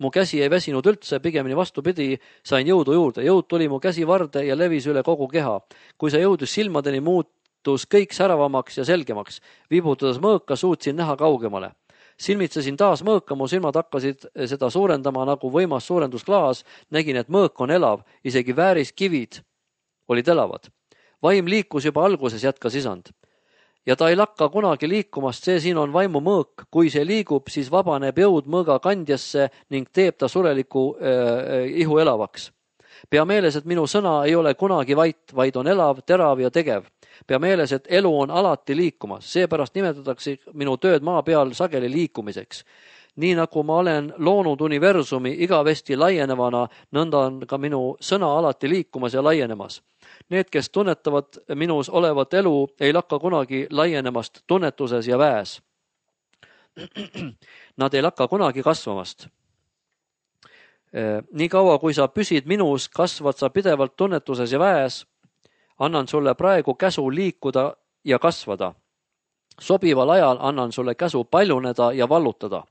Mu käsi ei väsinud üldse, pigemini vastupidi, sain jõudu juurde. Jõud tuli mu käsi varde ja levis üle kogu keha. Kui see jõudis silmadeni, muutus kõik säravamaks ja selgemaks. Viibutades mõõka suutsin näha kaugemale. Silmitsesin taas mõõka, mu silmad hakkasid seda suurendama nagu võimas suurendusklaas. Nägin, et mõõk on elav, isegi vääriskivid olid elavad. Vaim liikus juba alguses, jätkas isand. Ja ta ei lakka kunagi liikumast, see siin on vaimu mõõk. Kui see liigub, siis vabaneb jõud mõõga kandjasse ning teeb ta sureliku äh, ihu elavaks. Pea meeles, et minu sõna ei ole kunagi vait, vaid on elav, terav ja tegev. Pea meeles, et elu on alati liikumas, seepärast nimetatakse minu tööd maa peal sageli liikumiseks. Nii nagu ma olen loonud universumi igavesti laienevana, nõnda on ka minu sõna alati liikumas ja laienemas. Need, kes tunnetavad minus olevat elu, ei lakka kunagi laienemast tunnetuses ja väes. Nad ei lakka kunagi kasvamast. Nii kaua, kui sa püsid minus, kasvad sa pidevalt tunnetuses ja väes. Annan sulle praegu käsu liikuda ja kasvada. Sobival ajal annan sulle käsu paljuneda ja vallutada.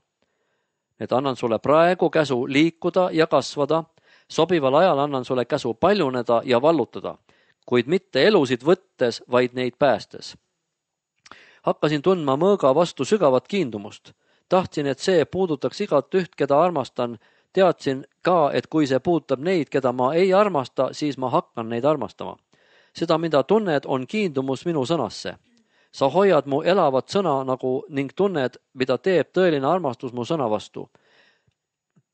Et annan sulle praegu käsu liikuda ja kasvada. Sobival ajal annan sulle käsu paljuneda ja vallutada, kuid mitte elusid võttes, vaid neid päästes. Hakkasin tundma mõõga vastu sügavat kiindumust. Tahtsin, et see puudutaks igat üht, keda armastan. Teadsin ka, et kui see puudutab neid, keda ma ei armasta, siis ma hakkan neid armastama. Seda, mida tunned, on kiindumus minu sõnasse. Sa hoiad mu elavat sõna nagu ning tunned, mida teeb tõeline armastus mu sõna vastu.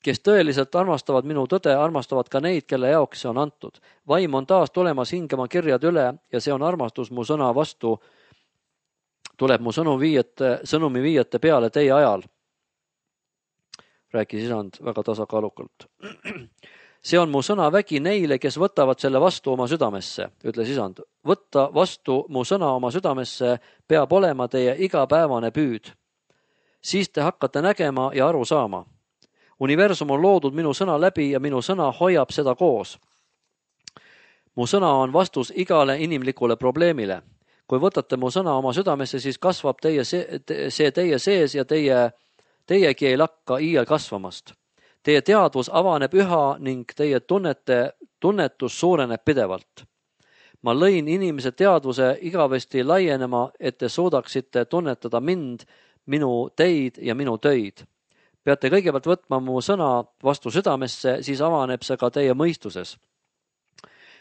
Kes tõeliselt armastavad minu tõde, armastavad ka neid, kelle jaoks see on antud. Vaim on taas tulemas hingema kirjad üle ja see on armastus mu sõna vastu. Tuleb mu sõnumi viiete, sõnumi viiete peale teie ajal. Rääkis isand väga tasakaalukalt. See on mu sõna vägi neile, kes võtavad selle vastu oma südamesse, ütles isand. Võtta vastu mu sõna oma südamesse peab olema teie igapäevane püüd. Siis te hakkate nägema ja aru saama. Universum on loodud minu sõna läbi ja minu sõna hoiab seda koos. Mu sõna on vastus igale inimlikule probleemile. Kui võtate mu sõna oma südamesse, siis kasvab teie see, see teie sees ja teie, teiegi ei lakka iial kasvamast. Teie teadvus avaneb üha ning teie tunnete, tunnetus suureneb pidevalt. Ma lõin inimese teadvuse igavesti laienema, et te suudaksite tunnetada mind, minu teid ja minu töid. Peate kõigepealt võtma mu sõna vastu südamesse, siis avaneb see ka teie mõistuses.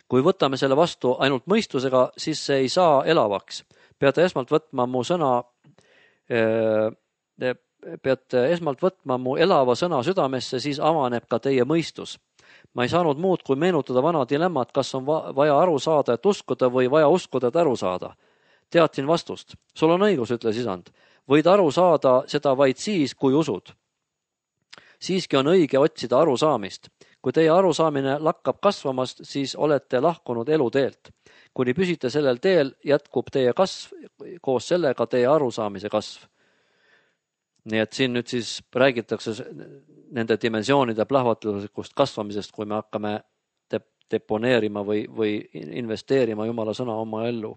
Kui võtame selle vastu ainult mõistusega, siis see ei saa elavaks. Peate esmalt võtma mu sõna äh, peate esmalt võtma mu elava sõna südamesse, siis avaneb ka teie mõistus. Ma ei saanud muud, kui meenutada vana dilemmat, kas on vaja aru saada, et uskuda või vaja uskuda, et aru saada. Teadsin vastust. Sul on õigus, ütles isand. Võid aru saada seda vaid siis, kui usud. Siiski on õige otsida aru saamist. Kui teie arusaamine lakkab kasvamast, siis olete lahkunud eluteelt. Kuni püsite sellel teel, jätkub teie kasv, koos sellega teie arusaamise kasv. Nii et siin nüüd siis räägitakse nende dimensioonide plahvatuslikust kasvamisest, kui me hakkame deponeerima või, või investeerima Jumala sõna oma ellu.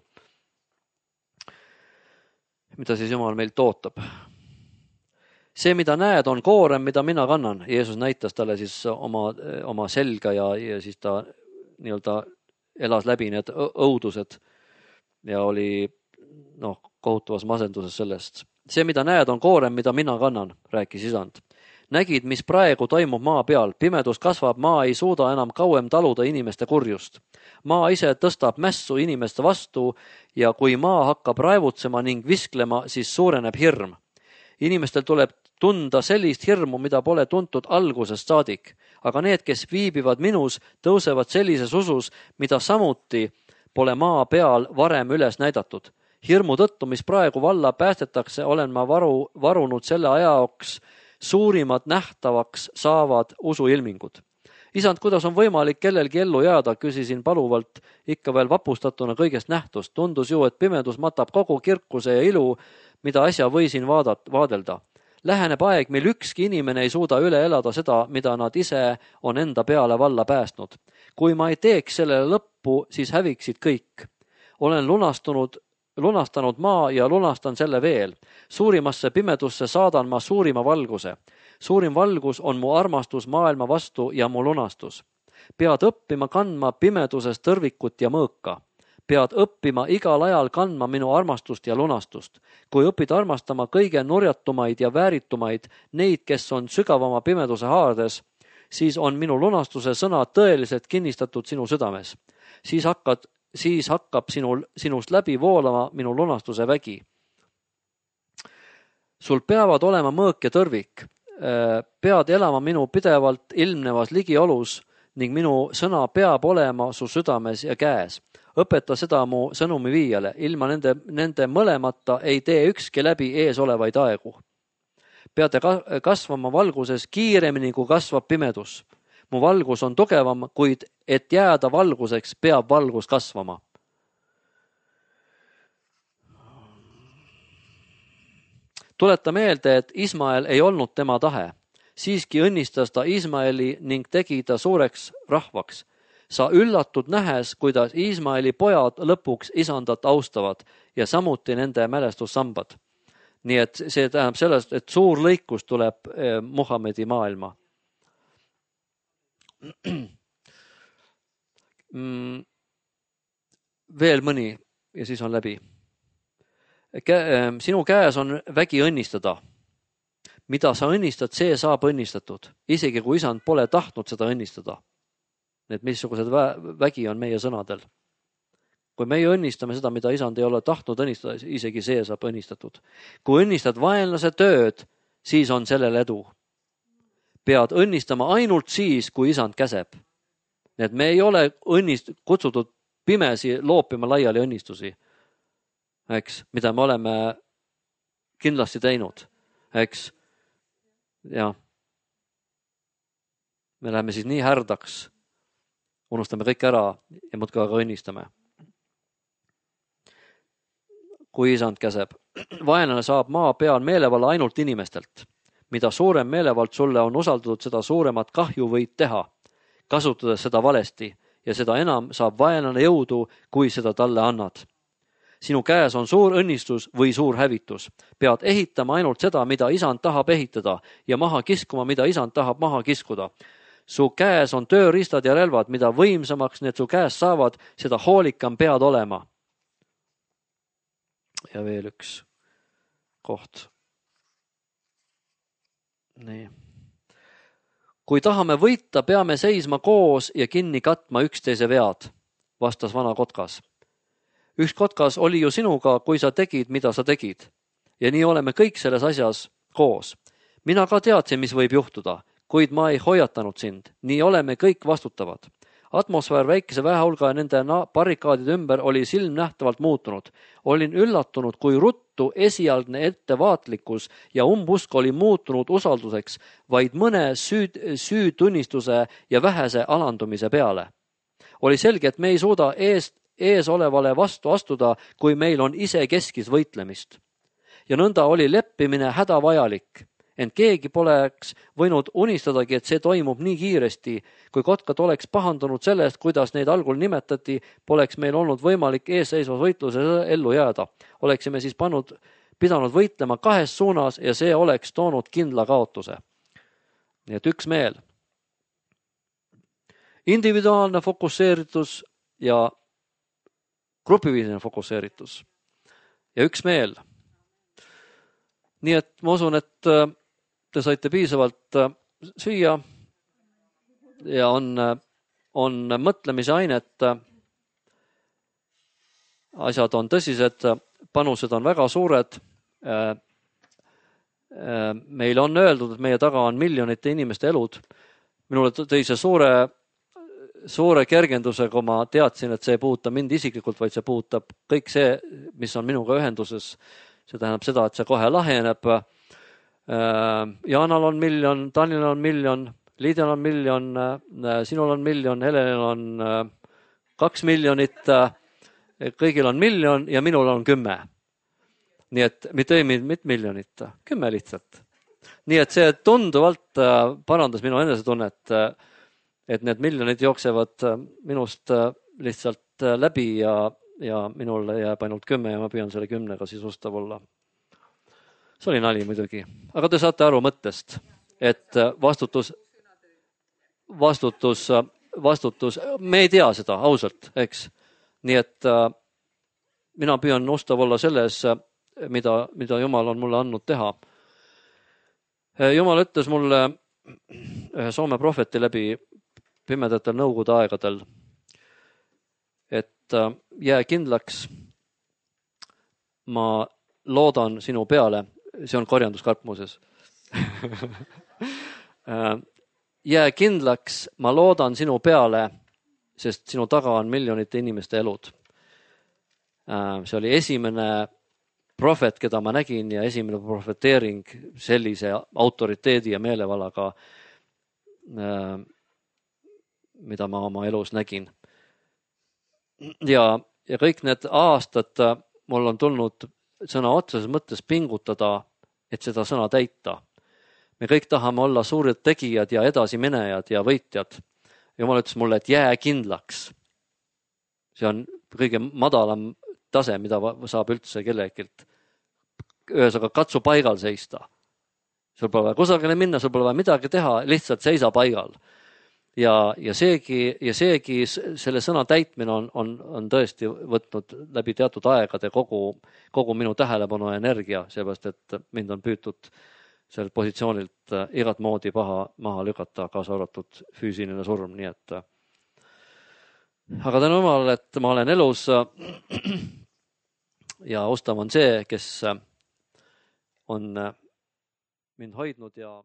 Mida siis Jumal meilt ootab? See, mida näed, on koorem, mida mina kannan. Jeesus näitas talle siis oma, oma selga ja, ja siis ta nii-öelda elas läbi need õudused ja oli noh, kohutavas masenduses sellest. See, mida näed, on koorem, mida mina kannan, rääkis isand. Nägid, mis praegu toimub maa peal. Pimedus kasvab, maa ei suuda enam kauem taluda inimeste kurjust. Maa ise tõstab mässu inimeste vastu ja kui maa hakkab raevutsema ning visklema, siis suureneb hirm. Inimestel tuleb tunda sellist hirmu, mida pole tuntud algusest saadik. Aga need, kes viibivad minus, tõusevad sellises usus, mida samuti pole maa peal varem üles näidatud. Hirmu tõttu, mis praegu valla päästetakse, olen ma varu, varunud selle ajaoks suurimad nähtavaks saavad usuilmingud. Isand, kuidas on võimalik kellelgi ellu jääda, küsisin paluvalt, ikka veel vapustatuna kõigest nähtust. Tundus ju, et pimedus matab kogu kirkuse ja ilu, mida äsja võisin vaadat, vaadelda. Läheneb aeg, mil ükski inimene ei suuda üle elada seda, mida nad ise on enda peale valla päästnud. Kui ma ei teeks sellele lõppu, siis häviksid kõik. Olen lunastunud lunastanud maa ja lunastan selle veel. Suurimasse pimedusse saadan ma suurima valguse. Suurim valgus on mu armastus maailma vastu ja mu lunastus. Pead õppima kandma pimeduses tõrvikut ja mõõka. Pead õppima igal ajal kandma minu armastust ja lunastust. Kui õpid armastama kõige nurjatumaid ja vääritumaid, neid, kes on sügavama pimeduse haardes, siis on minu lunastuse sõna tõeliselt kinnistatud sinu südames. Siis, hakkad, siis hakkab sinul, sinust läbi voolama minu lunastuse vägi. Sul peavad olema mõõk ja tõrvik. Pead elama minu pidevalt ilmnevas ligiolus ning minu sõna peab olema su südames ja käes. Õpeta seda mu sõnumi viiale. Ilma nende, nende mõlemata ei tee ükski läbi ees olevaid aegu. Peate kasvama valguses kiiremini, kui kasvab pimedus. Mu valgus on tugevam, kuid et jääda valguseks, peab valgus kasvama. Tuleta meelde, et Ismael ei olnud tema tahe. Siiski õnnistas ta Ismaeli ning tegi ta suureks rahvaks. Sa üllatud nähes, kuidas Ismaeli pojad lõpuks isandat austavad ja samuti nende mälestussambad. Nii et see tähendab sellest, et suur lõikus tuleb Muhamedi maailma. Veel mõni ja siis on läbi. Sinu käes on vägi õnnistada. Mida sa õnnistad, see saab õnnistatud. Isegi kui isand pole tahtnud seda õnnistada. Need missugused vägi on meie sõnadel. Kui meie õnnistame seda, mida isand ei ole tahtnud õnnistada, isegi see saab õnnistatud. Kui õnnistad vaenlase tööd, siis on sellel edu. Pead õnnistama ainult siis, kui isand käseb. Need me ei ole õnnist, kutsutud pimesi loopima laiali õnnistusi, eks, mida me oleme kindlasti teinud. Eks, ja. Me läheme siis nii härdaks, unustame kõik ära ja muudkui aga õnnistame. Kui isand käseb. Vaenlane saab maa peal meelevalla ainult inimestelt. Mida suurem meelevald sulle on usaldatud, seda suuremat kahju võid teha, kasutades seda valesti ja seda enam saab vaenlane jõudu, kui seda talle annad. Sinu käes on suur õnnistus või suur hävitus. Pead ehitama ainult seda, mida isand tahab ehitada ja maha kiskuma, mida isand tahab maha kiskuda. Su käes on tööriistad ja relvad, mida võimsamaks need su käes saavad, seda hoolikam pead olema. Ja veel üks koht. Nii. Kui tahame võita, peame seisma koos ja kinni katma üksteise vead, vastas vana kotkas. Üks kotkas oli ju sinuga, kui sa tegid, mida sa tegid. Ja nii oleme kõik selles asjas koos. Mina ka teadsin, mis võib juhtuda, kuid ma ei hoiatanud sind. Nii oleme kõik vastutavad. Atmosfäär väikese väehulga ja nende barrikaadide ümber oli silmnähtavalt muutunud. Olin üllatunud, kui ruttu esialgne ettevaatlikkus ja umbusk oli muutunud usalduseks vaid mõne süüd, süütunnistuse ja vähese alandumise peale. Oli selge, et me ei suuda eest, ees olevale vastu astuda, kui meil on ise keskis võitlemist. Ja nõnda oli leppimine hädavajalik. Ent keegi poleks võinud unistadagi, et see toimub nii kiiresti. Kui kotkad oleks pahandunud sellest, kuidas neid algul nimetati, poleks meil olnud võimalik eesseisvas võitluses ellu jääda. Oleksime siis pannud, pidanud võitlema kahes suunas ja see oleks toonud kindla kaotuse. Nii et üks meel. Individuaalne fokusseeritus ja grupiviisiline fokusseeritus. Ja üks meel. Nii et ma usun, et te saite piisavalt süüa ja on, on mõtlemise ainet. Asjad on tõsised, panused on väga suured. Meil on öeldud, et meie taga on miljonite inimeste elud. Minule tõi see suure, suure kergenduse, kui ma teadsin, et see ei puuta mind isiklikult, vaid see puutab kõik see, mis on minuga ühenduses. See tähendab seda, et see kohe laheneb. Jaanal on miljon, Tanil on miljon, Liidel on miljon, sinul on miljon, Helenil on kaks miljonit, kõigil on miljon ja minul on kümme. Nii et mitte ei mitte miljonit, kümme lihtsalt. Nii et see tunduvalt parandas minu enesetunnet, et need miljonid jooksevad minust lihtsalt läbi ja, ja minule jääb ainult kümme ja ma püüan selle kümnega siis ustav olla. See oli nali muidugi, aga te saate aru mõttest, et vastutus, vastutus, vastutus, me ei tea seda ausalt, eks. Nii et mina püüan ustav olla selles, mida, mida Jumal on mulle andnud teha. Jumal ütles mulle ühe Soome prohveti läbi pimedatel nõukogude aegadel, et jää kindlaks, ma loodan sinu peale, see on korjanduskarp muuses. Jää kindlaks, ma loodan sinu peale, sest sinu taga on miljonite inimeste elud. See oli esimene prohvet, keda ma nägin ja esimene prohveteering sellise autoriteedi ja meelevalaga, mida ma oma elus nägin. Ja, ja kõik need aastad mul on tulnud sõna otseses mõttes pingutada, et seda sõna täita. Me kõik tahame olla suured tegijad ja edasiminejad ja võitjad. Jumal ütles mulle, et jää kindlaks. See on kõige madalam tase, mida saab üldse kellegilt. Ühesõnaga, katsu paigal seista. Sul pole vaja kusagile minna, sul pole vaja midagi teha, lihtsalt seisa paigal. Ja, ja, seegi, ja seegi selle sõna täitmine on, on, on tõesti võtnud läbi teatud aegade kogu, kogu minu tähelepanu ja energia, seepärast, et mind on püütud sellelt positsioonilt igat moodi paha maha lükata, kaasa arvatud füüsiline surm, nii et aga tänu Jumalale, et ma olen elus ja ustav on see, kes on mind hoidnud ja